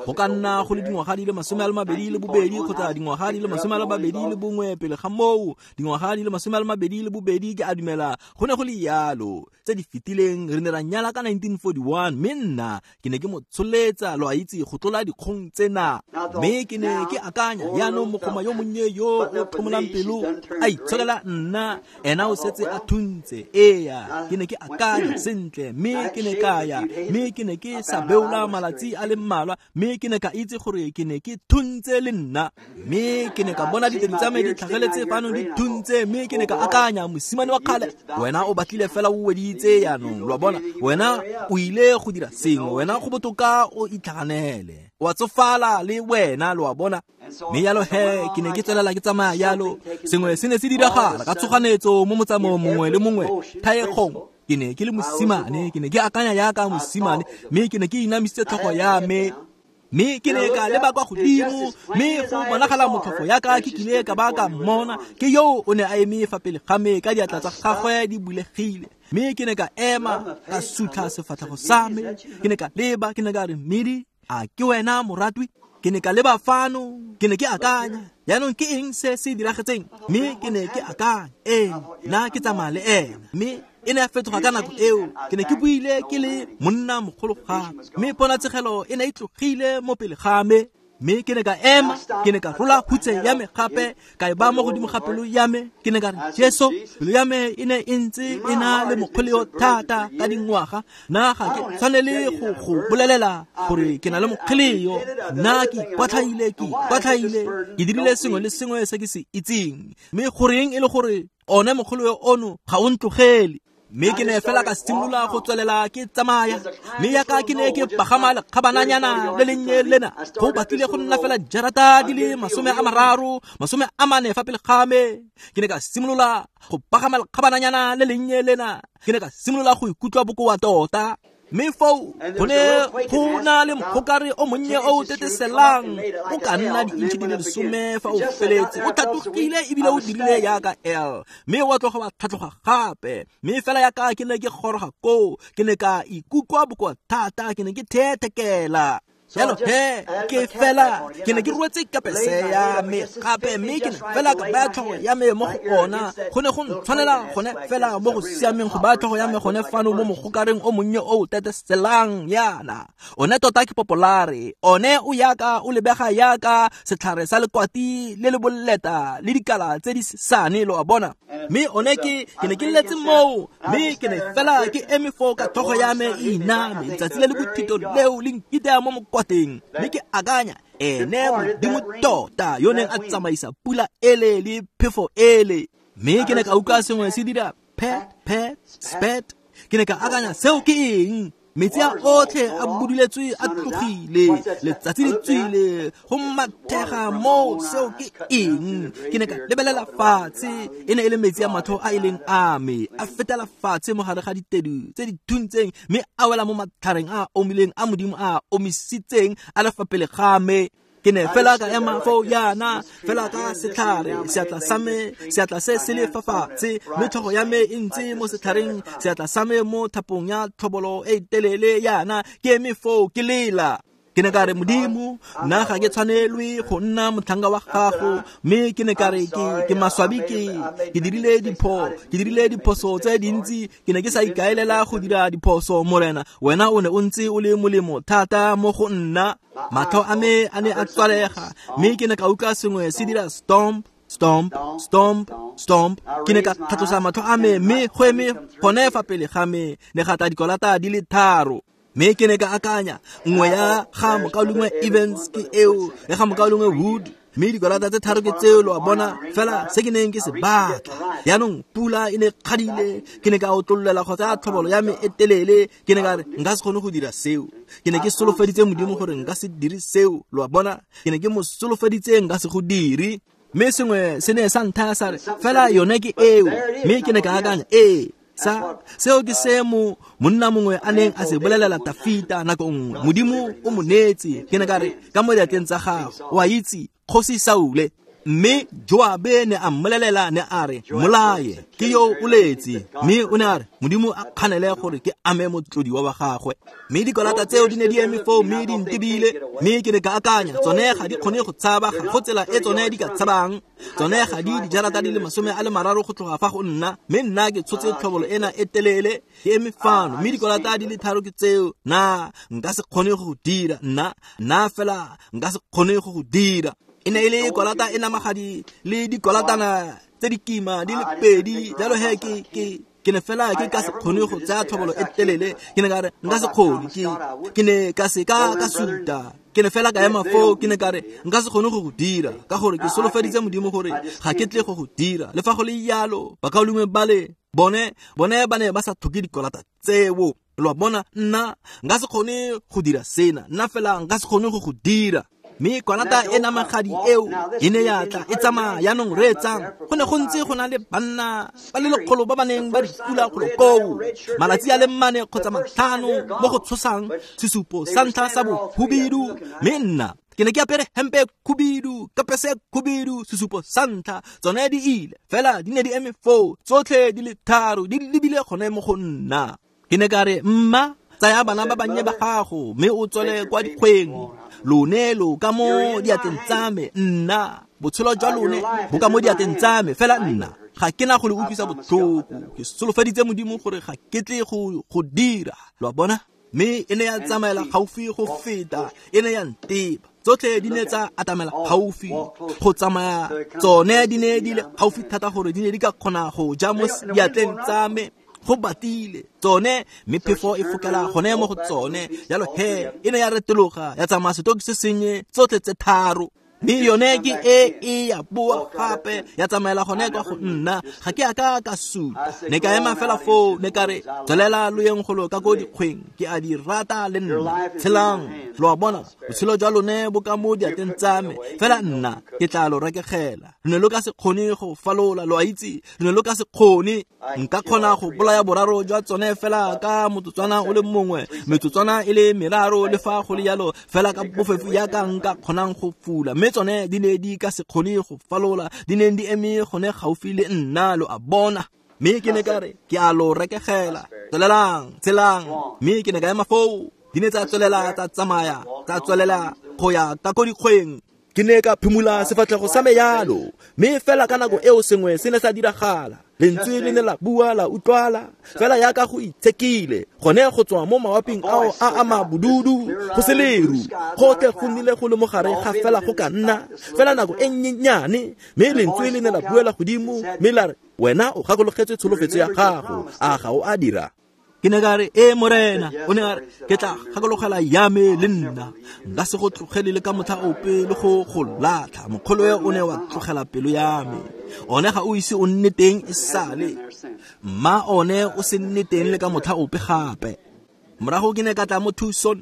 go ka nna go le dingwaga di le masome a le mabedi le bobedi kgotsa dingwaga di le masome a le mabedi le bongwe pele ga moo dingwaga di le masome a le mabedi le bobedi ke a dumela go ne go le yalo tse di fetileng re ne ra nyala ka nineteen forty-one mme nna ke ne ke mo tsholetsa lo a itse go tlola dikgong tsena mme ke ne ke akanya jaanong mogoma yo monnye yo o tlhomolang pelo a itsholela nna ena o setse a thuntse eya ke ne ke akanya sentle mme ke ne ka ya mme ke ne ke sa beola malatsi a le mmalwa mme ke ne ka itse gore ke ne ke thuntse le nna mme ke ne ka bona ditedi tsa me di tlhageletse fano di thuntse mme ke ne ka akanya mosimane wa kgale wena o batlile fela o weditse jaanong lo a bona wena o ile go dira sengwe wena go botoka o itlhaganele wa tsofala le wena lo a bona mme jalo he ke ne ke tswelela ke tsamaya jalo sengwe se ne se diragala ka tshoganetso mo motsamaong mongwe le mongwe thaegong ke ne ke le mosimane ke ne ke akanya jaaka mosimane mme ke ne ke inamisitse tlhogo ya me mme ke ne ka leba kwa godimo mme go bonagala motlhofo yaka ke kile ka ba ka mmona ke yo o ne a eme fa pele ga me ka diatla tsa gagwe di bulegile mme ke ne ka ema ka sutlha sefatlhego sa me ke ne ka leba ke ne ka re mmedi a ke wena moratwi ke ne ka leba fano ke ne ke akanya jaanong ke eng se se diragetseng mme ke ne ke akanya ee nna ke tsamaya le ena mme e ne ya fetoga ka nako eo ke ne ke buile ke le monna mogolo gape mme ponatshegelo e ne e tlogile mo pele ga me mme ke ne ka ema ke ne ka rola hutse ya me gape ka e ba mo godimo ga pelo ya me ke ne ka re Jesu pelo ya me e ne e ntse e na le mokgoleo thata ka dingwaga nna ga ke tshwanele go go bolelela gore ke na le mokgoleo nna ke ikwatlhaile ke ikwatlhaile ke dirile sengwe le sengwe se ke se itseng mme goreng e le gore one mokgoleo ono ga o ntlogele mme ke ne fela ka simolola go tswelela ke tsamaya mme yaka ke ne ke pagama lekgabananyana le lennye lena go batlile go nna fela jarata di le masome a mararo masome a mane fa pele ga me ke ne ka simolola go pagama lekgabananyana le lennye lena ke ne ka simolola go ikutlwa bokoa tota mme foo go ne go na le mogokare o monnye o o teteselang o ka nna diintšhi di le lesome fa o feletse o tlhatlogile ebile o dirile jaaka L mme wa tloga wa tlhatlhoga gape mme fela yaka ke ne ke goroga koo ke ne ka ikutlwa bokoa thata ke ne ke thethekela jalo he ke fela ke ne ke rwetse kapese ya me gape mme ke ne fela ka baya tlhogo ya me mo go ona go ne go ntshwanela gone fela mo go siameng go baya tlhogo ya me gone fano mo mogokareng o monnye o o teteselang yana one tota ke popolare one o yaka o lebega yaka setlhare sa lekwati le le boleta le dikala tse di sane lo a bona mme one ke ke ne ke letse moo mme ke ne fela ke eme foo ka tlhogo ya me e iname letsatsi le le bothito leo le nkitea mo mokwateng mme ke akanya ene modimo tota yo neng a tsamaisa pula ele le phefo ele mme ke ne ka utlwa sengwe se dira pet pet spet ke ne ka akanya seo ke eng metsi a otlhe a buduletswe a tlogile letsatsi le tswile go mathega moo seo ke eng ke ne ka lebelela fatshe e ne e le metsi a matlho a e leng a me a fetela fatshe mo gare ga ditedu tse di thuntseng mme a wela mo matlhareng a a omileng a modimo a a omisitseng a le fa pele ga me ke ne fela ka ema foo yana fela ka setlhare seatla sa me seatla se se le fa fatshe mme tlhogo ya me e ntse mo setlhareng seatla sa me mo thapong ya tlhobolo e telele yana ke eme foo ke lela ke ne ka re modimo nna ga ke tshwanelwe go nna motlhanka wa gago mme ke ne ka re ke ke maswabi ke ke dirile dipho ke dirile diphoso tse dintsi ke ne ke sa ikaelela go dira diphoso morena wena o ne o ntse o le molemo thata mo go nna matlho a me a ne a tswalega mme ke ne ka utlwa sengwe se dira stomp stomp stomp stomp ke ne ka tlhatlosa matlho a me mme go eme gone fa pele ga me ne ga tla dikolata di le tharo mme ke ne ka akanya nngwe ya ga mokaulengwe Evans ke eo ya ga mokaulengwe Wood mme dikolata tse tharo ke tseo lo a bona fela se ke neng ke se batla jaanong pula e ne kgadile ke ne ka otlololela go tsaya tlhobolo ya me e telele ke ne ka re nka se kgone go dira seo ke ne ke solofeditse modimo gore nka se dire seo lo a bona ke ne ke mo solofeditse nka se go dire mme sengwe se ne sa nthaya sa re fela yone ke eo mme ke ne ka akanya ee Sa seo ke se mo monna mongwe a neng a se bolelela Tafita nako nngwe, Modimo o mo neetse, ke ne ka re, ka mo diatleng tsa gago, o a itse, kgosi Saule. Mme Joabe ne a mmolelela ne a re, mmolaye, ke yo o letse. Mme o ne a re, Modimo a kganele gore ke ame motlodiwa wa gagwe. Mme dikolata tseo di ne di eme foo mme di ntebile, mme ke ne ka akanya, tsone ga di kgone go tshaba, ga go tsela e tsone di ka tshabang. Tsone ga di dijarata di le masome a le mararo go tloga fa go nna, mme nna ke tshotse tlhobolo ena e telele, ke eme fano, mme dikolata di le tharo ke tseo. Na nka se kgone go go dira, nna nna fela nka se kgone go go dira. E ne e le kolata e namagadi le dikolatana tse di kima di le pedi, jalo he ke ke ke ne fela ke ka se kgone go tsaya tlhobolo e telele. Ke ne ka re nka se kgone, ke ke ne ka se ka ka suta. Ke ne fela ka ema foo, ke ne ka re nka se kgone go go dira, ka gore ke solofeditse Modimo gore ga ke tle go go dira. Le fa go le jalo, bakaulengwe bale bone bone ba ne ba sa tlhoke dikolata tseo. Lo a bona, nna nka se kgone go dira sena, nna fela nka se kgone go go dira. Mme kwalata e namagadi eo e ne ya tla e tsamaya. Jaanong reetsang, go ne go ntse go na le banna ba le lekgolo ba ba neng ba di pula golo koo malatsi a le mane kgotsa matlhano mo go tshosang sesupo sa ntlha sa bohubidu. Mme nna ke ne ke apere hempe e khubidu, kapese e khubidu, sesupo sa ntlha. Tsone di ile fela di ne di eme foo tsotlhe di le tharo di lebile gone mo go nna. Ke ne ka re, mma, tsaya bana ba bannye ba gago mme o tswele kwa dikgweng. Lone lo ka mo diatleng tsa me, nna botshelo jwa lone bo ka mo diatleng tsa me, fela nna ga ke na go le utlwisa botlhoko. Ke solofeditse Modimo gore ga ke tle go go dira. Lo a bona? Mme e ne ya tsamaela gaufi go feta, e ne ya nteba. Tsotlhe di ne tsa atamela gaufi go tsamaya, tsone di ne di le gaufi thata gore di ne di ka kgona go ja mo diatleng tsa me. Go batile tsone, mme phefo e fokela gone mo go tsone. Jalo he e ne ya retologa ya tsamaya setoki se sennye tsotlhe tse tharo. Mme yone ke e e ya boa gape ya tsamaela gone kwa go nna. Ga ke a ka ka suta, ne ka ema fela foo, ne ka re, tswelela lo yeng golo ka ko dikgweng, ke a di rata le nna, tshelang. Lo a bona, botshelo jwa lone bo ka mo diatleng tsa me, fela nna ke tla lo rekegela. Lo ne lo ka se kgone go falola, lo a itse, lo ne lo ka se kgone. Nka kgona go bolaya boraro jwa tsone fela ka motsotswana o le mongwe, metsotswana e le meraro, le fa go le jalo fela ka bofefo jaaka nka kgonang go fula. Mme tsone di ne di ka se kgone go falola, di ne di eme gone gaufi le nna, lo a bona. Mme ke ne ka re, ke a lo rekegela, tswelelang, tshelang. Mme ke ne ka ema foo, di ne tsa tswelela tsa tsamaya, tsa tswelela go ya ka ko dikgweng. Ke ne ka phimola sefatlhego sa me yalo, mme fela ka nako eo sengwe se ne sa diragala. Lentswe le ne la bua la utlwala fela yaka go itshekile gone go tswa mo mawaping ao a a mabududu go se leru. Gotlhe go nnile go le mogare ga fela go ka nna fela nako e nnyenyane. Mme lentswe le ne la buela godimo mme la re, wena o gakologetswe tsholofetso ya gago, a ga o a dira? Ke ne ka re, ee Morena. O ne a re, ke tla gakologela ya me le nna, nka se go tlogele le ka motlha ope le go go latlha. Mokgolo o ne wa tlogela pelo ya me, one ga o ise o nne teng e sale, mma one o se nne teng le ka motlha ope gape. Morago ke ne ka tla mo Tucson,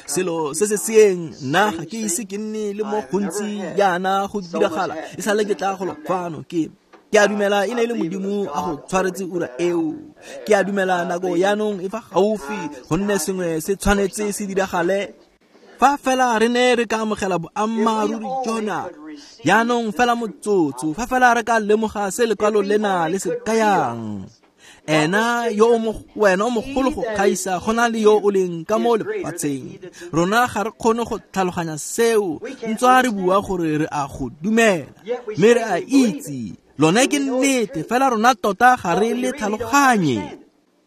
selo se se seeng, nna ga ke ise ke nne le mo gontsi jaana go diragala e sale ke tla golo fano. Ke ke a dumela e ne e le Modimo a go tshwaretse ura eo. Ke a dumela nako yaanong e fa gaufi, gonne sengwe se tshwanetse se diragale. Fa fela re ne re ka amogela boammaaruri jona yaanong fela motsotso, fa fela re ka lemoga se lekwalo lena le se kayang. Ena yo o mo wena o mogolo go gaisa go na le yo o leng ka mo lefatsheng. Rona ga re kgone go tlhaloganya seo, ntswa re bua gore re a go dumela, mme re a itse lone ke nnete, fela rona tota ga re le tlhaloganye.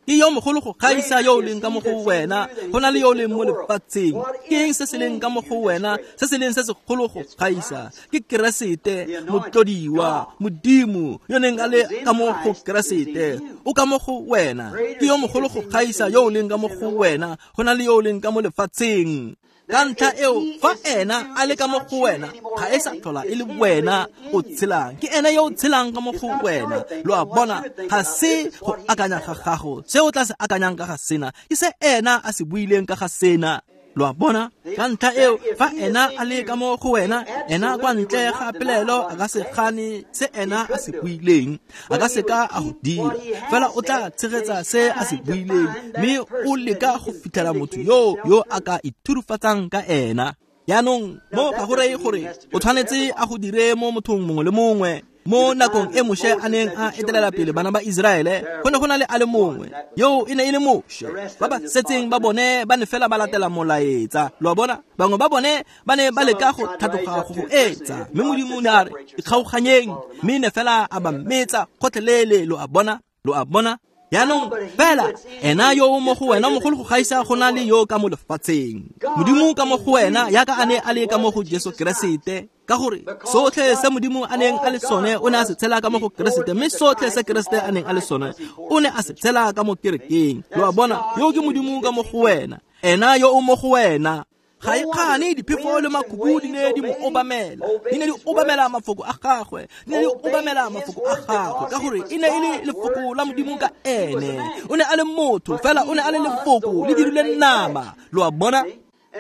Ke yo mogolo go gaisa yo o leng ka mo go wena go na le yo o leng mo lefatsheng. Ke eng se se leng ka mo go wena se se leng se segolo go gaisa? Ke Keresete, motlodiwa, Modimo yo neng a le ka mo go Keresete, o ka mo go wena. Ke yo mogolo go gaisa yo o leng ka mo go wena go na le yo o leng ka mo lefatsheng. Ka ntlha eo, fa ena a le ka mo go wena, ga e sa tlhola e le wena o tshelang, ke ena yo o tshelang ka mo go wena. Lo a bona, ga se go akanya ga gago se o tla se akanyang ka ga sena, ke se ena a se buileng ka ga sena. Lo a bona? Ka ntlha eo, fa ena a le ka mo go wena, ena kwa ntle ga pelaelo a ka se gane se ena a se buileng, a ka se ka a go dira, fela o tla tshegetsa se a se buileng, mme o leka go fitlhela motho yo yo a ka ithurufatsang ka ena. Jaanong mo ga go reye gore o tshwanetse a go dire mo mothong mongwe le mongwe. Mo nakong e Moshe a neng a etelela pele bana ba Iseraele, go ne go na le a le mongwe yo e ne e le Moshe. Ba ba setseng ba bone ba ne fela ba latela molaetsa. Lo a bona? Bangwe ba bone ba ne ba leka go tlhatloga go go etsa, mme Modimo o ne a re ikgaoganyeng, mme ne fela a ba metsa gotlhelele. Lo a bona? Lo a bona? Jaanong fela ena yo o mo go wena mogolo go gaisa go na le yo ka mo lefatsheng. Modimo ka mo go wena yaka a ne a le ka mo go Jesu Keresete, ka gore sotlhe se Modimo a neng a le sone o ne a se tshela ka mo go Keresete, mme sotlhe se Keresete a neng a le sone o ne a se tshela ka mo kerekeng. Lo a bona? Yo ke Modimo ka mo go wena, ena yo o mo go wena. Ga e kgane diphefo le makhubu di ne di mo obamela, di ne di obamela mafoko a gagwe, di ne di obamela mafoko a gagwe, ka gore e ne e le lefoko la Modimo ka ene. O ne a le motho, fela o ne a le lefoko le dirile nama. Lo a bona?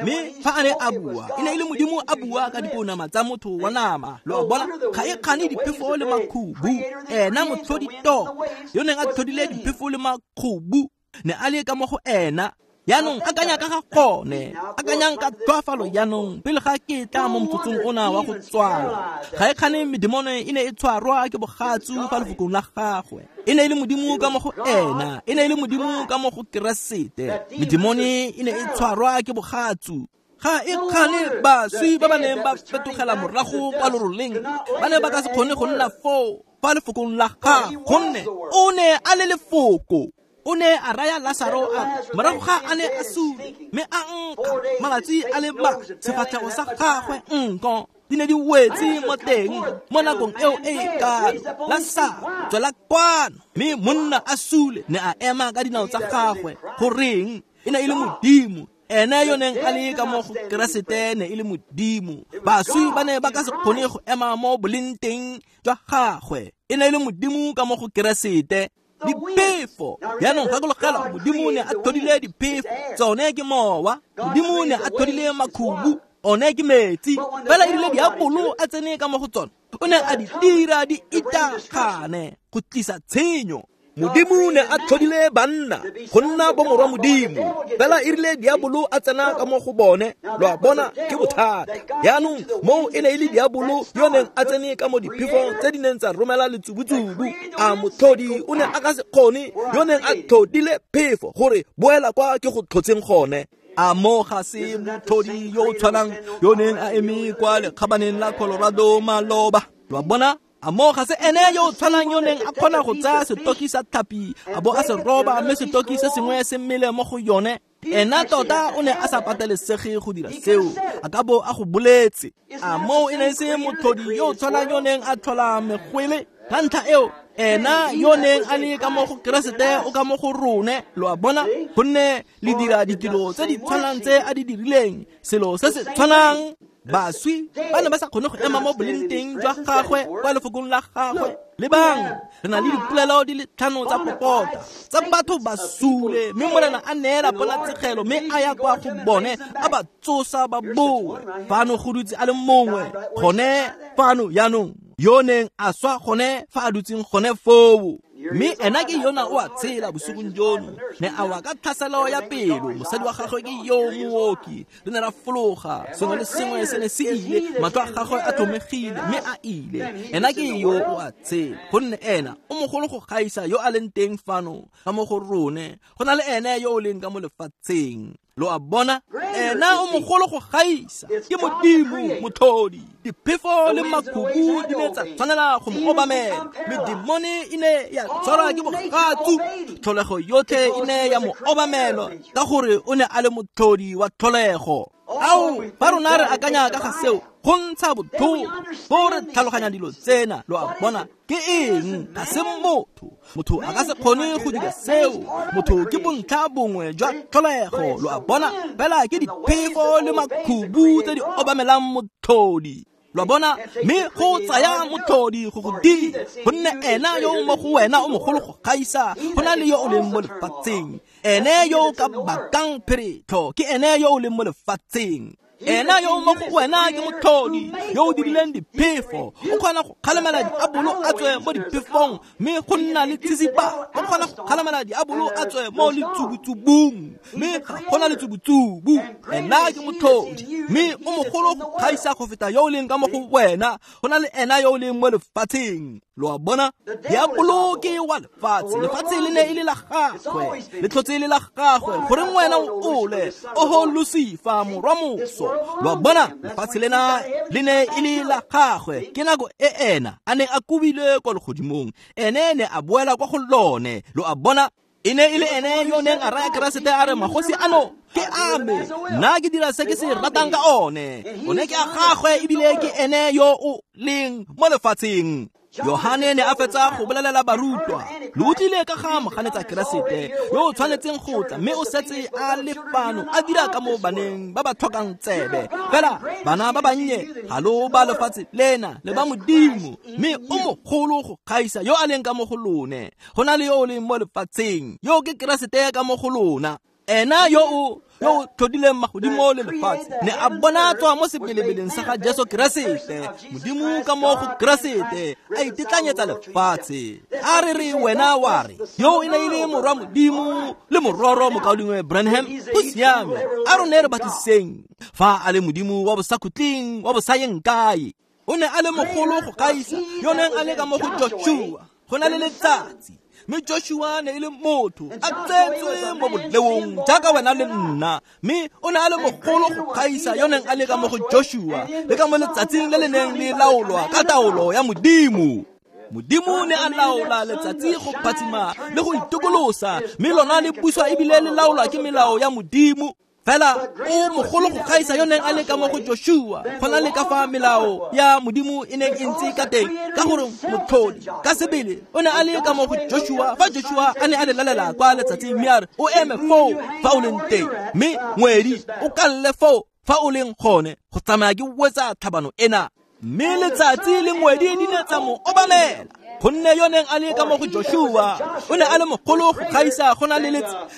Mme fa a ne a bua, e ne e le Modimo a bua ka dipounama tsa motho wa nama. Lo a bona? Ga e kgane diphefo le makhubu, ena motlhodi tota yo neng a tlhodile diphefo le makhubu ne a le ka mo go ena. Jaanong akanya ka ga gone, akanyang ka tlhoafalo jaanong pele ga ke tla mo motsotsong ona wa go tswala. Ga e kgane medemone e ne e tshwarwa ke bogatsu fa lefokong la gagwe. E ne e le Modimo ka mo go ena, e ne e le Modimo ka mo go Keresete. Medemone e ne e tshwarwa ke bogatsu. Ga e kgane baswi ba ba neng ba fetogela morago kwa loroleng ba ne ba ka se kgone go nna foo fa lefokong la gagwe, gonne o ne a le lefoko. O ne a raya Lasaro a morago ga a ne a sule, mme a nkga malatsi a le ma sefatlhego sa gagwe nko di ne di wetse mo teng mo nakong eo e e kalo. Lasaro, tswela kwano! Mme monna a sule ne a ema ka dinao tsa gagwe. Goreng? E ne e le Modimo. Ene yo neng a le ka mo go Keresete ne e le Modimo. Baswi ba ne ba ka se kgone go ema mo boleng teng jwa gagwe. E ne e le Modimo ka mo go Keresete. Diphefo jaanong gakologelwa, Modimo ne a tlhodile diphefo, tsone ke mowa. Modimo ne a tlhodile makhubu, one ke metsi. Fela e rile diabolo a tsene ka mo go tsone, o ne a di dira di itagane go tlisa tshenyo. Modimo ne a tlhodile banna go nna bomorwa Modimo, fela e rile diabolo a tsena ka mo go bone. Lo a bona? Ke bothata. Jaanong moo e ne e le diabolo yo neng a tsene ka mo diphefong tse di neng tsa romela letsubutsubu. A motlhodi o ne a ka se kgone yo neng a tlhodile phefo gore boela kwa ke go tlhotseng gone. A mo ga se motlhodi yo o tshwanang yo neng a eme kwa lekgabaneng la Colorado maloba. Lo a bona? A mo ga se ene yo o tshwanang yo neng a kgona go tsaya setoki sa tlhapi a bo a se roba, mme setoki se sengwe se mmele mo go yone. Ena tota o ne a sa patelesege go dira seo, a ka bo a go boletse. A moo e ne se motlhodi yo o tshwanang yo neng a tlhola megwele. Ka ntlha eo, ena yo neng a le ka mo go Keresete o ka mo go rone. Lo a bona? Gonne le dira ditiro tse di tshwanang tse a di dirileng, selo se se tshwanang. Baswi ba ne ba sa kgone go ema mo boleng teng jwa gagwe kwa lefokong la gagwe. Lebang, re na le dipolelo di le tlhano tsa popota tsa batho ba sule, mme Morena a neela ponatshegelo, mme a ya kwa go bone a ba tsosa ba boe. Fano go dutse a le mongwe gone fano jaanong yo neng a swa gone fa a dutseng gone foo. Mme ena ke yona o a tshela bosigong jono, ne a wa ka tlhaselo ya pelo. Mosadi wa gagwe ke yo mooki. Re ne ra fologa, sengwe le sengwe se ne se ile, matlho a gagwe a tlhomegile, mme a ile. Ena ke yo o a tshela, gonne ena o mogolo go gaisa yo a leng teng fano ka mo go rone, go na le ene yo o leng ka mo lefatsheng. Lo a bona? Ena o mogolo go gaisa, ke Modimo motlhodi. Diphefo le makhubu di ne tsa tshwanela go mo obamela. Medemone e ne ya tshwarwa ke bogatsu, tlholego yotlhe e ne ya mo obamela, ka gore o ne a le motlhodi wa tlholego. Ao, fa rona re akanya ka ga seo, go ntsha botlhoko, bo re tlhaloganya dilo tsena. Lo a bona? Ke eng? Ga se motho. Motho a ka se kgone go dira seo. Motho ke bontlha bongwe jwa tlholego. Lo a bona? Fela ke diphefo le makhubu tse di obamelang motlhodi. Lo a bona, mme go tsaya motlhodi go go dira, gonne ena yo o mo go wena o mogolo go gaisa go na le yo o leng mo lefatsheng. Ene yo o ka bakang pheretlho ke ene yo o leng mo lefatsheng. Ena yo o mo go wena ke motlhodi yo o dirileng diphefo, o kgona go kgalemela diabolo a tswe mo diphefong, mme go nna le tsisipa. O kgona go kgalemela diabolo a tswe mo letsubutsubung, mme ga gona letsubutsubu. Ena ke motlhodi, mme o mogolo go gaisa go feta yo o leng ka mo go wena, go na le ena yo o leng mo lefatsheng. Lo a bona, diabolo ke wa lefatshe, lefatshe le ne e le la gagwe, le tlhotse le la gagwe, goreng wena o ole, oho Lucifer morwa moso. Lo a bona, lefatshe lena le ne e le la gagwe, ke nako e ena a neng a kobilwe kwa legodimong, ene ne a boela kwa go lone. Lo a bona, e ne e le ene yo neng a raya Keresete a re magosi ano ke a me, nna ke dira se ke se ratang ka one, one ke a gagwe ebile ke ene yo o leng mo lefatsheng. Yohane ne a fetsa go bolelela barutwa, lo utlwile ka ga moganetsa Keresete yo o tshwanetseng go tla, mme o setse a le fano a dira ka mo baneng ba ba tlhokang tsebe. Fela bana ba bannye ga lo ba lefatshe lena le ba Modimo, mme o mogolo go gaisa yo a leng ka mo go lone, go na le yo o leng mo lefatsheng, yo ke Keresete ka mo go lona. Ena yo o yo o tlhodileng magodimo le lefatshe ne a bonatswa mo sebelebeleng sa ga Jesu Keresete, Modimo ka mo go Keresete a itetlanyetsa lefatshe. A re re wena wa re yo e ne e le morwa Modimo le mororo mokaulengwe Branham, go siame, a rone re batlisiseng fa a le Modimo wa bosakhutleng wa bosayeng kae. O ne a le mogolo go gaisa yo neng a le ka mo go Joshua, go na le letsatsi, mme Joshua ne e le motho a tsetswe mo boleong jaaka wena le nna, mme o ne a le mogolo go gaisa yo neng a le ka mo go Joshua le ka mo letsatsing le le neng le laolwa ka taolo ya Modimo. Modimo ne a laola letsatsi go phatsima le go itokolosa, mme lona le puswa ebile le laolwa ke melao ya Modimo. Fela o mogolo go gaisa yo neng a le ka mo go Joshua, go na le ka fa melao ya Modimo e neng e ntse ka teng, ka gore motlhodi ka sebele o ne a le ka mo go Joshua fa Joshua a ne a le lalela kwa letsatsing, mme a re o eme foo fa o leng teng, mme ngwedi o kalle foo fa o leng gone go tsamaya ke wetsa tlhabano ena. Mme letsatsi le ngwedi di ne tsa mo obamela, gonne yo neng a le ka mo go Joshua o ne a le mogolo go gaisa go na le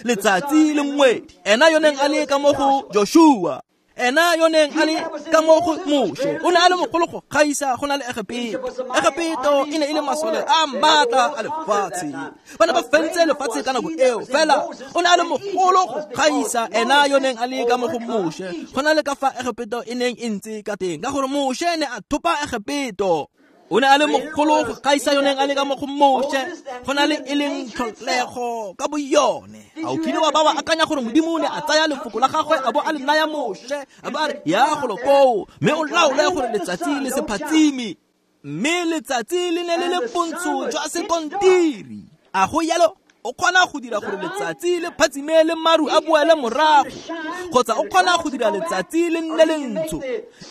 letsatsi le ngwedi. Ena yo neng a le ka mo go Joshua, ena yo neng a le ka mo go Moshe, o ne a le mogolo go gaisa go na le Egepeto. Egepeto e ne e le masole a maatla a lefatshe, ba ne ba fentse lefatshe ka nako eo, fela o ne a le mogolo go gaisa ena yo neng a le ka mo go Moshe go na le ka fa Egepeto e neng e ntse ka teng, ka gore Moshe ne a thopa Egepeto. O ne a le mogolo go gaisa yo neng a le ka mo go Moshe go na le e leng tlholego ka boyone. A o kile wa ba wa akanya gore Modimo ne a tsaya lefoko la gagwe a bo a le naya Moshe, a ba re ya golo koo, mme o laole gore letsatsi le se phatsime, mme letsatsi le ne le le pontsho jwa sekontiri. A go yalo o kgona go dira gore letsatsi le phatsime le maru a boele morago, kgotsa o kgona go dira letsatsi le nne le ntsho.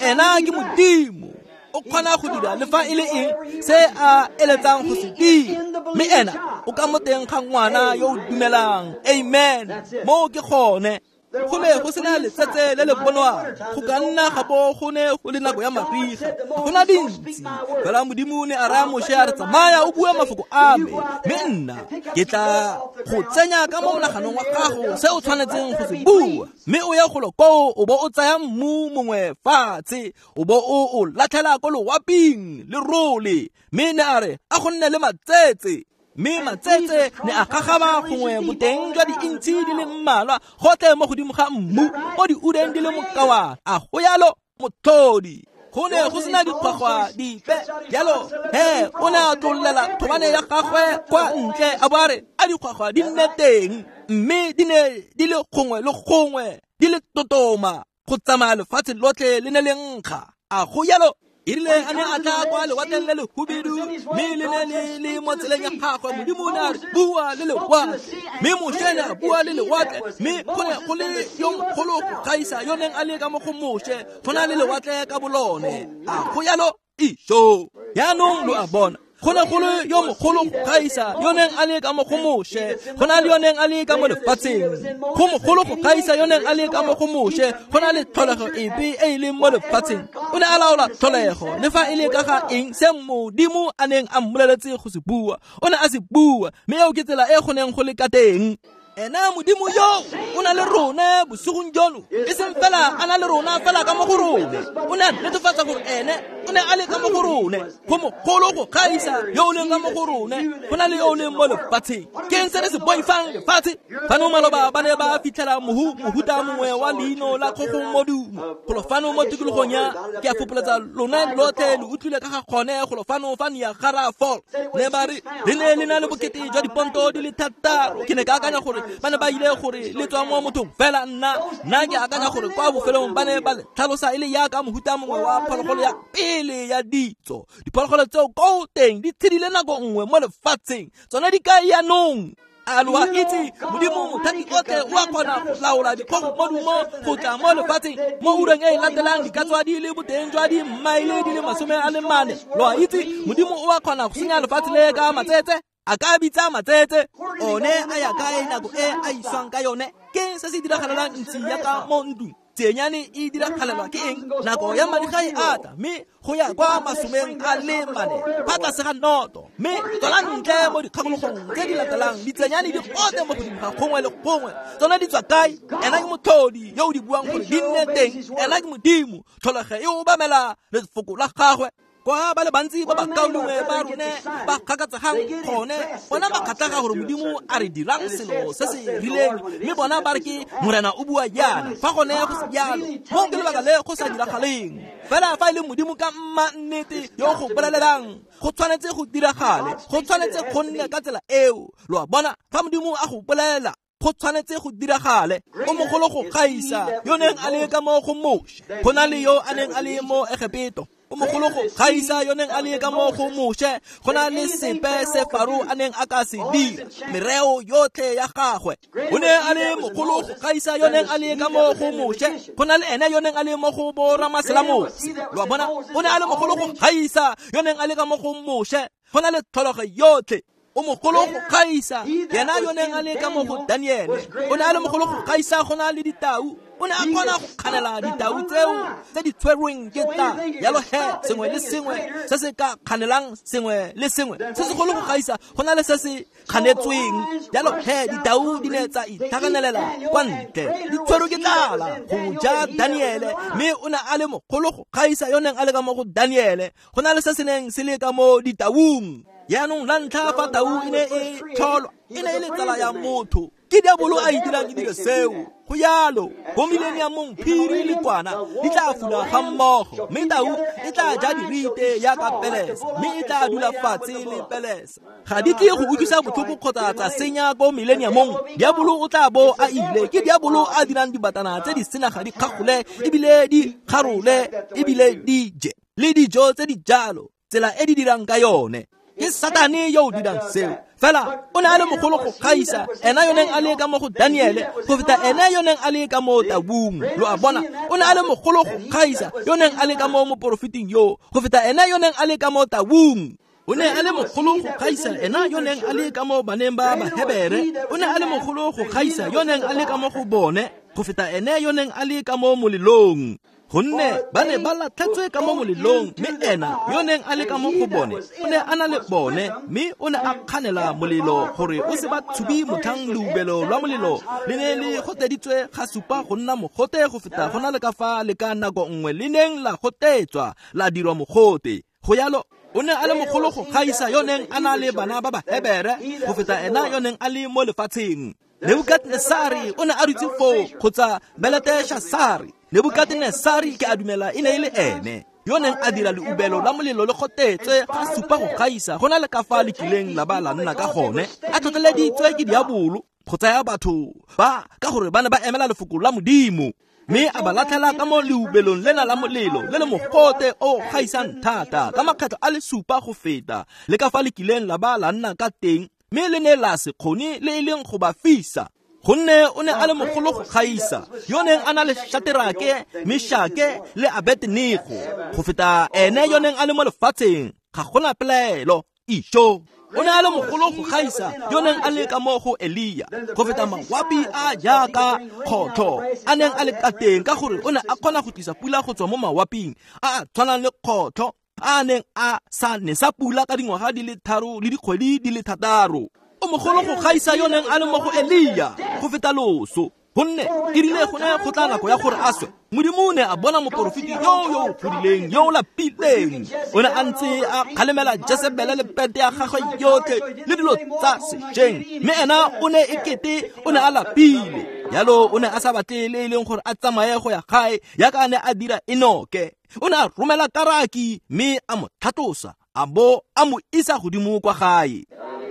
Ena ke Modimo, o kgona go dira le fa e le eng se a eletsang go se dira, mme ena o ka mo teng ga ngwana yo o dumelang. Amen. Moo ke gone. Go ne go sena letsatsi le le bonwang, go ka nna ga bo go ne go le nako ya mariga, ga gona dintsi. Fela Modimo ne a raya Moshe a re tsamaya o bue mafoko a me, mme nna ke tla go tsenya ka mo monaganong wa gago se o tshwanetseng go se bua, mme o ye golo koo o bo o tsaya mmu mongwe fatshe o bo o o latlhela ko loaping le role. Mme ne a re a go nne le matsetse, mme matsetse ne a gagaba gongwe boteng jwa diintshi di le mmalwa gotlhe mo godimo ga mmu mo diureng di le mokawana. A go yalo motlhodi, go ne go sena dikgwagwa dipe. Jalo he o ne a tlollela thobane ya gagwe kwa ntle a bo a re a dikgwagwa di nne teng, mme di ne di le gongwe le gongwe di le totoma go tsamaya lefatshe lotlhe le ne le nkga. A go yalo e rile a ne a tla kwa lewatleng le lehubedu, mme le ne le le mo tseleng ya gagwe, Modimo o ne a re bua le lewatle, mme Moshe ne a bua le lewatle, mme go ne go le yo mogolo go gaisa yo neng a le ka mo go Moshe go na le lewatle ka bolone. A go yalo iso. Jaanong lo a bona, Go ne go le yo mogolo go gaisa yo neng a le ka mo go Moshe, go na le yo neng a le ka mo lefatsheng. Go mogolo go gaisa yo neng a le ka mo go Moshe, go na le tlholego epe e e leng mo lefatsheng. O ne a laola tlholego le fa e le ka ga eng se Modimo a neng a mmoleletse go se bua, o ne a se bua, mme eo ke tsela e go neng go le ka teng. Ena Modimo yo o na le rone bosigong jono, e seng fela a na le rona fela ka mo go rone, o ne a netefatsa gore ene o ne a le ka mo go rone. Go mogolo go gaisa yo o leng ka mo go rone, go na le yo o leng mo lefatsheng. Ke eng se re se boifang lefatshe? Fano maloba ba ne ba fitlhela mohu mohuta mongwe wa leino la kgogomodumo golo fano mo tikologong ya ke a fopoletsa lone lotlhe le utlwile ka ga gone golo fano fa Niagara Falls. Ne ba re le ne le na le bokete jwa diponto di le thataro. Ke ne ka akanya gore ba ne ba ile gore le tswa mo mothong, fela nna nna ke akanya gore kwa bofelong ba ne ba le tlhalosa e le yaka mohuta mongwe wa phologolo ya pele ya ditso. Diphologolo tseo ko teng di tshedile nako nngwe mo lefatsheng, tsone di kae yanong? A lo a itse Modimo mothati otlhe o a kgona go laola dikgogomodumo go tla mo lefatsheng mo ureng e e latelang di ka tswa di le boteng jwa dimmaele di le masome a le mane. Lo a itse Modimo o a kgona go senya lefatshe le ka matsetse, a ka bitsa matsetse one a ya kae nako e a iswang ka yone? Ke se se diragalelang ntsi ya ka mo ntlong? Tsenyane e diragalelwa ke eng? Nako ya mariga e ata, mme go ya kwa masomeng a le mane fa tlase ga noto, mme tswela ntle mo dikgakologong tse di latelang ditsenyane di gote mo godimo ga gongwe le gongwe. Tsone di tswa kae? Ena ke motlhodi yo o di buang gore di nne teng. Ena ke Modimo, tlholego e obamela lefoko la gagwe. Kwa ba le bantsi ba bakaulengwe ba rone ba kgakatsegang gone, bona ba kgatlhega gore Modimo a re dirang selo se se rileng, mme bona ba re ke Morena o bua jaana, fa gone go se jalo. Mo ke lebaka le go sa diragaleng. Fela fa e le Modimo ka mma nnete yo go bolelelang, go tshwanetse go diragale, go tshwanetse go nne ka tsela eo. Lo a bona, fa Modimo a go bolelela, go tshwanetse go diragale. O mogolo go gaisa yo neng a le ka mo go Moshe, go na le yo a neng a le mo Egepeto. O mogolo go gaisa yo neng a le ka mo go Moshe, go na le sepe se Faro a neng a ka se dira, mereo yotlhe ya gagwe. O ne a le mogolo go gaisa yo neng a le ka mo go Moshe, go na le ene yo neng a le mo go bo Ramaselamose. Lo a bona, o ne a le mogolo go gaisa yo neng a le ka mo go Moshe, go na le tlholego yotlhe. O mogolo go gaisa yena yo neng a le ka mo go Daniele, o ne a le mogolo go gaisa go na le ditau. O ne a kgona go kganela ditau tseo tse di tshwerweng ke tla. Yalo he, sengwe le sengwe se se ka kganelang sengwe le sengwe se segolo go gaisa go na le se se kganetsweng. Yalo he, ditau di ne tsa itlhaganelela kwa ntle, di tshwerwe ke tlala go ja Daniele, mme o ne a le mogolo go gaisa yo neng a le ka mo go Daniele, go na le se se neng se le ka mo ditaung. Yaanong la ntlha fa tau e ne e tlholwa, e ne e le tsala ya motho. Ke diabolo a itirang ke dilo seo. Go yalo, mo mileniamong phiri le kwana di tla fula ga mmogo, mme tau e tla ja dirite yaka pelesa, mme e tla dula fatshe le pelesa. Ga di tle go utlwisa botlhoko kgotsa tsa senya ko mileniamong. Diabolo o tla bo a ile. Ke diabolo a dirang dibatana tse di senaga di kgagole ebile di kgarole ebile di je le dijo tse di jalo, tsela e di dirang ka yone. Ke Satane yo o dirang seo. Fela o ne a le mogolo go gaisa ena yo neng a le ka mo go Daniele go feta ena yo neng a le ka mo taung. Lo a bona, o ne a le mogolo go gaisa yo neng a le ka mo moporofeting yo go feta ena yo neng a le ka mo taung. O ne a le mogolo go gaisa ena yo neng a le ka mo baneng ba Bahebere. O ne a le mogolo go gaisa yo neng a le ka mo go bone go feta ene yo neng a le ka mo molelong. Gonne ba ne ba latlhetswe ka mo molelong, mme ena yo neng a le ka mo go bone o ne a na le bone, mme o ne a kganela molelo gore o se ba tshubi motlhang leubelo lwa molelo le ne le goteditswe ga supa go nna mogote go feta go na le ka fa le ka nako nngwe le neng la gotetswa la dirwa mogote. Go yalo, o ne a le mogolo go gaisa yo neng a na le bana ba Bahebere go feta ena yo neng a le mo lefatsheng. Nebukadnesari o ne a dutse foo, kgotsa Beleteshasari. Nebukadnesari ke a dumela e ne e le ene yo neng a dira leubelo la molelo le gotetswe ga supa go gaisa go na le ka fa le kileng la ba la nna ka gone, a tlhotlheleditswe ke diabolo go tsaya batho ba ka gore ba ne ba emela lefoko la Modimo, mme a ba latlhela ka mo leubelong lena la molelo le le mogote o gaisang thata ka makgetlho a le supa go feta le ka fa le kileng la ba la nna ka teng, mme le ne la se kgone le e leng go ba fisa. Gonne o ne a le mogolo go gaisa yo neng a na le Shaterake, Meshake le Abednego go feta ene yo neng a le mo lefatsheng. Ga gona pelaelo. Ijo o ne a le mogolo go gaisa yo neng a le ka mo go Elia go feta mawapi a jaaka kgotlho a neng a le ka teng, ka gore o ne a kgona go tlisa pula go tswa mo mawaping a a tshwanang le kgotlho a neng a sa ne sa pula ka dingwaga di le tharo le dikgwedi di le thataro. O mogolo go gaisa yo neng a le mo go Elia go feta loso, gonne e rile go ne go tla nako ya gore a swe, Modimo o ne a bona moporofeti yo yo godileng yo o lapileng. O ne a ntse a kgalemela Jesebele le pente ya gagwe yotlhe le dilo tsa sešweng, mme ena o ne e kete o ne a lapile. Jalo o ne a sa batle le e leng gore a tsamaye go ya gae yaka a ne a dira Enoke. O ne a romela karaki mme a mo tlhatlosa a bo a mo isa godimo kwa gae.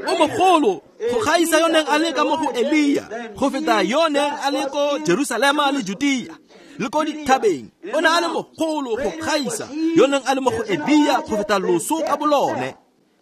O mogolo go gaisa yo neng a le ka mo go Elia go feta yo neng a le ko Jerusalema le Judea le ko dithabeng. O ne a le mogolo go gaisa yo neng a le mo go Elia go feta loso ka bolone.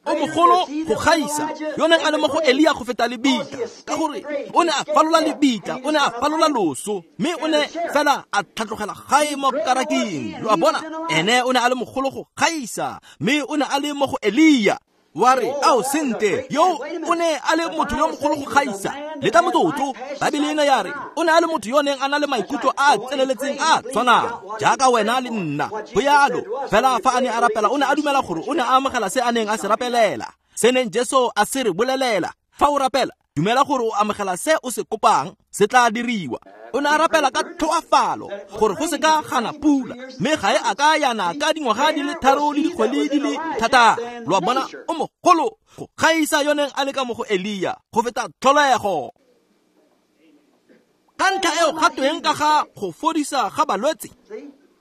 O mogolo go gaisa yo neng a le mo go Elia go feta lebitla, ka gore o ne a falola lebitla, o ne a falola loso, mme o ne fela a tlhatlogela gae mo karaking. Lo a bona, ene o ne a le mogolo go gaisa, mme o ne a le mo go Elia. Wa re, ao sente, yo o ne a le motho yo mogolo go gaisa. Le ka motsotso, Baebele ena ya re o ne a le motho yo neng a na le maikutlo a a tseneletseng a tshwanang jaaka wena le nna. Go yalo fela fa a ne a rapela, o ne a dumela gore o ne a amogela se a neng a se rapelela, se neng Jesu a se re bolelela. Fa o rapela, dumela gore o amogela se o se kopang, se tla diriwa. O ne a rapela ka tlhoafalo gore go se ka gana pula, mme ga e a ka yana ka dingwaga di le tharo le dikgwedi di le thataro. Lo a bona, o mogolo go gaisa yo neng a le ka mo go Elia go feta tlholego. Ka ntlha eo ga tweng ka ga go fodisa ga balwetse?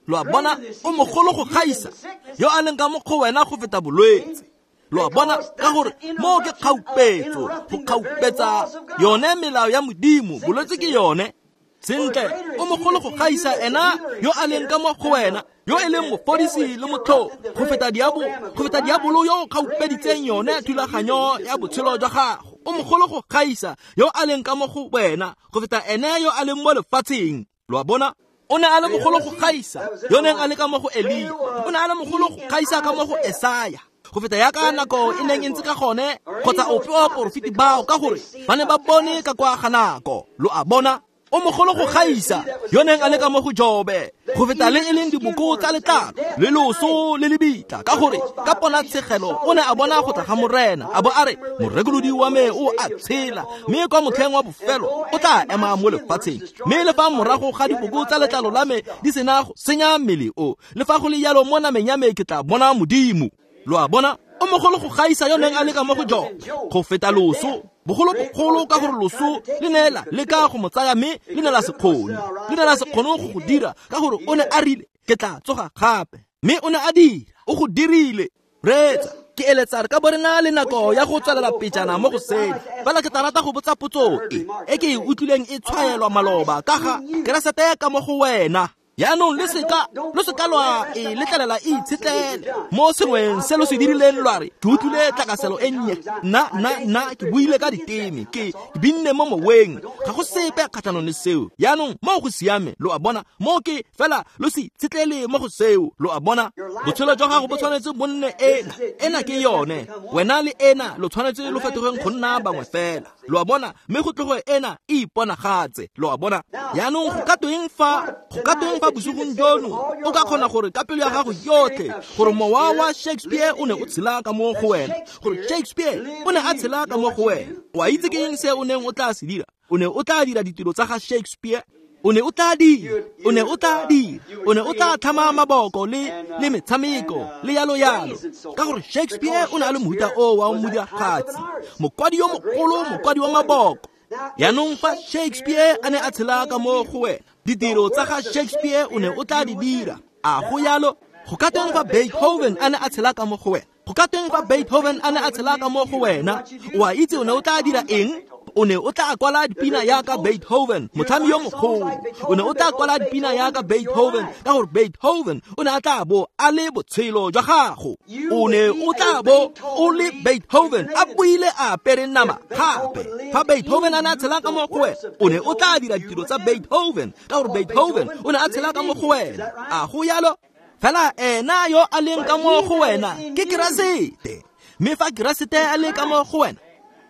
Lo a bona, o mogolo go gaisa yo a leng ka mo go wena go feta bolwetse. Lo a bona, ka gore mo ke kgaupetso, go kgaupetsa yone melao ya Modimo, bolwetse ke yone. Sentle, o mogolo go gaisa ena yo a leng ka mo go wena, yo e leng mofodisi le motho go feta diabo, go feta diabolo yo o kgaupeditseng yone thulaganyo ya botshelo jwa gago. O mogolo go gaisa yo a leng ka mo go wena go feta ene yo a leng mo lefatsheng. Lo a bona, o ne a le mogolo go gaisa yo neng a le ka mo go Elia, o ne a le mogolo go gaisa ka mo go Esaya go feta yaka nako e neng e ntse ka gone, kgotsa ope wa baporofeti bao, ka gore ba ne ba bone ka kwa ga nako. Lo a bona, o mogolo go gaisa yo neng a le ka mo go Jobe go feta le e leng diboko tsa letlalo le loso le lebitla, ka gore ka ponatshegelo o ne a bona go tla ga Morena, a bo a re, morekolodi wa me o a tshela, mme kwa motlheng wa bofelo o tla ema mo lefatsheng. Mme le fa morago ga diboko tsa letlalo la me di sena go senya mmele o, le fa go le jalo mo nameng ya me ke tla bona Modimo. Lo a bona, o mogolo go gaisa yo neng a le ka mo go Jobe go feta loso, bogolobogolo ka gore loso le ne la leka go mo tsaya, mme le ne la se kgone, le ne la se kgone go go dira, ka gore o ne a rile ke tla tsoga gape, mme o ne a dira, o go dirile. Reetsa, ke eletsa re ka bo re na le nako ya go tswelela pejana mo go seno, fela ke tla rata go botsa potso e e ke e utlwileng e tshwaelwa maloba ka ga Keresete ka mo go wena. Jaanong le seka lo seka lwa e letlelela e itshetlele mo sengweng se lo se dirileng. Lwa re, ke utlwile tlakaselo e nnye, nna nna nna ke buile ka diteme, ke ke binne mo moweng, ga go sepe kgatlhanong le seo. Jaanong mo go siame, lo a bona, mo ke fela lo se itshetlele mo go seo. Lo a bona, botshelo jwa gago bo tshwanetse bo nne ena, ena ke yone, wena le ena lo tshwanetse lo fetogeng go nna bangwe fela. Lo a bona, mme go tloge ena e iponagatse. Lo a bona, jaanong go ka tweng fa go ka tweng fa bosigong jono o ka kgona gore ka pelo ya gago yotlhe gore mowa wa Shakespeare o ne o tshela ka mo go wena, gore Shakespeare o ne a tshela ka mo go wena. O a itse ke eng se o neng o tla se dira? O ne o tla dira ditiro tsa ga Shakespeare. O ne o tla dira, o ne o tla dira, o ne o tla tlhama maboko le le metshameko le yalo yalo, ka gore Shakespeare o ne a le mohuta o wa modiragatsi, mokwadi yo mogolo, mokwadi wa maboko. Jaanong fa Shakespeare a ne a tshela ka mo go wena, ditiro tsa ga Shakespeare o ne o tla di dira. A go yalo? Go ka teng fa Beethoven a ne a tshela ka mo go wena? Go ka teng fa Beethoven a ne a tshela ka mo go wena? O a itse o ne o tla dira eng? O ne o tla kwala dipina yaka Beethoven, motlhami yo mogolo. O ne o tla kwala dipina yaka Beethoven, ka gore Beethoven o ne a tla bo a le botshelo jwa gago. O ne o tla bo o le Beethoven a buile a apere nama gape. Fa Beethoven a ne a tshela ka mo go wena, o ne o tla dira ditiro tsa Beethoven, ka gore Beethoven o ne a tshela ka mo go wena. A go yalo? Fela ena yo a leng ka mo go wena ke Keresete. Mme fa Keresete a le ka mo go wena,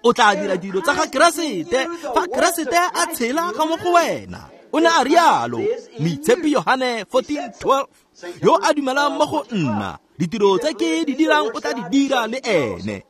o tla dira dilo tsa ga Keresete fa Keresete a tshela ka mo go wena. O ne a rialo, Moitshepi Yohane fourteen twelve, yo a dumelang mo go nna, ditiro tse ke di dirang o tla di dira le ene.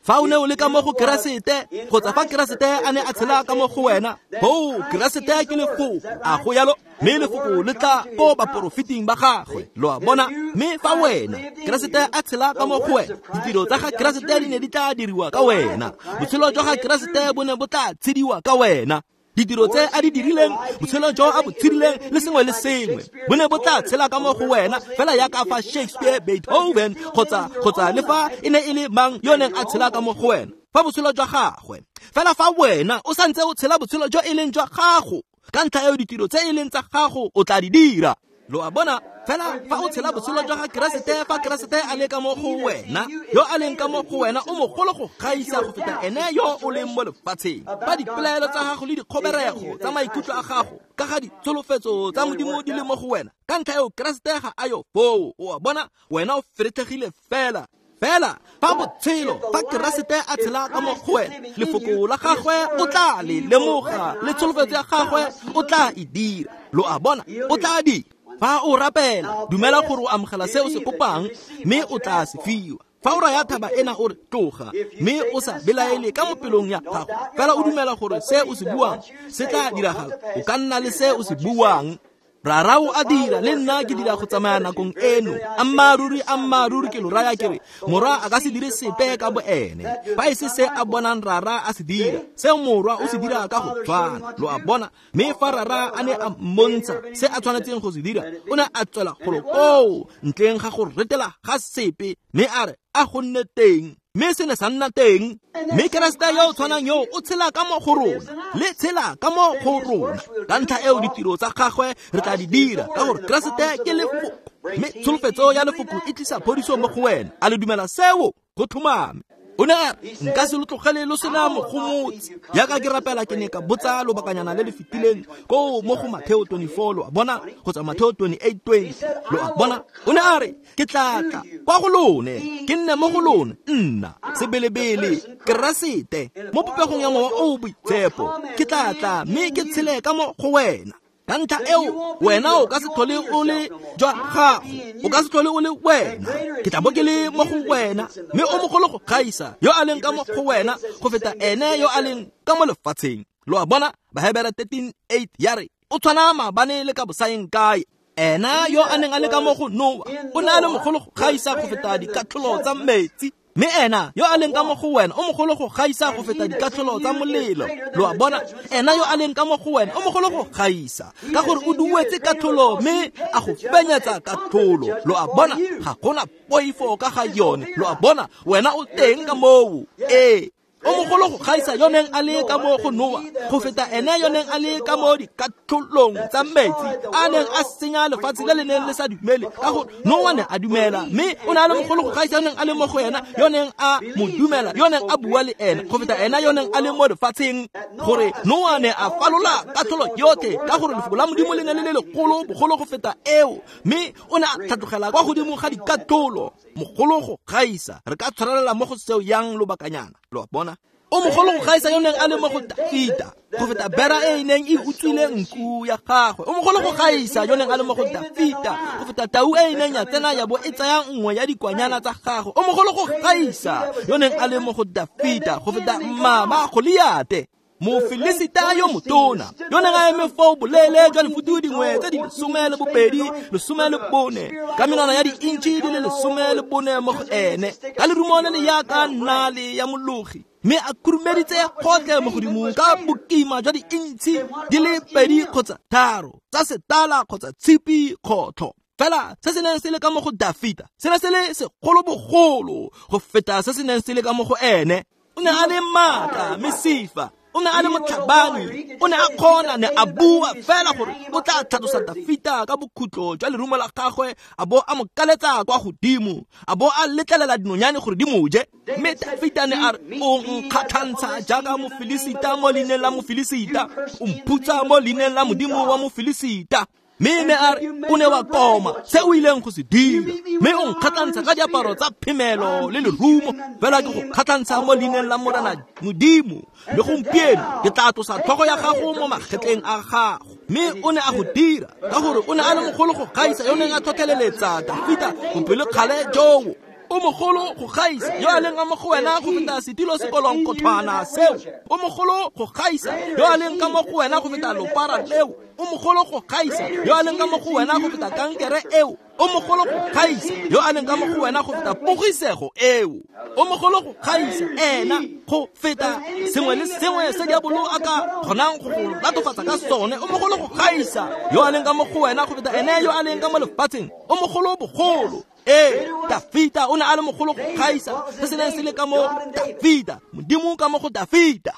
Fa o ne o le ka mo go Keresete, kgotsa fa Keresete a ne a tshela ka mo go wena, ho Keresete ke lefoko, a go yalo, mme lefoko le tla ko baporofeting ba gagwe, lo a bona. Mme fa wena Keresete a tshela ka mo go wena, ditiro tsa ga Keresete di ne di tla diriwa ka wena, botshelo jwa ga Keresete bo ne bo tla tshediwa ka wena. Ditiro tse a di dirileng, botshelo jo a bo tshedileng, le sengwe le sengwe bo ne bo tla tshela ka mo go wena, fela yaka fa Shakespeare, Beethoven, kgotsa kgotsa le fa e ne e le mang yo neng a tshela ka mo go wena, fa botshelo jwa gagwe. Fela fa wena o santse o tshela botshelo jo e leng jwa gago, ka ntlha eo ditiro tse e leng tsa gago o tla di dira. Lo a bona? Fela fa o tshela botshelo jwa ga Keresete, fa Keresete a le ka mo go wena, yo a leng ka mo go wena o mogolo go gaisa go feta ene yo o leng mo lefatsheng. Fa dipelaelo tsa gago le dikgoberego tsa maikutlo a gago ka ga ditsholofetso tsa Modimo di le mo go wena, ka ntlha eo Keresete ga a yo foo. O a bona? Wena o feretlhegile fela. Fela fa botshelo, fa Keresete a tshela ka mo go wena, lefoko la gagwe o tla le lemoga, le tsholofetso ya gagwe o tla e dira. Lo a bona? O tla dira. Fa o rapela, dumela gore o amogela se o se kopang, mme o tla se fiwa. Fa o raya thaba ena o re tloga, mme o sa belaele ka mo pelong ya gago, fela o dumela gore se o se buang se tla diragala, o ka nna le se o se buang. Rara o a dira, le nna ke dira go tsamaya nakong eno. Ammaaruri, ammaaruri ke lo raya ke re, morwa a ka se dire sepe ka bo ene, fa e se se a bonang rara a se dira, se morwa o se dira ka go tshwana. Lo a bona? Mme fa rara a ne a mmontsha se a tshwanetseng go se dira, o ne a tswela golo koo ntleng ga go retela ga sepe, mme a re a go nne teng, mme se ne sa nna teng. Mme Keresete yo o tshwanang yo o tshela ka mo go rona, le tshela ka mo go rona. Ka ntlha eo ditiro tsa gagwe re tla di dira, ka gore Keresete ke lefoko, mme tsholofetso ya lefoko e tlisa phodiso mo go wena. A le dumela seo? Go tlhomame. O ne a re, nka se lo tlogele lo sena mogomotsi. Yaka ke rapela ke ne ka botsa lobakanyana le le fetileng ko mo go Mateo twenty-four, lo a bona, kgotsa Mateo twenty-eight twenty, lo a bona. O ne a re, ke tla tla kwa go lone, ke nne mo go lone, nna sebelebele Keresete mo popegong ya Mowa o o Boitshepo, ke tla tla mme ke tshele ka mo go wena. Ka ntlha eo wena o ka se tlhole o le jwa gago, o ka se tlhole o le wena, ke tla bo ke le mo go wena, mme o mogolo go gaisa yo a leng ka mo go wena go feta ene yo a leng ka mo lefatsheng. Lo a bona? Bahebere thirteen eight ya re, o tshwana maabane le ka bosaeng kae. Ena yo a neng a le ka mo go Noa o ne a le mogolo go gaisa go feta dikatlholo tsa metsi, mme ena yo a leng ka mo go wena o mogolo go gaisa go feta dikatlholo tsa molelo. Lo a bona? Ena yo a leng ka mo go wena o mogolo go gaisa, ka gore o duetse katlholo mme a go fenyetsa katlholo. Lo a bona? Ga gona poifo ka ga yone. Lo a bona? Wena o teng ka moo. Ee, o mogolo go gaisa yo neng a le ka mo go Noa go feta ene yo neng a le ka mo dikatlholong tsa metsi a neng a senya lefatshe le le neng le sa dumele, ka gore Noa ne a dumela, mme o ne a le mogolo go gaisa yo neng a le mo go ena, yo neng a mo dumela, yo neng a bua le ena, go feta ena yo neng a le mo lefatsheng. Gore Noa ne a falola katlholo yotlhe, ka gore lefoko la Modimo le ne le le legolo bogolo go feta eo, mme o ne a tlhatlogela kwa godimo ga dikatlholo. Mogolo go gaisa. Re ka tshwarelela mo go seo yang lobakanyana. Lo a bona? O mogolo go gaisa yo neng a le mo go Dafita go feta bera e e neng e utswile nku ya gagwe. O mogolo go gaisa yo neng a le mo go Dafita go feta tau e e neng ya tsena ya bo e tsaya nngwe ya dikwanyana tsa gagwe. O mogolo go gaisa yo neng a le mo go Dafita go feta mmaba Goliate, Mofilisita yo motona, yo neng a eme foo boleele jwa lefutu dingwe tse di lesome le bobedi, lesome le bone, ka menwana ya di-intšhi di le lesome le bone mo go ene, ka lerumo le le yaka nale ya mologi, mme a khurumeditse gotlhe mo godimo ka bokima jwa di-intšhi di le pedi kgotsa tharo tsa setala kgotsa tshipi kgotlho. Fela se se neng se le ka mo go Dafita se ne se le segolobogolo go feta se se neng se le ka mo go ene. O ne a le maatla, mesifa, o ne a le motlhabani, o ne a kgona, ne a bua fela gore o tla tlhatlosa Dafita ka bokhutlo jwa lerumo la gagwe, a bo a mo kaletsa kwa godimo, a bo a letlelela dinonyane gore di mo je. Mme Dafita ne a re, o nkgatlhantsha jaaka Mofilisita mo leineng la Mofilisita, o mphutsa mo leineng la Modimo wa Mofilisita. Mme ne a re o ne wa koma se o ileng go se dira, mme o nkgatlhantsha ka diaparo tsa phemelo le lerumo, fela ke go kgatlhantsha mo leineng la Morena Modimo, mme gompieno ke tla tlosa tlhogo ya gago mo magetleng a gago. Mme o ne a go dira ka gore o ne a le mogolo go gaisa yo neng a tlhotlheleletsa Dafita bopelokgale joo. O mogolo go gaisa yo a leng ka mo go wena go feta setilo sekolonkothwana seo. O mogolo go gaisa yo a leng ka mo go wena go feta lopara leo. O mogolo go gaisa yo a leng ka mo go wena go feta kankere eo. O mogolo go gaisa yo a leng ka mo go wena go feta pogisego eo. O mogolo go gaisa ena go feta sengwe le sengwe se diabolo a ka kgonang go go latofatsa ka sone. O mogolo go gaisa yo a leng ka mo go wena go feta ene yo a leng ka mo lefatsheng. O mogolo bogolo. Ee, Dafita o ne a le mogolo go gaisa se se neng se le ka mo Dafita, Modimo ka mo go Dafita.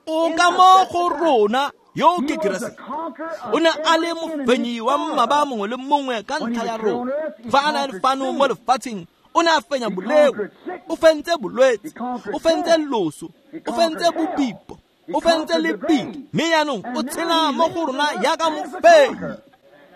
O ka mo go rona yo ke Keresete. O ne a le mofenyi wa mmaba mongwe le mongwe ka ntlha ya rona. Fa a ne a le fano mo lefatsheng, o ne a fenya boleo, o fentse bolwetse, o fentse loso, o fentse bobipo, o fentse lebitla, mme jaanong o tshela mo go rona jaaka mofenyi.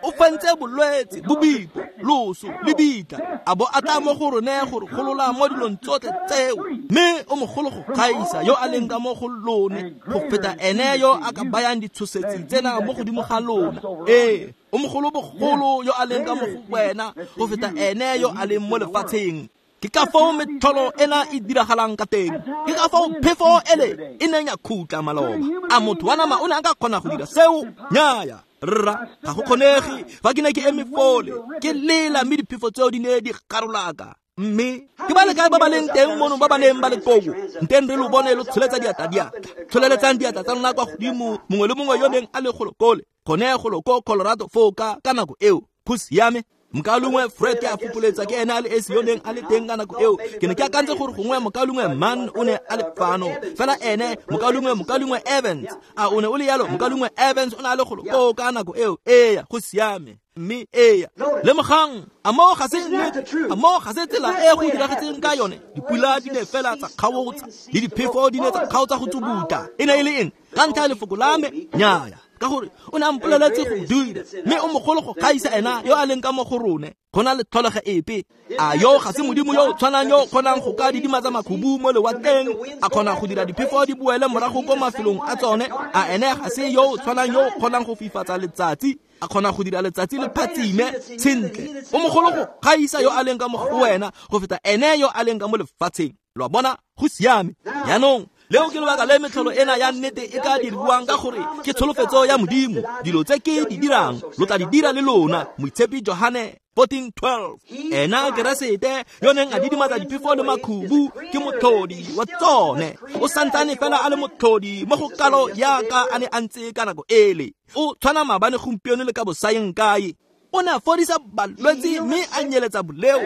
O fentse bolwetse, bobipo, loso, lebitla, a bo a tla mo go rone gore golola mo dilong tsotlhe tseo. Mme o mogolo go gaisa yo a leng ka mo go lone go feta ene yo a ka bayang ditshosetsi tsena mo godimo ga lona. Ee, o mogolo bogolo yo a leng ka mo go wena go feta ene yo a leng mo lefatsheng. Ke ka foo metlholo ena e diragalang ka teng. Ke ka foo phefo ele e neng ya khutla maloba. A motho wa nama o ne a ka kgona go dira seo? Nnyaya. Rra, ga go kgonege. Fa ke ne ke eme fole ke lela, mme diphefo tseo di ne di garolaka. Mme ke ba le kae ba ba leng teng mono ba ba neng ba le koo? Nteng re lo bone lo tsholetsa diatla diatla. Tsholeletsang diatla tsa lona kwa godimo, mongwe le mongwe yo neng a le golokole gone golo ko Colorado foo ka ka nako eo. Go siame. Mokalongwe Fred ke a fopoletsa ke ene a le esi yo neng a le teng ka nako eo. Ke ne ke akantse gore gongwe mokalongwe Mann o ne a le fano, fela ene mokalongwe mokalongwe Evans a o ne o le yalo. Mokalongwe Evans o ne a le golo koo ka nako eo. Eya, go siame. Mme eya, lemogang, a moo ga se nnete, a moo ga se tsela e go diragetseng ka yone. Dipula di ne fela tsa kgaotsa, le diphefo di ne tsa kgaotsa go tsubuta. E ne e le eng? Ka ntlha ya lefoko la me? Nnyaya, ka gore o ne a mpoleletse go dira. Mme o mogolo go gaisa ena yo a leng ka mo go rone go na le tlholego epe. A yo ga se Modimo yo o tshwanang yo o kgonang go ka didimatsa makhubu mo lewatleng, a kgona go dira diphefo di boele morago ko mafelong a tsone? A ene ga se yo o tshwanang yo o kgonang go fifatsa letsatsi, a kgona go dira letsatsi le phatsime sentle? O mogolo go gaisa yo a leng ka mo go wena go feta ene yo a leng ka mo lefatsheng. Lo a bona? Go siame. Jaanong leo ke lebaka le metlholo ena ya nnete e ka diriwang, ka gore ke tsholofetso ya Modimo. Dilo tse ke di dirang lo tla di dira le lona. Moitshepi Johane fourteen twelve. Ena Keresete yo neng a didimatsa diphefo le makhubu ke motlhodi wa tsone. O santsane fela a le motlhodi mo go kalo yaka a ne a ntse ka nako ele. O tshwana maabane, gompieno le ka bosayeng kae. O ne a fodisa balwetse mme a nyeletsa boleo,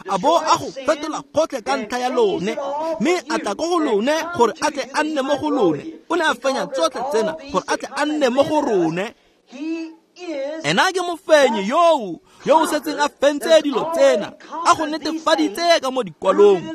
a bo a go fetola gotlhe ka ntlha ya lone, mme a tla ko go lone gore a tle a nne mo go lone. O ne a fenya tsotlhe tsena gore a tle a nne mo go rone. Ena ke mofenyi yoo yo o setseng a fentse dilo tsena, a go netefaditse ka mo dikwalong,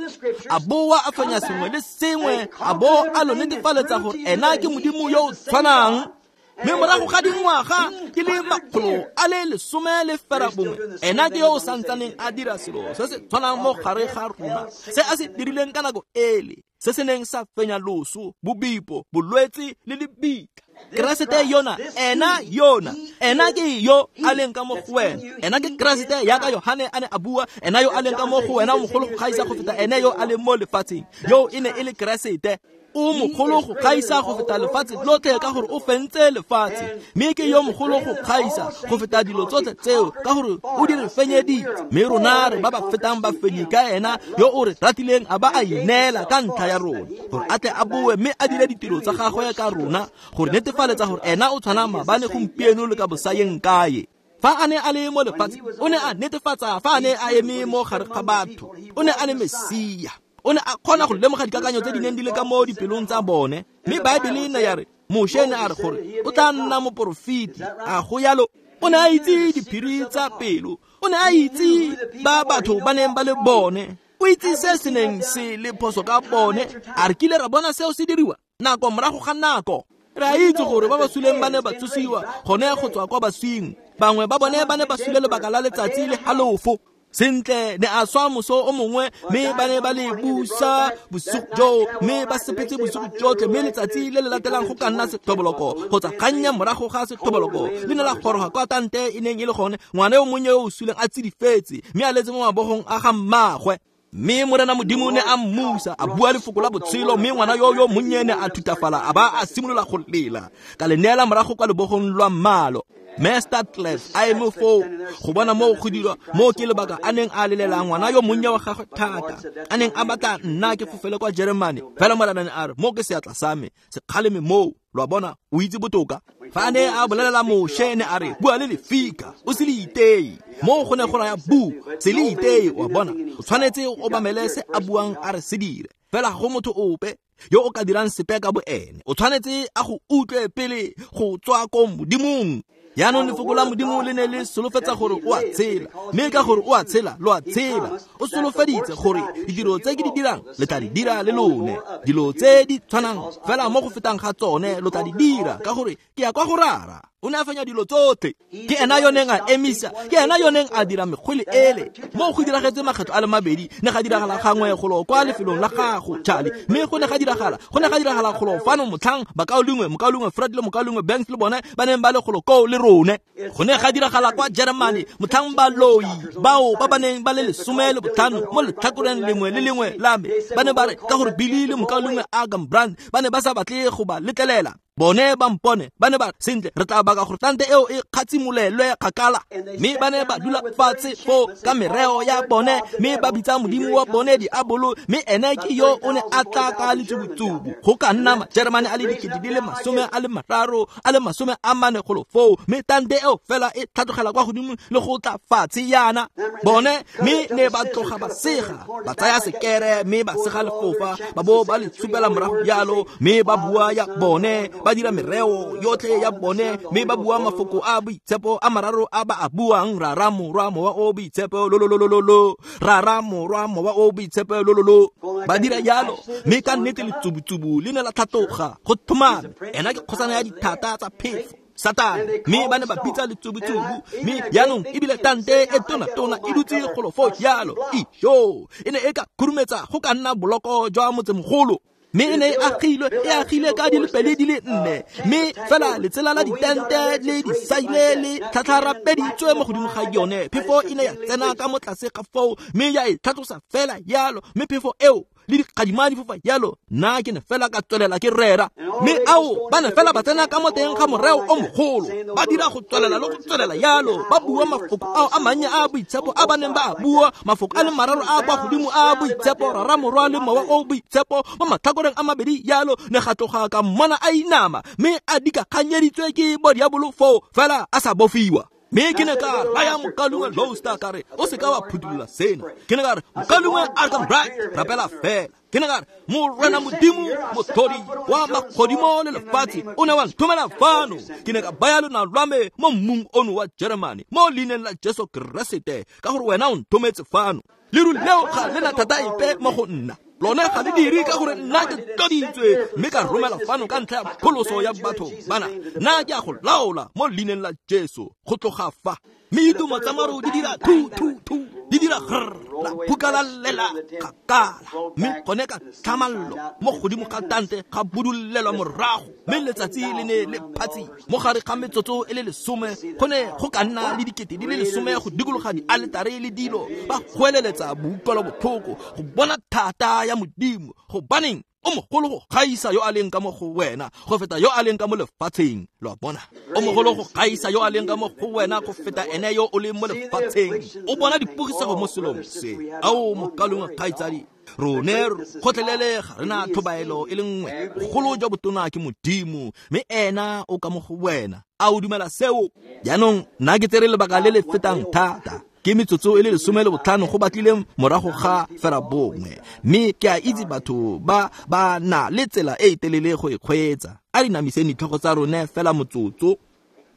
a boa a fenya sengwe le sengwe, a bo a lo netefaletsa gore ena ke Modimo yo o tshwanang. Mme morago ga dingwaga ke le makgolo a le lesome le ferabongwe, ena ke yo o santsaneng a dira selo se se tshwanang mo gare ga rona se a se dirileng ka nako ele, se se neng sa fenya loso, bobipo, bolwetse le lebitla. Keresete yona, ena yona, ena ke yo a leng ka mo go wena. Ena ke Keresete yaka Yohane a ne a bua, ena yo a leng ka mo go wena o mogolo go gaisa go feta ene yo a leng mo lefatsheng. Yo e ne e le Keresete. O mogolo go gaisa go feta lefatshe lotlhe ka gore o fentse lefatshe. Mme ke yo mogolo go gaisa go feta dilo tsotlhe tseo ka gore o di re fenyeditse. Mme rona re ba ba fetang ba fenyi ka ena yo o re ratileng a ba a ineela ka ntlha ya rona, gore a tle a boe mme a dire ditiro tsa gagwe ka rona, gore netefaletsa gore ena o tshwana maabane, gompieno le ka bosayeng kae. Fa a ne a le mo lefatsheng, o ne a netefatsa fa a ne a eme mo gare ga batho, o ne a le Mesia. O ne a kgona go lemoga dikakanyo tse di neng di le ka mo dipelong tsa bone. Mme Baebele ne ya re Moshe ne a re gore o tla nna moporofeti. A go yalo? O ne a itse diphiri tsa pelo. O ne a itse ba batho ba neng ba le bone. O itse se se neng se le phoso ka bone. A re kile ra bona seo se diriwa nako morago ga nako. Re a itse gore ba ba suleng ba ne ba tsosiwa gone go tswa kwa baswing. Bangwe ba bone ba ne ba sule lebaka la letsatsi le halofo. Sentle ne a swa moso o mongwe, mme ba ne ba le busa bosigo joo, mme ba sepetse bosigo jotlhe, mme letsatsi le le latelang go ka nna sethoboloko kgotsa kgannye morago ga sethoboloko le ne la goroga kwa tante e neng e le gone, ngwana yo monnye yo o suleng a tsidifetse mme a letse mo mabogong a ga mmaagwe. Mme Morena Modimo ne a mmusa, a bua lefoko la botshelo, mme ngwana yo yo monnye ne a thutafala a ba a simolola go lela. Ka le neela morago kwa lebogong lwa mmalo. Mme Statles a eme foo go bona moo go dirwa moo ke lebaka a neng a lelela ngwana yo monnye wa gagwe thata, a neng a batla nna ke fofele kwa Germany. Fela Morena ne a re, mo ke seatla sa me se kgaleme moo. Lo a bona, o itse botoka. Fa a ne a bolelela Moshe, ne a re, bua le lefika, o se le iteye. Moo go ne go raya bu, se le iteye. O a bona, o tshwanetse o obamele se a buang a re se dire. Fela ga go motho ope yo o ka dirang sepe ka bo ene. O tshwanetse a go utlwe pele go tswa ko Modimong. Jaanong lefoko la Modimo le ne le solofetsa gore o a tshela, mme ka gore o a tshela, lo a tshela. O solofeditse gore ditiro tse ke di dirang le tla di dira le lone, dilo tse di tshwanang fela mo go fetang ga tsone lo tla di dira, ka gore ke ya kwa go Rara. O ne a fenya dilo tsotlhe. Ke ena yo neng a emisa, ke ena yo neng a dira mekgwele ele. Mo go diragetse makgetho a le mabedi, ne ga diragala gangwe golo kwa lefelong la gago, Charlie. Mme go ne ga diragala, go ne ga diragala golo fano motlhang bakaulengwe, mokaulengwe Fred le mokaulengwe Banks le bone ba neng ba le golo koo le rone. Go ne ga diragala kwa Germany motlhang baloi bao ba ba neng ba le lesome le botlhano mo letlhakoreng lengwe le lengwe la me, ba ne ba re ka gore Billy le mokaulengwe Agam Brand ba ne ba sa batle go ba letlelela. Bone ba mpone, ba ne ba sentle re tla baka gore tante eo e kgatsimolelwe kgakala. Mme ba ne ba dula fatshe foo ka mereo ya bone, mme ba bitsa modimo wa bone diabolo, mme ene ke yo o ne a tla ka letsubutsubu. Go ka nna Majeremane a le dikete di le masome a le mararo a le masome a mane golo foo, mme tante eo fela e tlhatlogela kwa godimo le go tla fatshe yana bone. Mme ne ba tloga ba sega, ba tsaya sekere mme ba sega lefofa, ba bo ba le tshupela morago jalo, mme ba bua ya bone, ba dira mereo yotlhe ya bone, mme ba bua mafoko a boitshepo a mararo a ba a buang, Rara, Morwa, Mowa o Boitshepo, lo lo lo lo lo, Rara, Morwa, Mowa o Boitshepo, lo lo lo. Ba dira jalo, mme ka nnete letsubutsubu le ne la tlhatloga go thomame. Ena ke kgosana ya dithata tsa phefo, Satane. Mme ba ne ba bitsa letsubutsubu, mme jaanong ebile tante e tona-tona e dutse golo foo jalo. Ijo, e ne e ka khurumetsa go ka nna boloko jwa motsemogolo. Mme e ne e agilwe, e agile ka dilepele di le nne, mme fela letsela la ditente le disaile le tlhatlharapeditswe mo godimo ga yone. Phefo e ne ya tsena ka mo tlase ga foo, mme ya e tlhatlosa fela jalo, mme phefo eo le dikgadima di fofa jalo. Nna ke ne fela ka tswelela ke rera, mme ao ba ne fela ba tsena ka mo teng ga moreo o mogolo, ba dira go tswelela le go tswelela jalo, ba bua mafoko ao a mannye a boitshepo a ba neng ba a bua, mafoko a le mararo a kwa godimo a boitshepo, Rara, Morwa le Mowa o Boitshepo, mo matlhakoreng a mabedi jalo. Ne ga tloga ka mmona a inama, mme a dikaganyeditswe ke bodiabolo foo fela a sa bofiwa. Mme ke ne ka raya mokaulengwe Lowster ka re, o seka wa phuthulola sena. Ke ne ka re, mokaulengwe Arkham Bright, rapela fela. Ke ne ka re, Morena Modimo motlhodi wa magodimo le lefatshe o ne wa nthomela fano. Ke ne ka baya lonao lwa me mo mmung ono wa Germany, mo leineng la Jesu Keresete, ka gore wena o nthometse fano. Leru leo ga le na thata epe mo go nna. Lone ga le dire ka gore nna ke tloditswe, mme ka romela fano ka ntlha ya pholoso ya batho bana. Nna ke a go laola mo leineng la Jesu go tloga fa. Mme ditumo tsa maru di dira thu thu thu, di dira grr, la phuka la lela kgakala. Mme gone ka tlhamallo mo godimo ga tante ga budulelwa morago, mme letsatsi le ne le phatsi mo gare ga metsotso e le lesome. Go ne go ka nna le dikete di le lesome go dikologa dialetare le dilo, ba goeleletsa boutlwelo botlhoko go bona thata ya Modimo. Gobaneng o mogolo go gaisa yo a leng ka mo go wena go feta yo a leng ka mo lefatsheng. Lo a bona, o mogolo go gaisa yo a leng ka mo go wena go feta ene yo o leng mo lefatsheng. O bona dipogisego mo selong se. Ao mokaulengwe kgaitsadi, rone gotlhelele ga re na tlhobaelo e le nngwe. Bogolo jwa botona ke Modimo, mme ena o ka mo go wena. A o dumela seo? Jaanong nna ke tsere lebaka le le fetang thata. Ke metsotso e le lesome le botlhano go batlile morago ga fera bongwe, mme ke a itse batho ba ba na le tsela e e telele go e kgweetsa. A re namiseng ditlhogo tsa rone fela motsotso.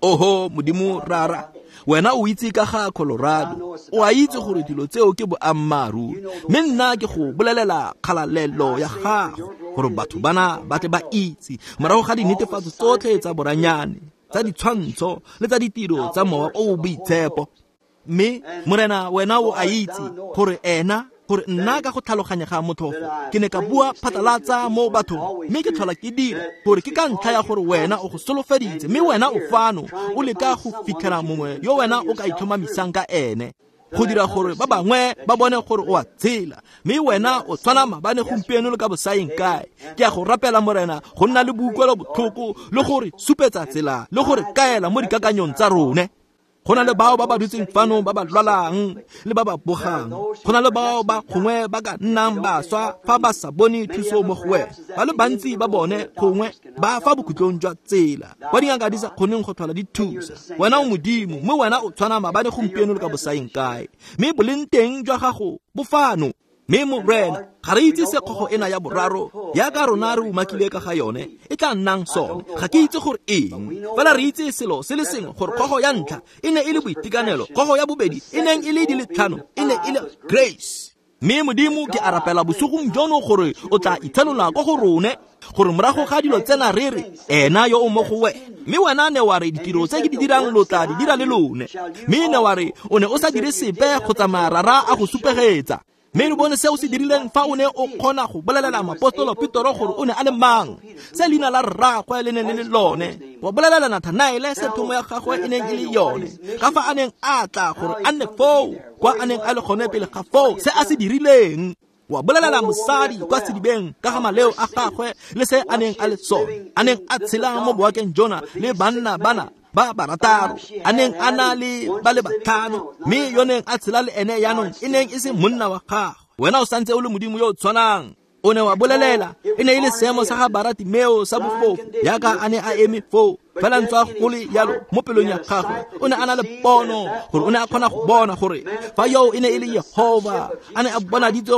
Oho Modimo Rara, wena o itse ka ga Colorado, o a itse gore dilo tseo ke boammaaruri, mme nna ke go bolelela kgalalelo ya gago. gore batho bana ba tle ba itse morago ga dinetefatso tsotlhe tsa boranyane, tsa ditshwantsho le tsa ditiro tsa Mowa o o Boitshepo. Mme Morena, wena o a itse gore ena, gore nna ka go tlhaloganya ga motlhofo ke ne ka bua phatlalatsa mo bathong, mme ke tlhola ke dira gore ke ka ntlha ya gore wena o go solofeditse, mme wena o fano o leka go fitlhela mongwe yo wena o ka itlhomamisang ka ene, go dira gore ba bangwe ba bone gore o a tshela, mme wena o tshwana maabane, gompieno le ka bosaeng kae. Ke a go rapela Morena go nna le boutlwelo botlhoko le gore supetsa tsela le gore kaela mo dikakanyong tsa rone. Go na le bao ba ba dutseng fano ba ba lwalang le ba ba bogang. Go na le bao ba gongwe ba ka nnang baswa fa ba sa bone thuso mo go wena. Ba le bantsi ba bone gongwe ba fa bokhutlong jwa tsela, kwa dingaka di sa kgoneng go tlhola di thusa. Wena o Modimo, mme wena o tshwana maabane, gompieno le ka bosaeng kae. Mme boleng teng jwa gago bo fano. Mme Morena, ga re itse se kgogo ena ya boraro yaka rona re umakile ka ga yone e tla nnang sone. Ga ke itse gore eng, fela re itse selo se le sengwe, gore kgogo ya ntlha e ne e le boitekanelo, kgogo ya bobedi e neng e le di le tlhano e ne e le grace. Mme Modimo, ke a rapela bosigong jono gore o tla itshenola ko go rone, gore morago ga dilo tsena re re ena yo o mo go wena. Mme wena ne wa re ditiro tse ke di dirang lo tla di dira le lone. Mme ne wa re o ne o sa dire sepe go tsamaya rara a go supegetsa. Mme re bone seo se dirileng fa o ne o kgona go bolelela moapostolo Petro gore o ne a le mang, se leina la rraagwe le neng le le lone, wa bolelela Nathanaele se thomo ya gagwe e neng e le yone, ka fa a neng a tla gore a nne foo kwa a neng a le gone pele ga foo, se a se dirileng. Wa bolelela mosadi kwa sedibeng ka ga maleo a gagwe le se a neng a le sone, a neng a tshela mo boakeng jona le banna bana ba barataro, a neng a na le ba le batlhano, mme yo neng a tshela le ene yaanong e neng e se monna wa gagwe. Wena o santse o le Modimo yo o tshwanang. O ne wa bolelela e ne e le seemo sa ga Baratimeo sa bofofu, yaka a ne a eme foo, fela ntswa go le yalo mo pelong ya gagwe o ne a na le pono, gore o ne a kgona go bona gore fa yo e ne e le Yehova a ne a bonaditse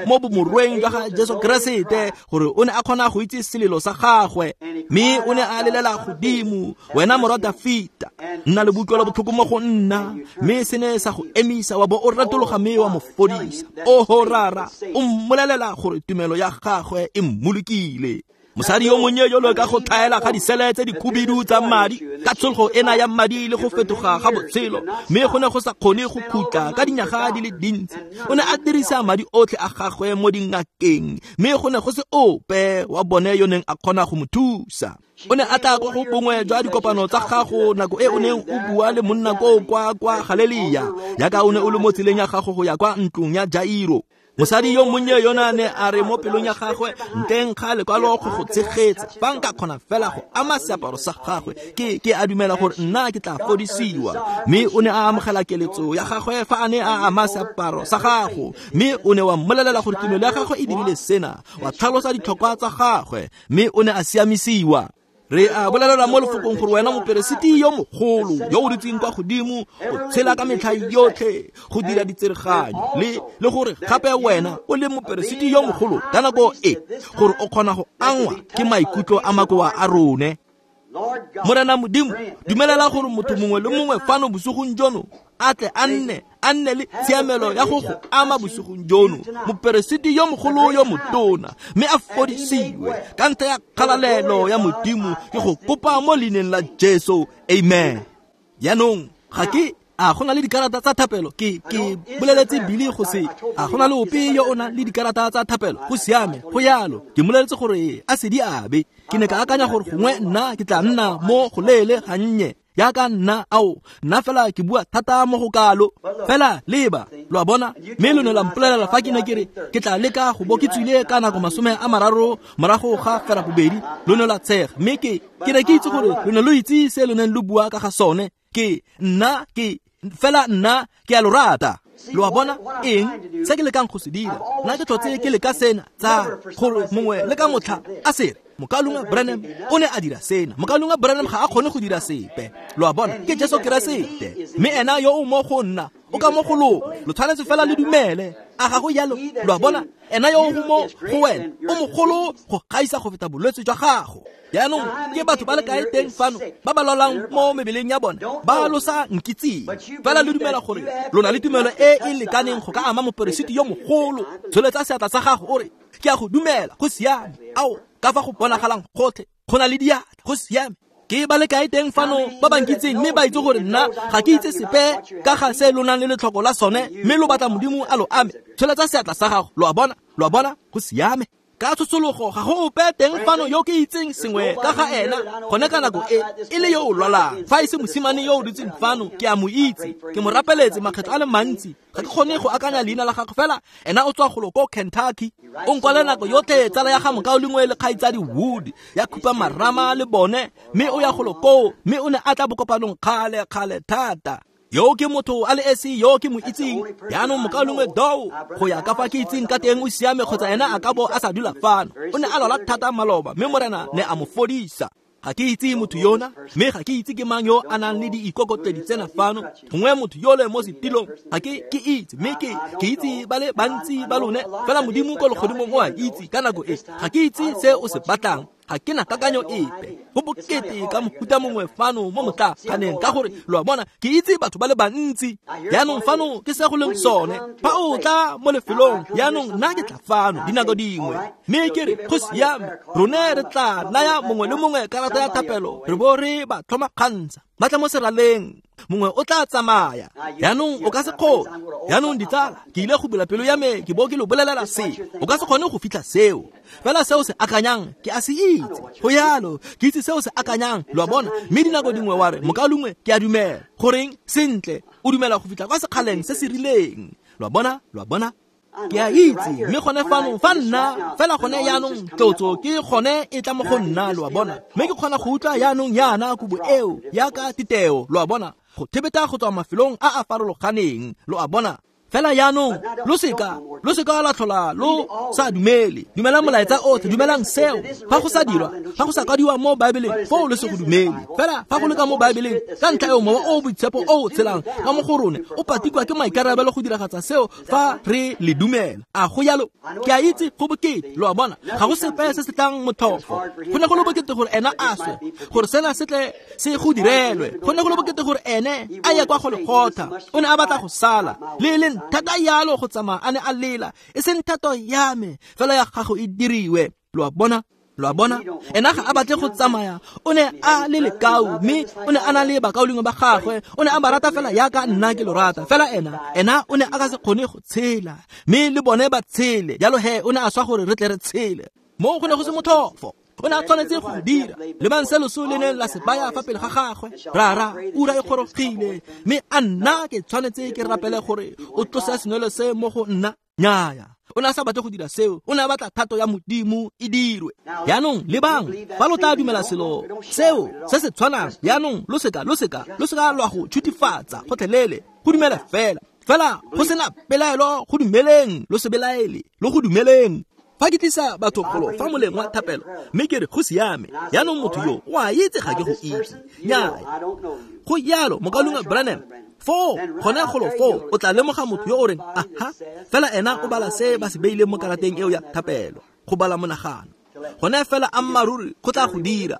mo bomorweng jwa ga Jesu Keresete, gore o ne a kgona go itse selelo sa gagwe, mme o ne a lelela godimo, wena morwa Dafita, nna le boutlwelo botlhoko mo go nna. Mme se ne sa go emisa, wa bo o retologa mme wa mo fodisa. Oho rara, o mmolelela gore tumelo ya gagwe e mmolokile. Mosadi yo monnye yo le ka go tlhaela ga disele tse dikhubidu tsa madi, ka tshologo ena ya madi le go fetoga ga botshelo, mme go ne go sa kgone go khutla ka dinyaga di le dintsi. O ne a dirisa madi otlhe a gagwe mo dingakeng, mme go ne go se ope wa bone yo neng a kgona go mo thusa. O ne a tla ko go bongwe jwa dikopano tsa gago nako e o neng o bua le monna koo kwa kwa Galelia, yaka o ne o le mo tseleng ya gago go ya kwa ntlong ya Jairo. Mosadi yo monnye yona ne a re mo pelong ya gagwe, nteng ga lekwalo go go tshegetsa, fa nka kgona fela go ama seaparo sa gagwe, ke ke a dumela gore nna ke tla fodisiwa. Mme o ne a amogela keletso ya gagwe fa a ne a ama seaparo sa gago, mme o ne wa mmolelela gore tumelo ya gagwe e dirile sena, wa tlhalosa ditlhokwa tsa gagwe, mme o ne a siamisiwa. Re a bolelela mo lefokong gore wena moperesiti yo mogolo yo o dutseng kwa godimo, o tshela ka metlha yotlhe go dira ditsereganyo, le le gore gape wena o le moperesiti yo mogolo ka nako e, gore o kgona go angwa ke maikutlo a makoa a rone. Morena Modimo, dumelela gore motho mongwe le mongwe fano bosigong jono a tle a nne a nne le tshiamelo ya go go ama bosigong jono, moperesiti yo mogolo yo motona, mme a fodisiwe ka ntlha ya kgalalelo ya Modimo. Ke go kopa mo leineng la Jesu, amen. Yaanong ga ke a go na le dikarata tsa thapelo, ke ke boleletse Billy go se a go na le ope yo o nang le dikarata tsa thapelo. Go siame, go yalo. Ke moleletse gore a se di abe. Ke ne ka akanya gore gongwe nna ke tla nna mo go leele gannye yaka nna ao nna fela ke bua thata mo go kalo fela leba lo a bona. Mme lo ne la mpolelela fa ke ne ke re ke tla leka go bo ke tswile ka nako masome a mararo morago ga fera bobedi, lo ne la tshega. Mme ke ke ne ke itse gore lo ne lo itse se lo neng lo bua ka ga sone. Ke nna ke fela nna ke a lo rata. Lo a bona eng se ke lekang go se dira? Nna ke tlhotse ke leka sena tsa gore mongwe le ka motlha a sere Mokaulengwe Branham o ne a dira sena, Mokaulengwe Branham ga a kgone go dira sepe. Lo a bona, ke Jesu Keresete, mme ena yo o mo go nna o ka mo go lona. Lo tshwanetse fela le dumele. A ga go jalo? Lo a bona? Ena yo o mo go wena o mogolo go gaisa go feta bolwetse jwa gago. Jaanong ke batho ba le kae teng fano ba ba lwalang mo mebeleng ya bone ba lo sa nkitseng, fela le dumela gore lo na le tumelo e e lekaneng go ka ama moperesiti yo mogolo. Tsholetsa seatla sa gago o re, ke a go dumela, go siame. Ao, ka fa go bonagalang gotlhe go na le diatla, go siame. Ke ba le kae teng fano ba ba nkitseng mme ba itse gore nna ga ke itse sepe ka ga se lo nang le letlhoko la sone, mme lo batla Modimo a lo ame. Tsholetsa seatla sa gago. Lo a bona? Lo a bona? Go siame. Ka tshosologo ga go ope teng fano yo ke itseng sengwe ka ga ena gone ka nako e e le yo o lwalang. Fa e se mosimane yo o dutseng fano, ke a mo itse, ke mo rapeletse makgetho a le mantsi. Ga ke kgone go akanya leina la gagwe, fela ena o tswa golo ko Kentucky. O nkwale nako yotlhe tsala ya ga mokaulengwe le kgaitsadi Wood ya khupa marama le bone, mme o ya golo koo, mme o ne a tla bokopanong kgale kgale thata. Yo ke motho a le esi yo ke mo itseng. Jaanong mokaulengwe Dow, go ya ka fa ke itseng ka teng o siame kgotsa ena a ka bo a sa dula fano. O ne a lwala thata maloba, mme Morena ne a mo fodisa. Ga ke itse motho yona, mme ga ke itse ke mang yo a nang le diikokotledi tsena fano. Gongwe motho yole mo setilong, ga ke ke itse, mme ke ke itse ba le bantsi ba lone. Fela Modimo ko legodimong o a itse ka nako e. Ga ke itse se o se batlang, ga ke na kakanyo epe. Go bokete ka mohuta mongwe fano mo motlaganeng, ka gore lo a bona ke itse batho ba le bantsi. Jaanong fano ke se go leng sone. Fa o tla mo lefelong, jaanong nna ke tla fano dinako dingwe, mme ke re go siame, rone re tla naya mongwe le mongwe karata ya thapelo, re bo re ba tlhoma kgantsha, ba tla mo seraleng, mongwe o tla tsamaya. Jaanong o ka se kgone. Jaanong ditsala, ke ile go bula pelo ya me ke bo ke lo bolelela se. O ka se kgone go fitlha seo. Fela seo se akanyang ke a se itse. Go yalo, ke itse seo se akanyang, lo a bona. Mme dinako dingwe wa re, mokaulengwe, ke a dumela. Goreng? Sentle, o dumela go fitlha kwa sekgaleng se se rileng. Lo a bona? Lo a bona? Ke a itse, mme gone fano fa nna fela gone jaanong tlotso ke gone e tla mo go nna, lo a bona. Mme ke kgona go utlwa jaanong yana kubo eo yaka titeo, lo a bona, go thebeta go tswa mafelong a a farologaneng, lo a bona. Fela jaanong lo seka lo seka la tlhola lo sa dumele. Dumelang molaetsa otlhe, dumelang seo. Fa go sa dirwa, fa go sa kwadiwa mo Baebeleng, foo lo se go dumele. Fela fa go le ka mo Baebeleng, ka ntlha eo mowa o o boitshepo o o tshelang ka mo go rone o patikwa ke maikarabelo go diragatsa seo fa re le dumela. A go jalo? Ke a itse go bokete, lo a bona. Ga go sepe se se tlang motlhofo. Go ne go le bokete gore ena a swe, gore sena se tle se go direlwe. Go ne go le bokete gore ene a ye kwa Golgotha. O ne a batla go sala le leng thata yalo go tsamaya a ne a lela, e seng thato ya me fela ya gago e diriwe. Lo a bona? Lo a bona? Ena ga a batle go tsamaya, o ne a le lekau, mme o ne a na le bakaulengwe ba gagwe, o ne a ba rata fela yaka nna ke lo rata. Fela ena, ena o ne a ka se kgone go tshela, mme le bone ba tshele. Jalo he o ne a swa gore re tle re tshele. Mo go ne go se motlhofo. O ne a tshwanetse go dira. Lebang se loso le neng la se baya fa pele ga gagwe. Rara, ura e gorogile, mme a nna ke tshwanetse ke rapele gore o tlose senwelo se mo go nna. Nnyaya, o ne a sa batle go dira seo. O ne a batla thato ya Modimo e dirwe. Jaanong lebang, fa lo tla dumela selo seo se se tshwanang, jaanong lo seka lo seka lo seka lwa go tshutifatsa gotlhelele. Go dumela fela, fela go sena pelaelo, go dumeleng, lo se belaele, lo go dumeleng. Fa ke tlisa batho golo fa moleng wa thapelo, mme ke re go siame, jaanong motho yo o a itse ga ke go itse. Nnyaya, go jalo mokaulengwe Branham. Foo gone golo foo o tla lemoga motho yo o reng aha, fela ena o bala se ba se beileng mo karateng eo ya thapelo, go bala monagano. Gone fela ammaruri go tla go dira.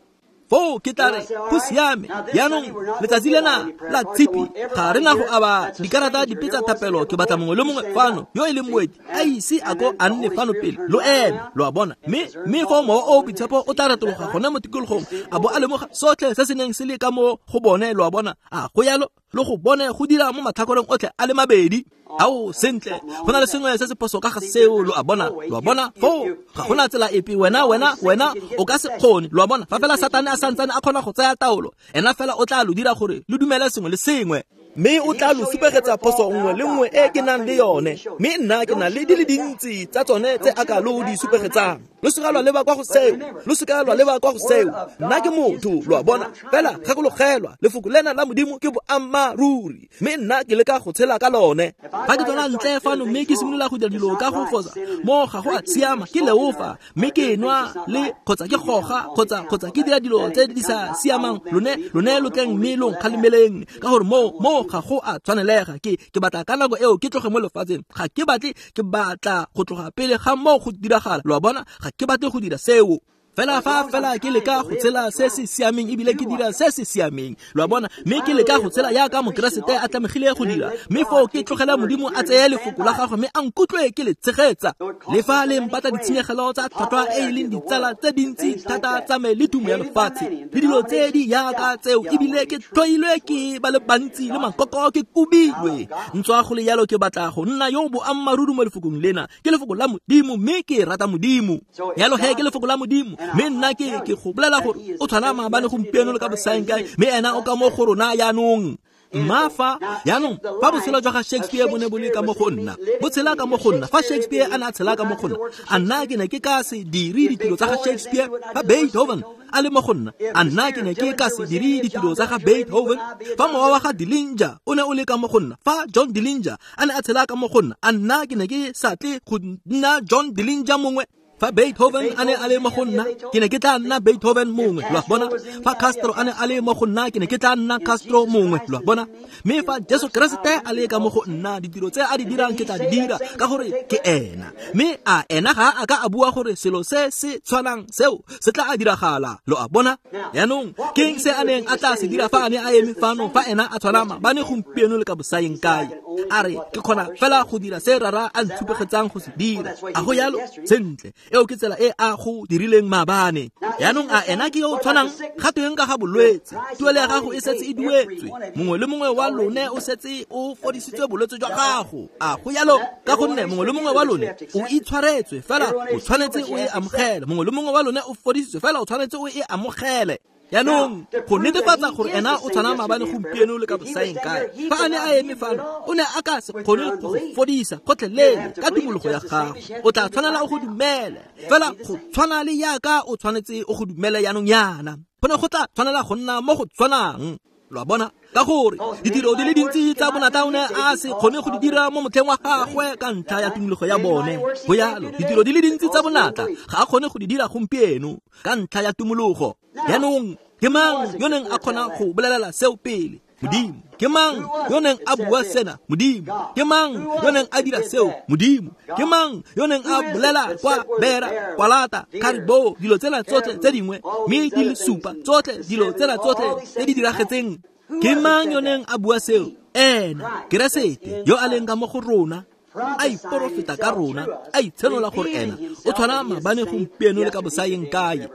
Foo ke tla re go siame, jaanong letsatsi lena la tshipi ga re na go aba dikarata dipe tsa thapelo. Ke batla mongwe le mongwe fano yo e leng moeti a ise a ko a nne fano pele lo eme, lo a bona. Mme mme foo mowa o o boitshepo o tla retologa gone mo tikologong a bo a lemoga sotlhe se se neng se le ka mo go bone, lo a bona. A go jalo? Lo go bone go dira mo matlhakoreng otlhe a le mabedi. Ao, sentle, go na le sengwe se se phoso ka ga seo, lo a bona, lo a bona. Foo ga gona tsela epe, wena wena wena o ka se kgone, lo a bona. Fa fela Satane a santsane a kgona go tsaya taolo, ena fela o tla lo dira gore lo dumele sengwe le sengwe, mme o tla lo supegetsa phoso nngwe le nngwe e ke nang le yone. Mme nna ke na le di le dintsi tsa tsone tse a ka lo di supegetsang. Lo seka lwa leba kwa go seo, lo seka lwa leba kwa go seo. Nna ke motho, lo a bona. Fela gakologelwa, lefoko lena la Modimo ke boammaaruri, mme nna ke leka go tshela ka lone. Fa ke tswela ntle fano mme ke simolola go dira dilo ka go fosa, mo ga go a siama, ke leofa, mme ke nwa le kgotsa ke goga kgotsa kgotsa ke dira dilo tse di sa siamang, lone lone lo tleng mme lo nkgalemeleng, ka gore mo mo Moo ga go a tshwanelega. Ke ke batla ka nako eo ke tloge mo lefatsheng. Ga ke batle, ke batla go tloga pele ga moo go diragala. Lo a bona, ga ke batle go dira seo. Fela fa fela ke leka go tshela se se siameng ebile ke dira se se siameng. Lo a bona, mme ke leka go tshela yaka Mokeresete a tlamegile go dira. Mme foo ke tlogela Modimo a tseye lefoko la gagwe mme a nkutlwe ke le tshegetsa. Le fa le mpatla ditshenyegelo tsa tlhwatlhwa e e leng ditsala tse dintsi thata tsa me le tumo ya lefatshe le dilo tse di yaka tseo, ebile ke tlhoilwe ke ba le bantsi le makoko ke kubilwe. Ntswa go le yalo ke batla go nna yo boammaaruri mo lefokong lena. Ke lefoko la Modimo mme ke rata Modimo. Yalo he ke lefoko la Modimo. Mme nna ke ke go bolela gore o tshwana maabane gompieno le ka bosaengkae, mme ena o ka mo go rona jaanong. Mma fa jaanong fa botshelo jwa ga Shakespeare bo ne bo le ka mo go nna, bo tshela ka mo go nna. Fa Shakespeare a ne a tshela ka mo go nna, a nna ke ne ke ka se dire ditiro tsa ga Shakespeare. Fa Beethoven a le mo go nna, a nna ke ne ke ka se dire ditiro tsa ga Beethoven. Fa mowa wa ga Dillinger o ne o le ka mo go nna, fa John Dillinger a ne a tshela ka mo go nna, a nna ke ne ke sa tle go nna John Dillinger mongwe. Fa Beethoven a ne a le mo go nna, ke ne ke tla nna Beethoven mongwe. Lo a bona? Fa Castro a ne a le mo go nna, ke ne ke tla nna Castro mongwe. Lo a bona? Mme fa Jesu Keresete a le ka mo go nna, ditiro tse a di dirang ke tla di dira, ka gore ke ena. Mme a ena ga a ka a bua gore selo se se tshwanang seo se tla a diragala. Lo a bona? Jaanong ke eng se a neng a tla se dira fa a ne a eme fano, fa ena a tshwana maabane gompieno le ka bosaeng kae? A re ke kgona fela go dira se Rara a ntshupegetsang go se dira. A go yalo? Sentle. Eo ke tsela e a go dirileng maabane. Jaanong a ena ke yo o tshwanang? Ga tweng ka ga bolwetse? Tuelo ya gago e setse e duetswe. Mongwe le mongwe wa lone o setse o fodisitswe bolwetse jwa gago. A go yalo? Ka gonne mongwe le mongwe wa lone o itshwaretswe, fela o tshwanetse o e amogele. Mongwe le mongwe wa lone o fodisitswe, fela o tshwanetse o e amogele. Jaanong go netefatsa gore ena o tshwana maabane gompieno le ka bosaeng kae, fa a ne a eme fano, o ne a ka se kgone go go fodisa gotlhelele ka tumologo ya gago. O tla tshwanela o go dumele, fela go tshwana le yaka o tshwanetse o go dumele jaanong yana. Go ne go tla tshwanela go nna mo go tshwanang. Lo a bona? Ka gore ditiro di le dintsi tsa bonatla o ne a se kgone go di dira mo motlheng wa gagwe ka ntlha ya tumologo ya bone. Go yalo, ditiro di le dintsi tsa bonatla ga a kgone go di dira gompieno ka ntlha ya tumologo. Jaanong ke mang yo neng a kgona go bolelela seo pele? Modimo. Ke mang yo neng a bua sena? Modimo. Ke mang yo neng a dira seo? Modimo. Ke mang yo neng a bolela kwa bera, kwalata, caribou, dilo tsela tsotlhe tse dingwe, mme di le supa tsotlhe dilo tsela tsotlhe tse di diragetseng? Ke mang yo neng a bua seo? Ena, Keresete, yo a leng ka mo go rona, a iporofeta ka rona, a itshenola gore ena o tshwana maabane gompieno le ka bosaeng kae.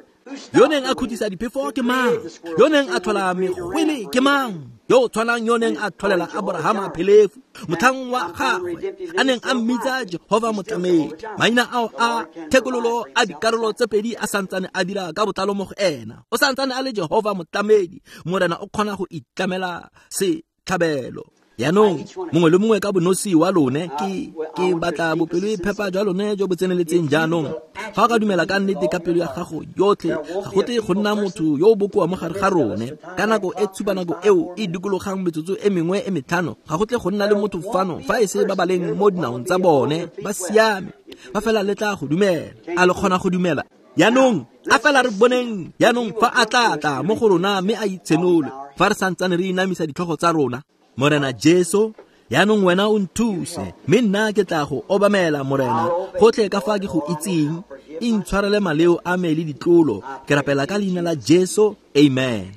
Yo neng a khutisa diphefo ke mang? Yo neng a tlhola megwele ke mang? Yo o tshwanang yo neng a tlholela Abrahama phelefu motlhang wa gagwe a neng a mmitsa Jehova motlamedi. Maina ao a thekololo a dikarolo tse pedi a santsane a dira ka botlalo mo go ena. O santsane a le Jehova motlamedi. Morena o kgona go itlamela setlhabelo. Jaanong mongwe le mongwe ka bonosi wa lone, ke ke batla bopelo e phepa jwa lone jo bo tseneletseng jaanong. Fa o ka dumela ka nnete ka pelo ya gago yotlhe, ga go tle go nna motho yo o bokoa mo gare ga rone. Ka nako e tshupa nako eo e dikologang metsotso e mengwe e metlhano, ga go tle go nna le motho fano fa e se ba ba leng mo dinaong tsa bone ba siame. Ba fela le tla go dumela. A le kgona go dumela? Jaanong a fela re boneng jaanong fa a tla tla mo go rona mme a itshenole, fa re santsane re inamisa ditlhogo tsa rona. Morena Jesu, jaanong wena o nthuse, mme nna ke tla go obamela Morena gotlhe ka fa ke go itseng. Intshwarele maleo a me le ditlolo. Ke rapela ka leina la Jesu, amen.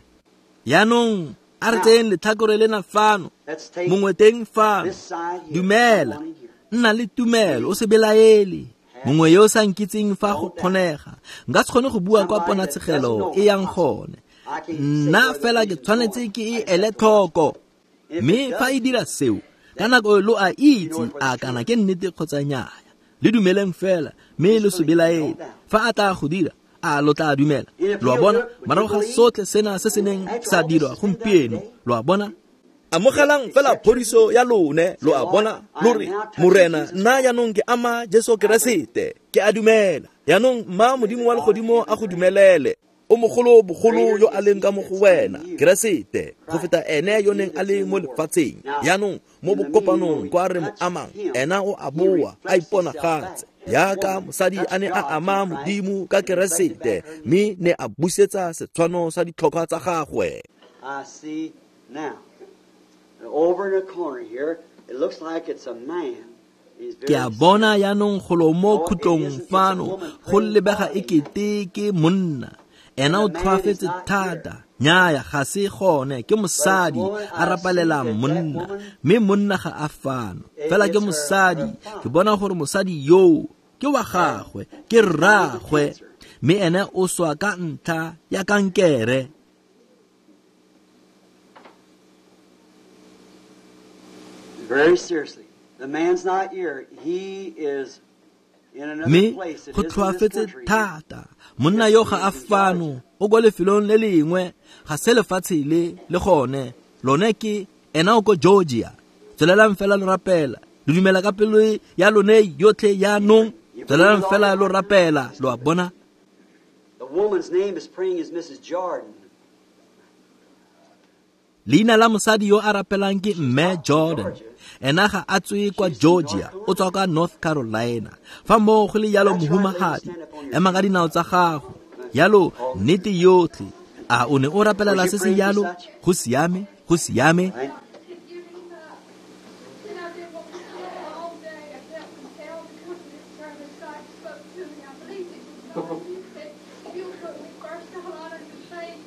Jaanong a re tseyeng letlhakore lena fano, mongwe teng fano. Dumela, nna le tumelo, o se belaele. Mongwe yo o sa nkitseng fa go kgonega, nka se kgone go bua kwa ponatshegelo e yang gone. Nna fela ke tshwanetse ke e ele tlhoko. Mme fa e dira seo, ka nako lo a itse a kana ke nnete kgotsa nnyaa. Le dumeleng fela, mme lo se belaele. Fa a tla go dira, a lo tla dumela. Lo a bona, morago ga sotlhe sena se se neng sa dirwa gompieno. Lo a bona? Amogelang fela phodiso ya lone. Lo a bona? Lo re, Morena, nna jaanong ke ama Jesu Keresete, ke a dumela. Jaanong mma Modimo wa legodimo a go dumelele. O mogolo bogolo yo a leng ka mo go wena, Keresete, go feta ene yo neng a le mo lefatsheng. Jaanong mo bokopanong kwa re mo amang, ena o a boa a iponagatse. Yaka mosadi a ne a ama Modimo ka Keresete, mme ne a busetsa setshwano sa ditlhokwa tsa gagwe. I see now. Over in the corner here, it looks like it's a man. Ke a bona yaanong golo mo khutlong fano go lebega ekete ke monna. Ena o tlhoafetse thata. Nnyaya, ga se gone, ke mosadi a rapalela monna, mme monna ga a fano. Fela ke mosadi, ke bona gore mosadi yoo ke wa gagwe, ke rraagwe, mme ene o swa ka ntlha ya kankere. Very seriously. The man's not here. He is in another Mme place. It go isn't this tlhoafetse country. thata. Monna yo ga a fano, o kwa lefelong le lengwe, ga se lefatshe le le gone. Lone ke ena o ko Georgia. Tswelelang fela lo rapela. Lo dumela ka pelo ya lone yotlhe yaanong. Tswelelang fela lo rapela, lo a bona. The woman's name is praying is Missus Jordan. Leina la mosadi yo a rapelang ke Mme Jordan. Ena ga a tswe kwa Georgia, o tswa kwa North Carolina. Fa moo go le yalo mohumagadi, ema ka dinao tsa gago. Yalo nnete yotlhe. A o ne o rapelela se se yalo? Go siame, go siame. Right? And I've been wanting to all day. I felt compelled to come to this service. God spoke to me. I believed it was God. He said, if you'll put me first, I'll honor your faith.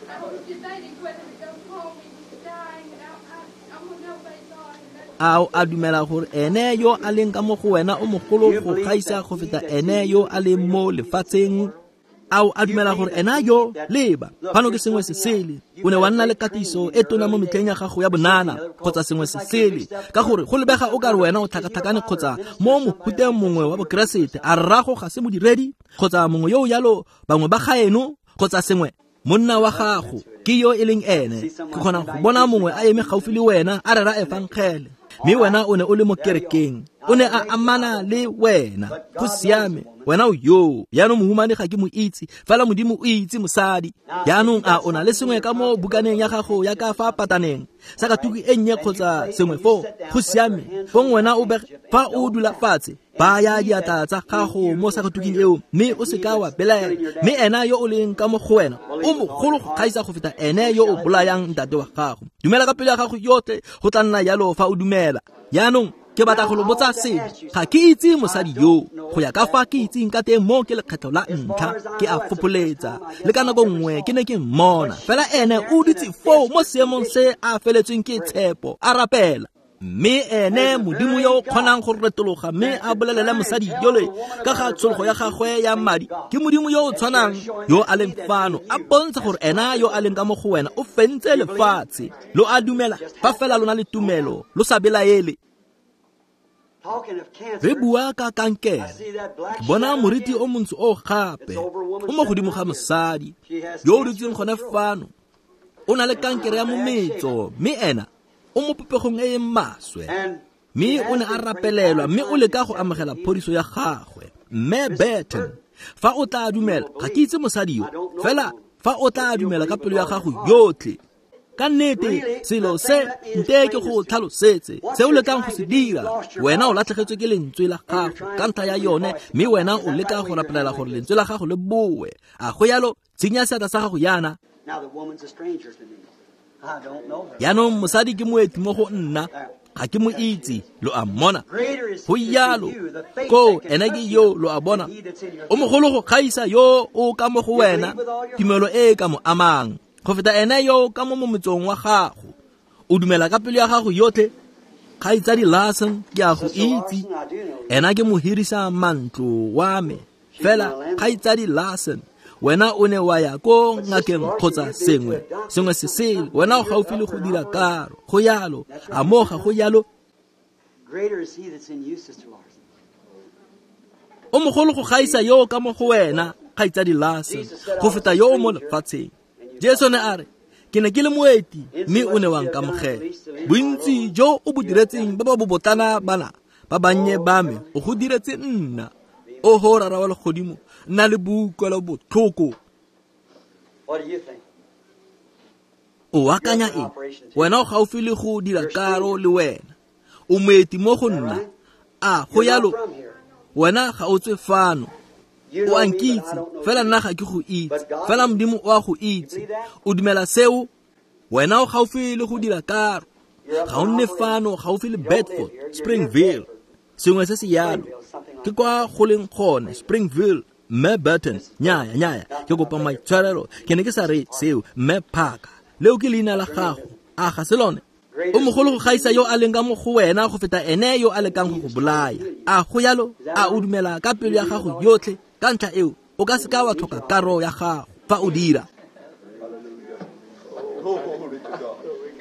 I was debating whether to go home. He was dying, and I, I, I want to obey God. And that's A o a dumela gore ene yo a leng ka mo go wena o mogolo go gaisa go feta ene yo a leng mo lefatsheng? A o a dumela gore ena yo leba fano ke sengwe se sele? O ne wa nna le katiso e tona mo metlheng ya gago ya bonana kgotsa sengwe se sele, ka gore go lebega o kare wena o tlhakatlhakane kgotsa mo mohuteng mongwe wa bokeresete. A rrago ga se modiredi kgotsa mongwe yo o yalo, bangwe ba gaeno kgotsa sengwe. Monna wa gago ke yo e leng ene. Ke kgona go bona mongwe a eme gaufi le wena a rera efangele, mme wena o ne o le mo kerekeng, o ne a amana le wena. Go siame, wena o yo. Yaanong mohumane ga ke mo itse, fela Modimo o itse mosadi. Yaanong a o na le sengwe ka mo bukaneng ya gago ya ka fa pataneng, sakatuku e nnye kgotsa sengwe foo? Go siame, fong wena o bege fa o dula fatshe, baya diatla tsa gago mo sakatuking eo, mme o seka wa belaela. Mme ena yo o leng ka mo go wena o mogolo go gaisa go feta ene yo o bolayang ntate wa gago. Dumela ka pelo ya gago yotlhe, go tla nna yalo fa o dumela. Yaanong ke batla go lo botsa sengwe. Ga ke itse mosadi yo, go ya ka fa ke itseng ka teng mo ke lekgetlho la ntlha ke a fopholetsa. Le ka nako nngwe ke ne ke mmona, fela ene o dutse foo mo seemong se a feletsweng ke tshepo, a rapela. Mme ene Modimo yo o kgonang go retologa mme a bolelele mosadi yole ka ga tshologo ya gagwe ya madi, ke Modimo yo o tshwanang yo a leng fano, a bontsha gore ena yo a leng ka mo go wena o fentse lefatshe. Lo a dumela fa fela lona le tumelo, lo sa belaele. Talking of cancer, Re bua ka I kankere. see that black Ke bona shadow moriti again. o montsho o gape o mo godimo ga mosadi yo o dutseng gone fano. O na le kankere ya mometso, mme ena o mo popegong e e maswe. And Mme o ne a rapelelwa, mme o leka go amogela phodiso ya gagwe. Mme Burton, fa o tla dumela, ga ke itse mosadi yo, fela fa o tla dumela ka pelo ya gago yotlhe, ka nnete selo se nte ke go tlhalosetse se o lekang go se dira. Wena o latlhegetswe ke lentswe la gago ka ntlha ya yone, mme wena o leka go rapelela gore lentswe la gago le boe. A go yalo? Tsenya seatla sa gago yana. Now the woman's a stranger to me. I don't know her. Yaanong mosadi ke moeti mo go nna, ga ke mo itse, lo a mmona. Greater is Go he that's yalo in you, the faith ko that can ene touch ke him, yo, lo a bona. than he that's in your O mogolo go gaisa yo o ka mo go wena, tumelo e e ka mo amang go feta ene yo ka mo mometsong wa gago. O dumela ka pelo ya gago yotlhe? Kgaitsadi Larson, ke a go Sister itse. Larson, I do know you. Ena ke mohirisa mantlo wa me. Fela kgaitsadi Larson, wena o ne wa ya ko ngakeng kgotsa sengwe sengwe se sele, wena o gaufi le go dira karo. Go yalo? A mo ga go yalo? Greater is he that's in you, Sister Larson. O mogolo go gaisa yo ka mo go wena, kgaitsadi Larson, go feta yo o mo lefatsheng. Jesu ne a re, ke ne ke le moeti, mme o ne wa nkamogela. Bontsi jo o bo diretseng ba ba bobotlana bana ba bannye ba me, o go diretse nna. Oho Rara wa legodimo, nna le boutlwelo botlhoko. What do you think? O akanya eng? Wena o gaufi le go dira karo le wena. O moeti mo go nna. A go You're not yalo? from here. Wena ga o tswe fano. You O know a me, but I nkitse, don't know fela you. nna ga ke go itse. Fela Modimo o a go itse. O dumela seo? Wena o gaufi le go dira karo. Ga o nne fano gaufi le Bedford, Springville, sengwe se se yalo. Ke kwa go leng gone, Springville. Mme Burton, nnyaya, nnyaya, ke kopa maitshwarelo, ke ne ke sa re seo, Mme Parker. Leo ke leina la gago, a ga se lone? O mogolo go gaisa yo a leng ka mo go wena go feta ene yo a lekang go go bolaya. A go yalo? A o dumela ka pelo ya gago yotlhe? Ka ntlha eo, o ka se ka wa tlhoka karo ya gago fa o dira.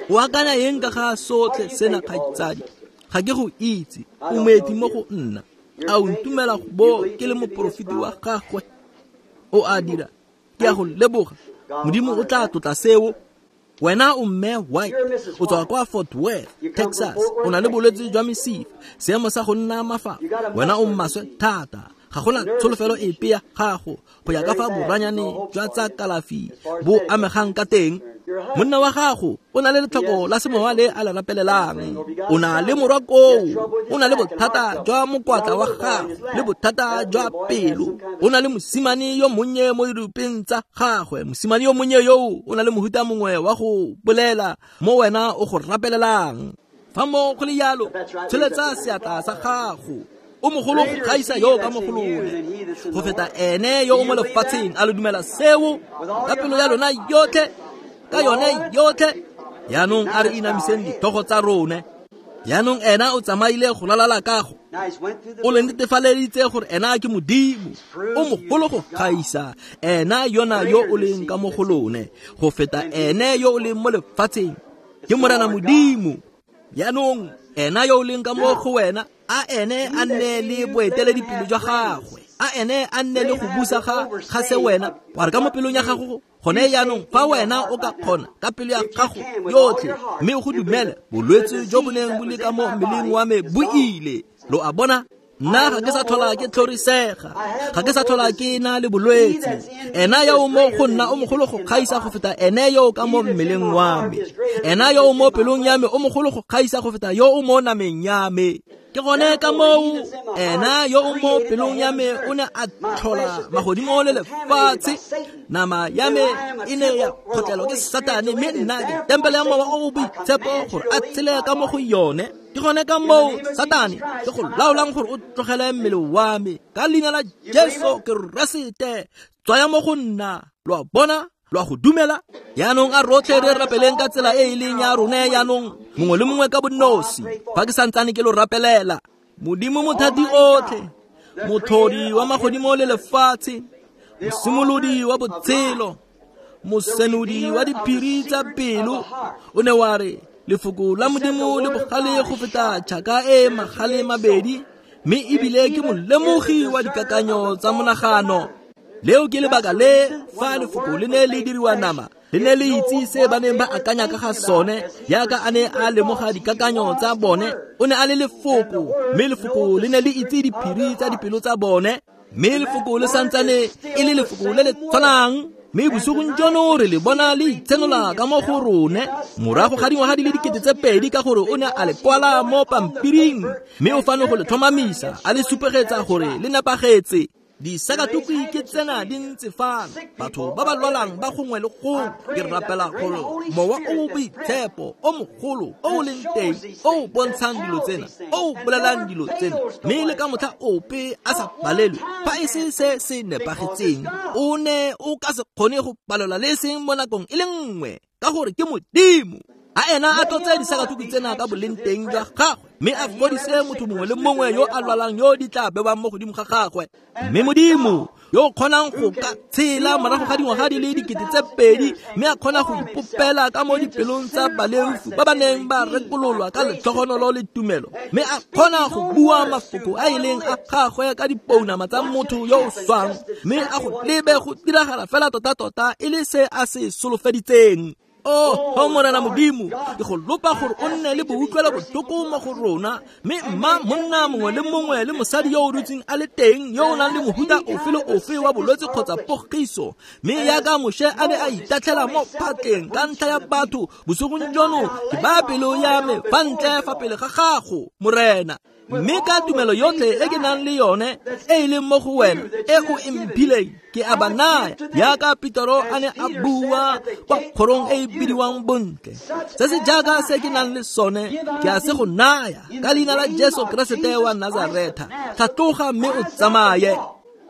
O akanya eng ka ga sotlhe sena, kgaitsadi? Ga ke go itse, o moeti mo go nna. A o ntumela bo ke le moporofeti wa gagwe? O a dira. Ke a go leboga. Modimo o tla tlotla seo. Wena o Mme White, o tswa kwa Fort Worth, Texas. O na le bolwetse jwa mesifa, seemo sa go nna mafafa. Wena o maswe thata. Ga gona tsholofelo epe ya gago go ya ka fa boranyane jwa tsa kalafi bo amegang ka teng. Monna wa gago o na le letlhoko la semowa le a le rapelelang. O na le morwa koo, o na le bothata jwa mokwatla wa gago le bothata jwa pelo. O na le mosimane yo monnye mo dirupeng tsa gagwe. Mosimane yo monnye yoo o na le mohuta mongwe wa go bolela mo wena o go rapelelang. Fa mo go le yalo, tsholetsa seatla sa gago. O mogolo go gaisa yo ka mo go lone go feta ene yo o mo lefatsheng. A lo dumela seo ka pelo ya lona yotlhe, ka yone yotlhe? Yaanong a re inamiseng dithogo tsa rone. Yaanong ena o tsamaile go lalala kago. O le netefaleditse gore ena ke Modimo. O mogolo go gaisa ena yona yo o leng ka mo go lone go feta ene yo o leng mo lefatsheng. Ke Morena Modimo. Yaanong ena yo o leng ka mo go wena, a ene a nne le boeteledipele jwa gagwe, a ene a nne le go busa ga ga se wena. Wa re ka mo pelong ya gago gone yaanong, fa wena o ka kgona ka pelo ya gago yotlhe mme o go dumele, bolwetse jo bo neng bo le ka mo mmeleng wa me bo ile. Lo a bona? Nna ga ke sa tlhola ke tlhorisega, ga ke sa tlhola ke na le bolwetse. Ena yo o mo go nna o mogolo go gaisa go feta ene yo o ka mo mmeleng wa me. Ena yo o mo pelong ya me o mogolo go gaisa go feta yo o mo nameng ya me. Ke gone ka moo ena yo o mo pelong ya me o ne a tlhola magodimo le lefatshe. Nama ya me e ne ya kgotlelwa ke Satane, mme nna ke tempele ya Mowa o o Boitshepo gore a tshele ka mo go yone. Ke gone ka moo Satane ke go laolang gore o tlogele mmele wa me. Ka leina la Jesu Keresete, tswaya mo go nna. Lo a bona? Lo a go dumela? Yaanong a rotlhe re rapeleng ka tsela e e leng ya rone yaanong, mongwe le mongwe ka bonosi. Fa ke santsane ke lo rapelela. Modimo mothati otlhe, motlhodi wa magodimo le lefatshe, mosimolodi wa botshelo, mosenodi wa diphiri tsa pelo, o ne wa re lefoko la Modimo le bogale go feta tšhaka e magale mabedi, mme ebile ke molemogi wa dikakanyo tsa monagano. Leo ke lebaka le fa lefoko le ne le diriwa nama, le ne le itse se ba neng ba akanya ka ga sone. Yaka a ne a lemoga dikakanyo tsa bone, o ne a le lefoko, mme lefoko le ne le itse diphiri tsa dipelo tsa bone. Mme lefoko le santsane e le lefoko le le tshwanang. Mme bosigong jono re le bona le itshenola ka mo go rone morago ga dingwaga di le dikete tse pedi, ka gore o ne a le kwala mo pampiring, mme o fano go le tlhomamisa, a le supegetsa gore le nepagetse. Disakatukwi ke tsena di ntse fano, batho ba ba lwalang ba gongwe le gongwe. Ke rapela gore Mowa o o Boitshepo o mogolo o o leng teng, o o bontshang dilo tsena, o o bolelang dilo tsena, mme le ka motlha ope a sa palelwe fa e se se se nepagetseng, o ne o ka se kgone go palelwa le seng mo nakong e le nngwe, ka gore ke Modimo. A ena a tlotse disakatukwi tsena ka boleng teng jwa gagwe, mme a fodise motho mongwe le mongwe yo a lwalang yo di tla bewang mo godimo ga gagwe. Mme Modimo yo o kgonang go ka tshela morago ga dingwaga di le dikete tse pedi, mme a kgona go ipopela ka mo dipelong tsa baleofi ba ba neng ba rekololwa ka letlhogonolo le tumelo, mme a kgona go bua mafoko a e leng a gagwe ka dipounama tsa motho yo o swang, mme a go lebe go diragala fela tota-tota e le se a se solofeditseng. Oh, oh Morena Modimo, ke go lopa gore o nne le boutlwelo botlhoko mo go rona, mme mma monna mongwe le mongwe le mosadi yo o dutseng a le teng yo o nang le mohuta ofe le ofe wa bolwetse kgotsa pogiso, mme yaka Moshe a ne a itatlhela mo phatleng ka ntlha ya batho, bosigong jono ke baya pelo ya me fa ntle fa pele ga gago, Morena. Mme ka tumelo yotlhe e ke nang le yone e e leng mo go wena e o e mphileng ke a ba naya, jaaka Petero a ne a bua kwa kgorong e e bidiwang Bontle. Se se jaaka se ke nang le sone ke a se go naya ka leina la Jesu Keresete wa Nazaretha, tlhatloga mme o tsamaye.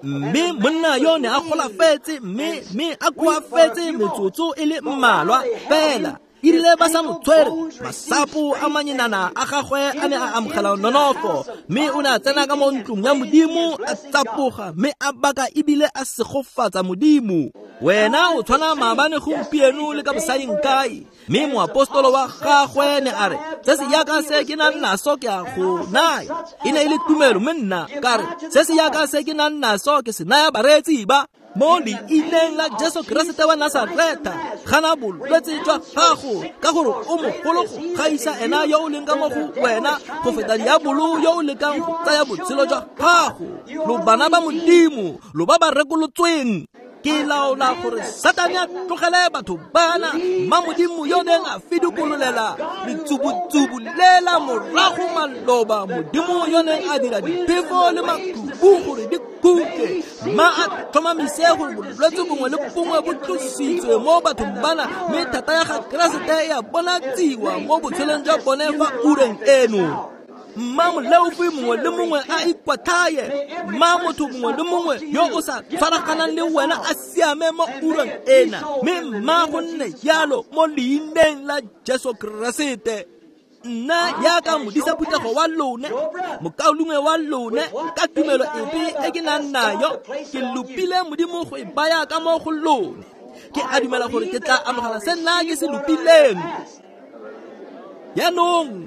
Mme monna yo ne a golafetse mme mme a koafetse metsotso e le mmalwa fela. E rile ba sa mo tshwere, masapo a manyenana a gagwe a ne a amogela nonofo, mme o ne a tsena ka mo ntlong ya Modimo a tsapoga mme a baka ebile a segofatsa Modimo. Wena o tshwana maabane gompieno le ka bosaeng kae. Mme moapostolo wa gagwe ne a re, se se yaka se ke nang naso ke a go naya. E ne e le tumelo, mme nna ka re, se se yaka se ke nang naso ke se naya bareetsi ba. Mo leineng la Jesu Keresete wa Nasaretha, gana bolwetse jwa gago, ka gore o mogolo go gaisa ena yo o leng ka mo go wena go feta diabolo yo o lekang go tsaya botshelo jwa gago. Lo bana ba Modimo, lo ba ba rekolotsweng. Ke laola gore Satane a tlogele batho bana, mma Modimo yo neng a fidikololela letsubutsubu lela morago maloba, Modimo yo neng a dira diphefo le makhubu gore di khutle, mma a tlhomamise gore bolwetse bongwe le bongwe bo tlositswe mo bathong bana, mme thata ya ga Keresete ya bonatsiwa mo botshelong jwa bone fa ureng eno. Mma moleofi mongwe le mongwe a ikwatlhaye, mma motho mongwe le mongwe yo o sa tshwaraganang le wena a siame mo ureng ena, mme mma go nne jalo mo leineng la Jesu Keresete. Nna jaaka modisa phuthego wa lone, mokaulengwe wa lone, ka tumelo epe e ke nang nayo, ke lopile Modimo go e baya ka mo go lone. Ke a dumela gore ke tla amogela se nna ke se lopileng. Jaanong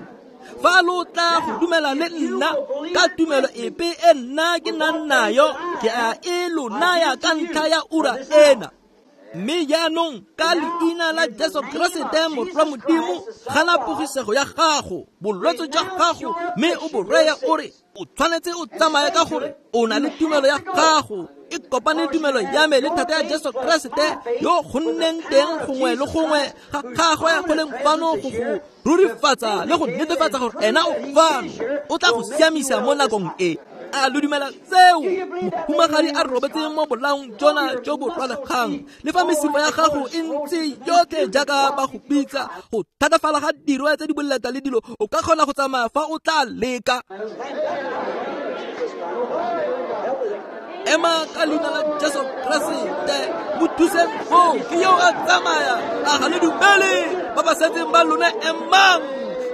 fa lo tla go dumela le nna ka tumelo epe e nna ke nang nayo, ke a e lo naya ka ntlha ya ura ena. Mme jaanong ka leina la Jesu Keresete Morwa Modimo, gana pogisego ya gago, bolwetse jwa gago, mme o bo reye o re o tshwanetse o tsamaye ka gore o na le tumelo ya gago. E kopane tumelo ya me le thata ya Jesu Keresete yo go nneng teng gongwe le gongwe ga gagwe go leng fano go go rurifatsa le go netefatsa gore ena o fano, o tla go siamisa mo nakong e. A lo dumela seo? Mohumagadi a robetse mo bolaong jona jo bo rwalegang, le fa mesifa ya gago e ntse yotlhe jaaka ba go bitsa, go thatafala ga dirwe tse di boleta le dilo, o ka kgona go tsamaya fa o tla leka. Ema ka leina la Jesu Keresete, mo thuseng foo, ke yo a tsamaya, a ga le dumele ba ba setseng ba lone emang.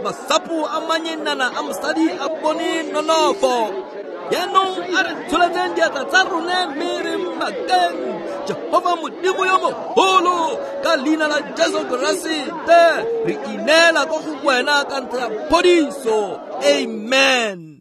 Masapo a manyenana a mosadi a bone nonofo. Jaanong a re tsholetseng diatla tsa rone mme re mmakeng Jehova Modimo yo mogolo, ka leina la Jesu Keresete re ineela ko go wena ka ntlha ya phodiso. Amen.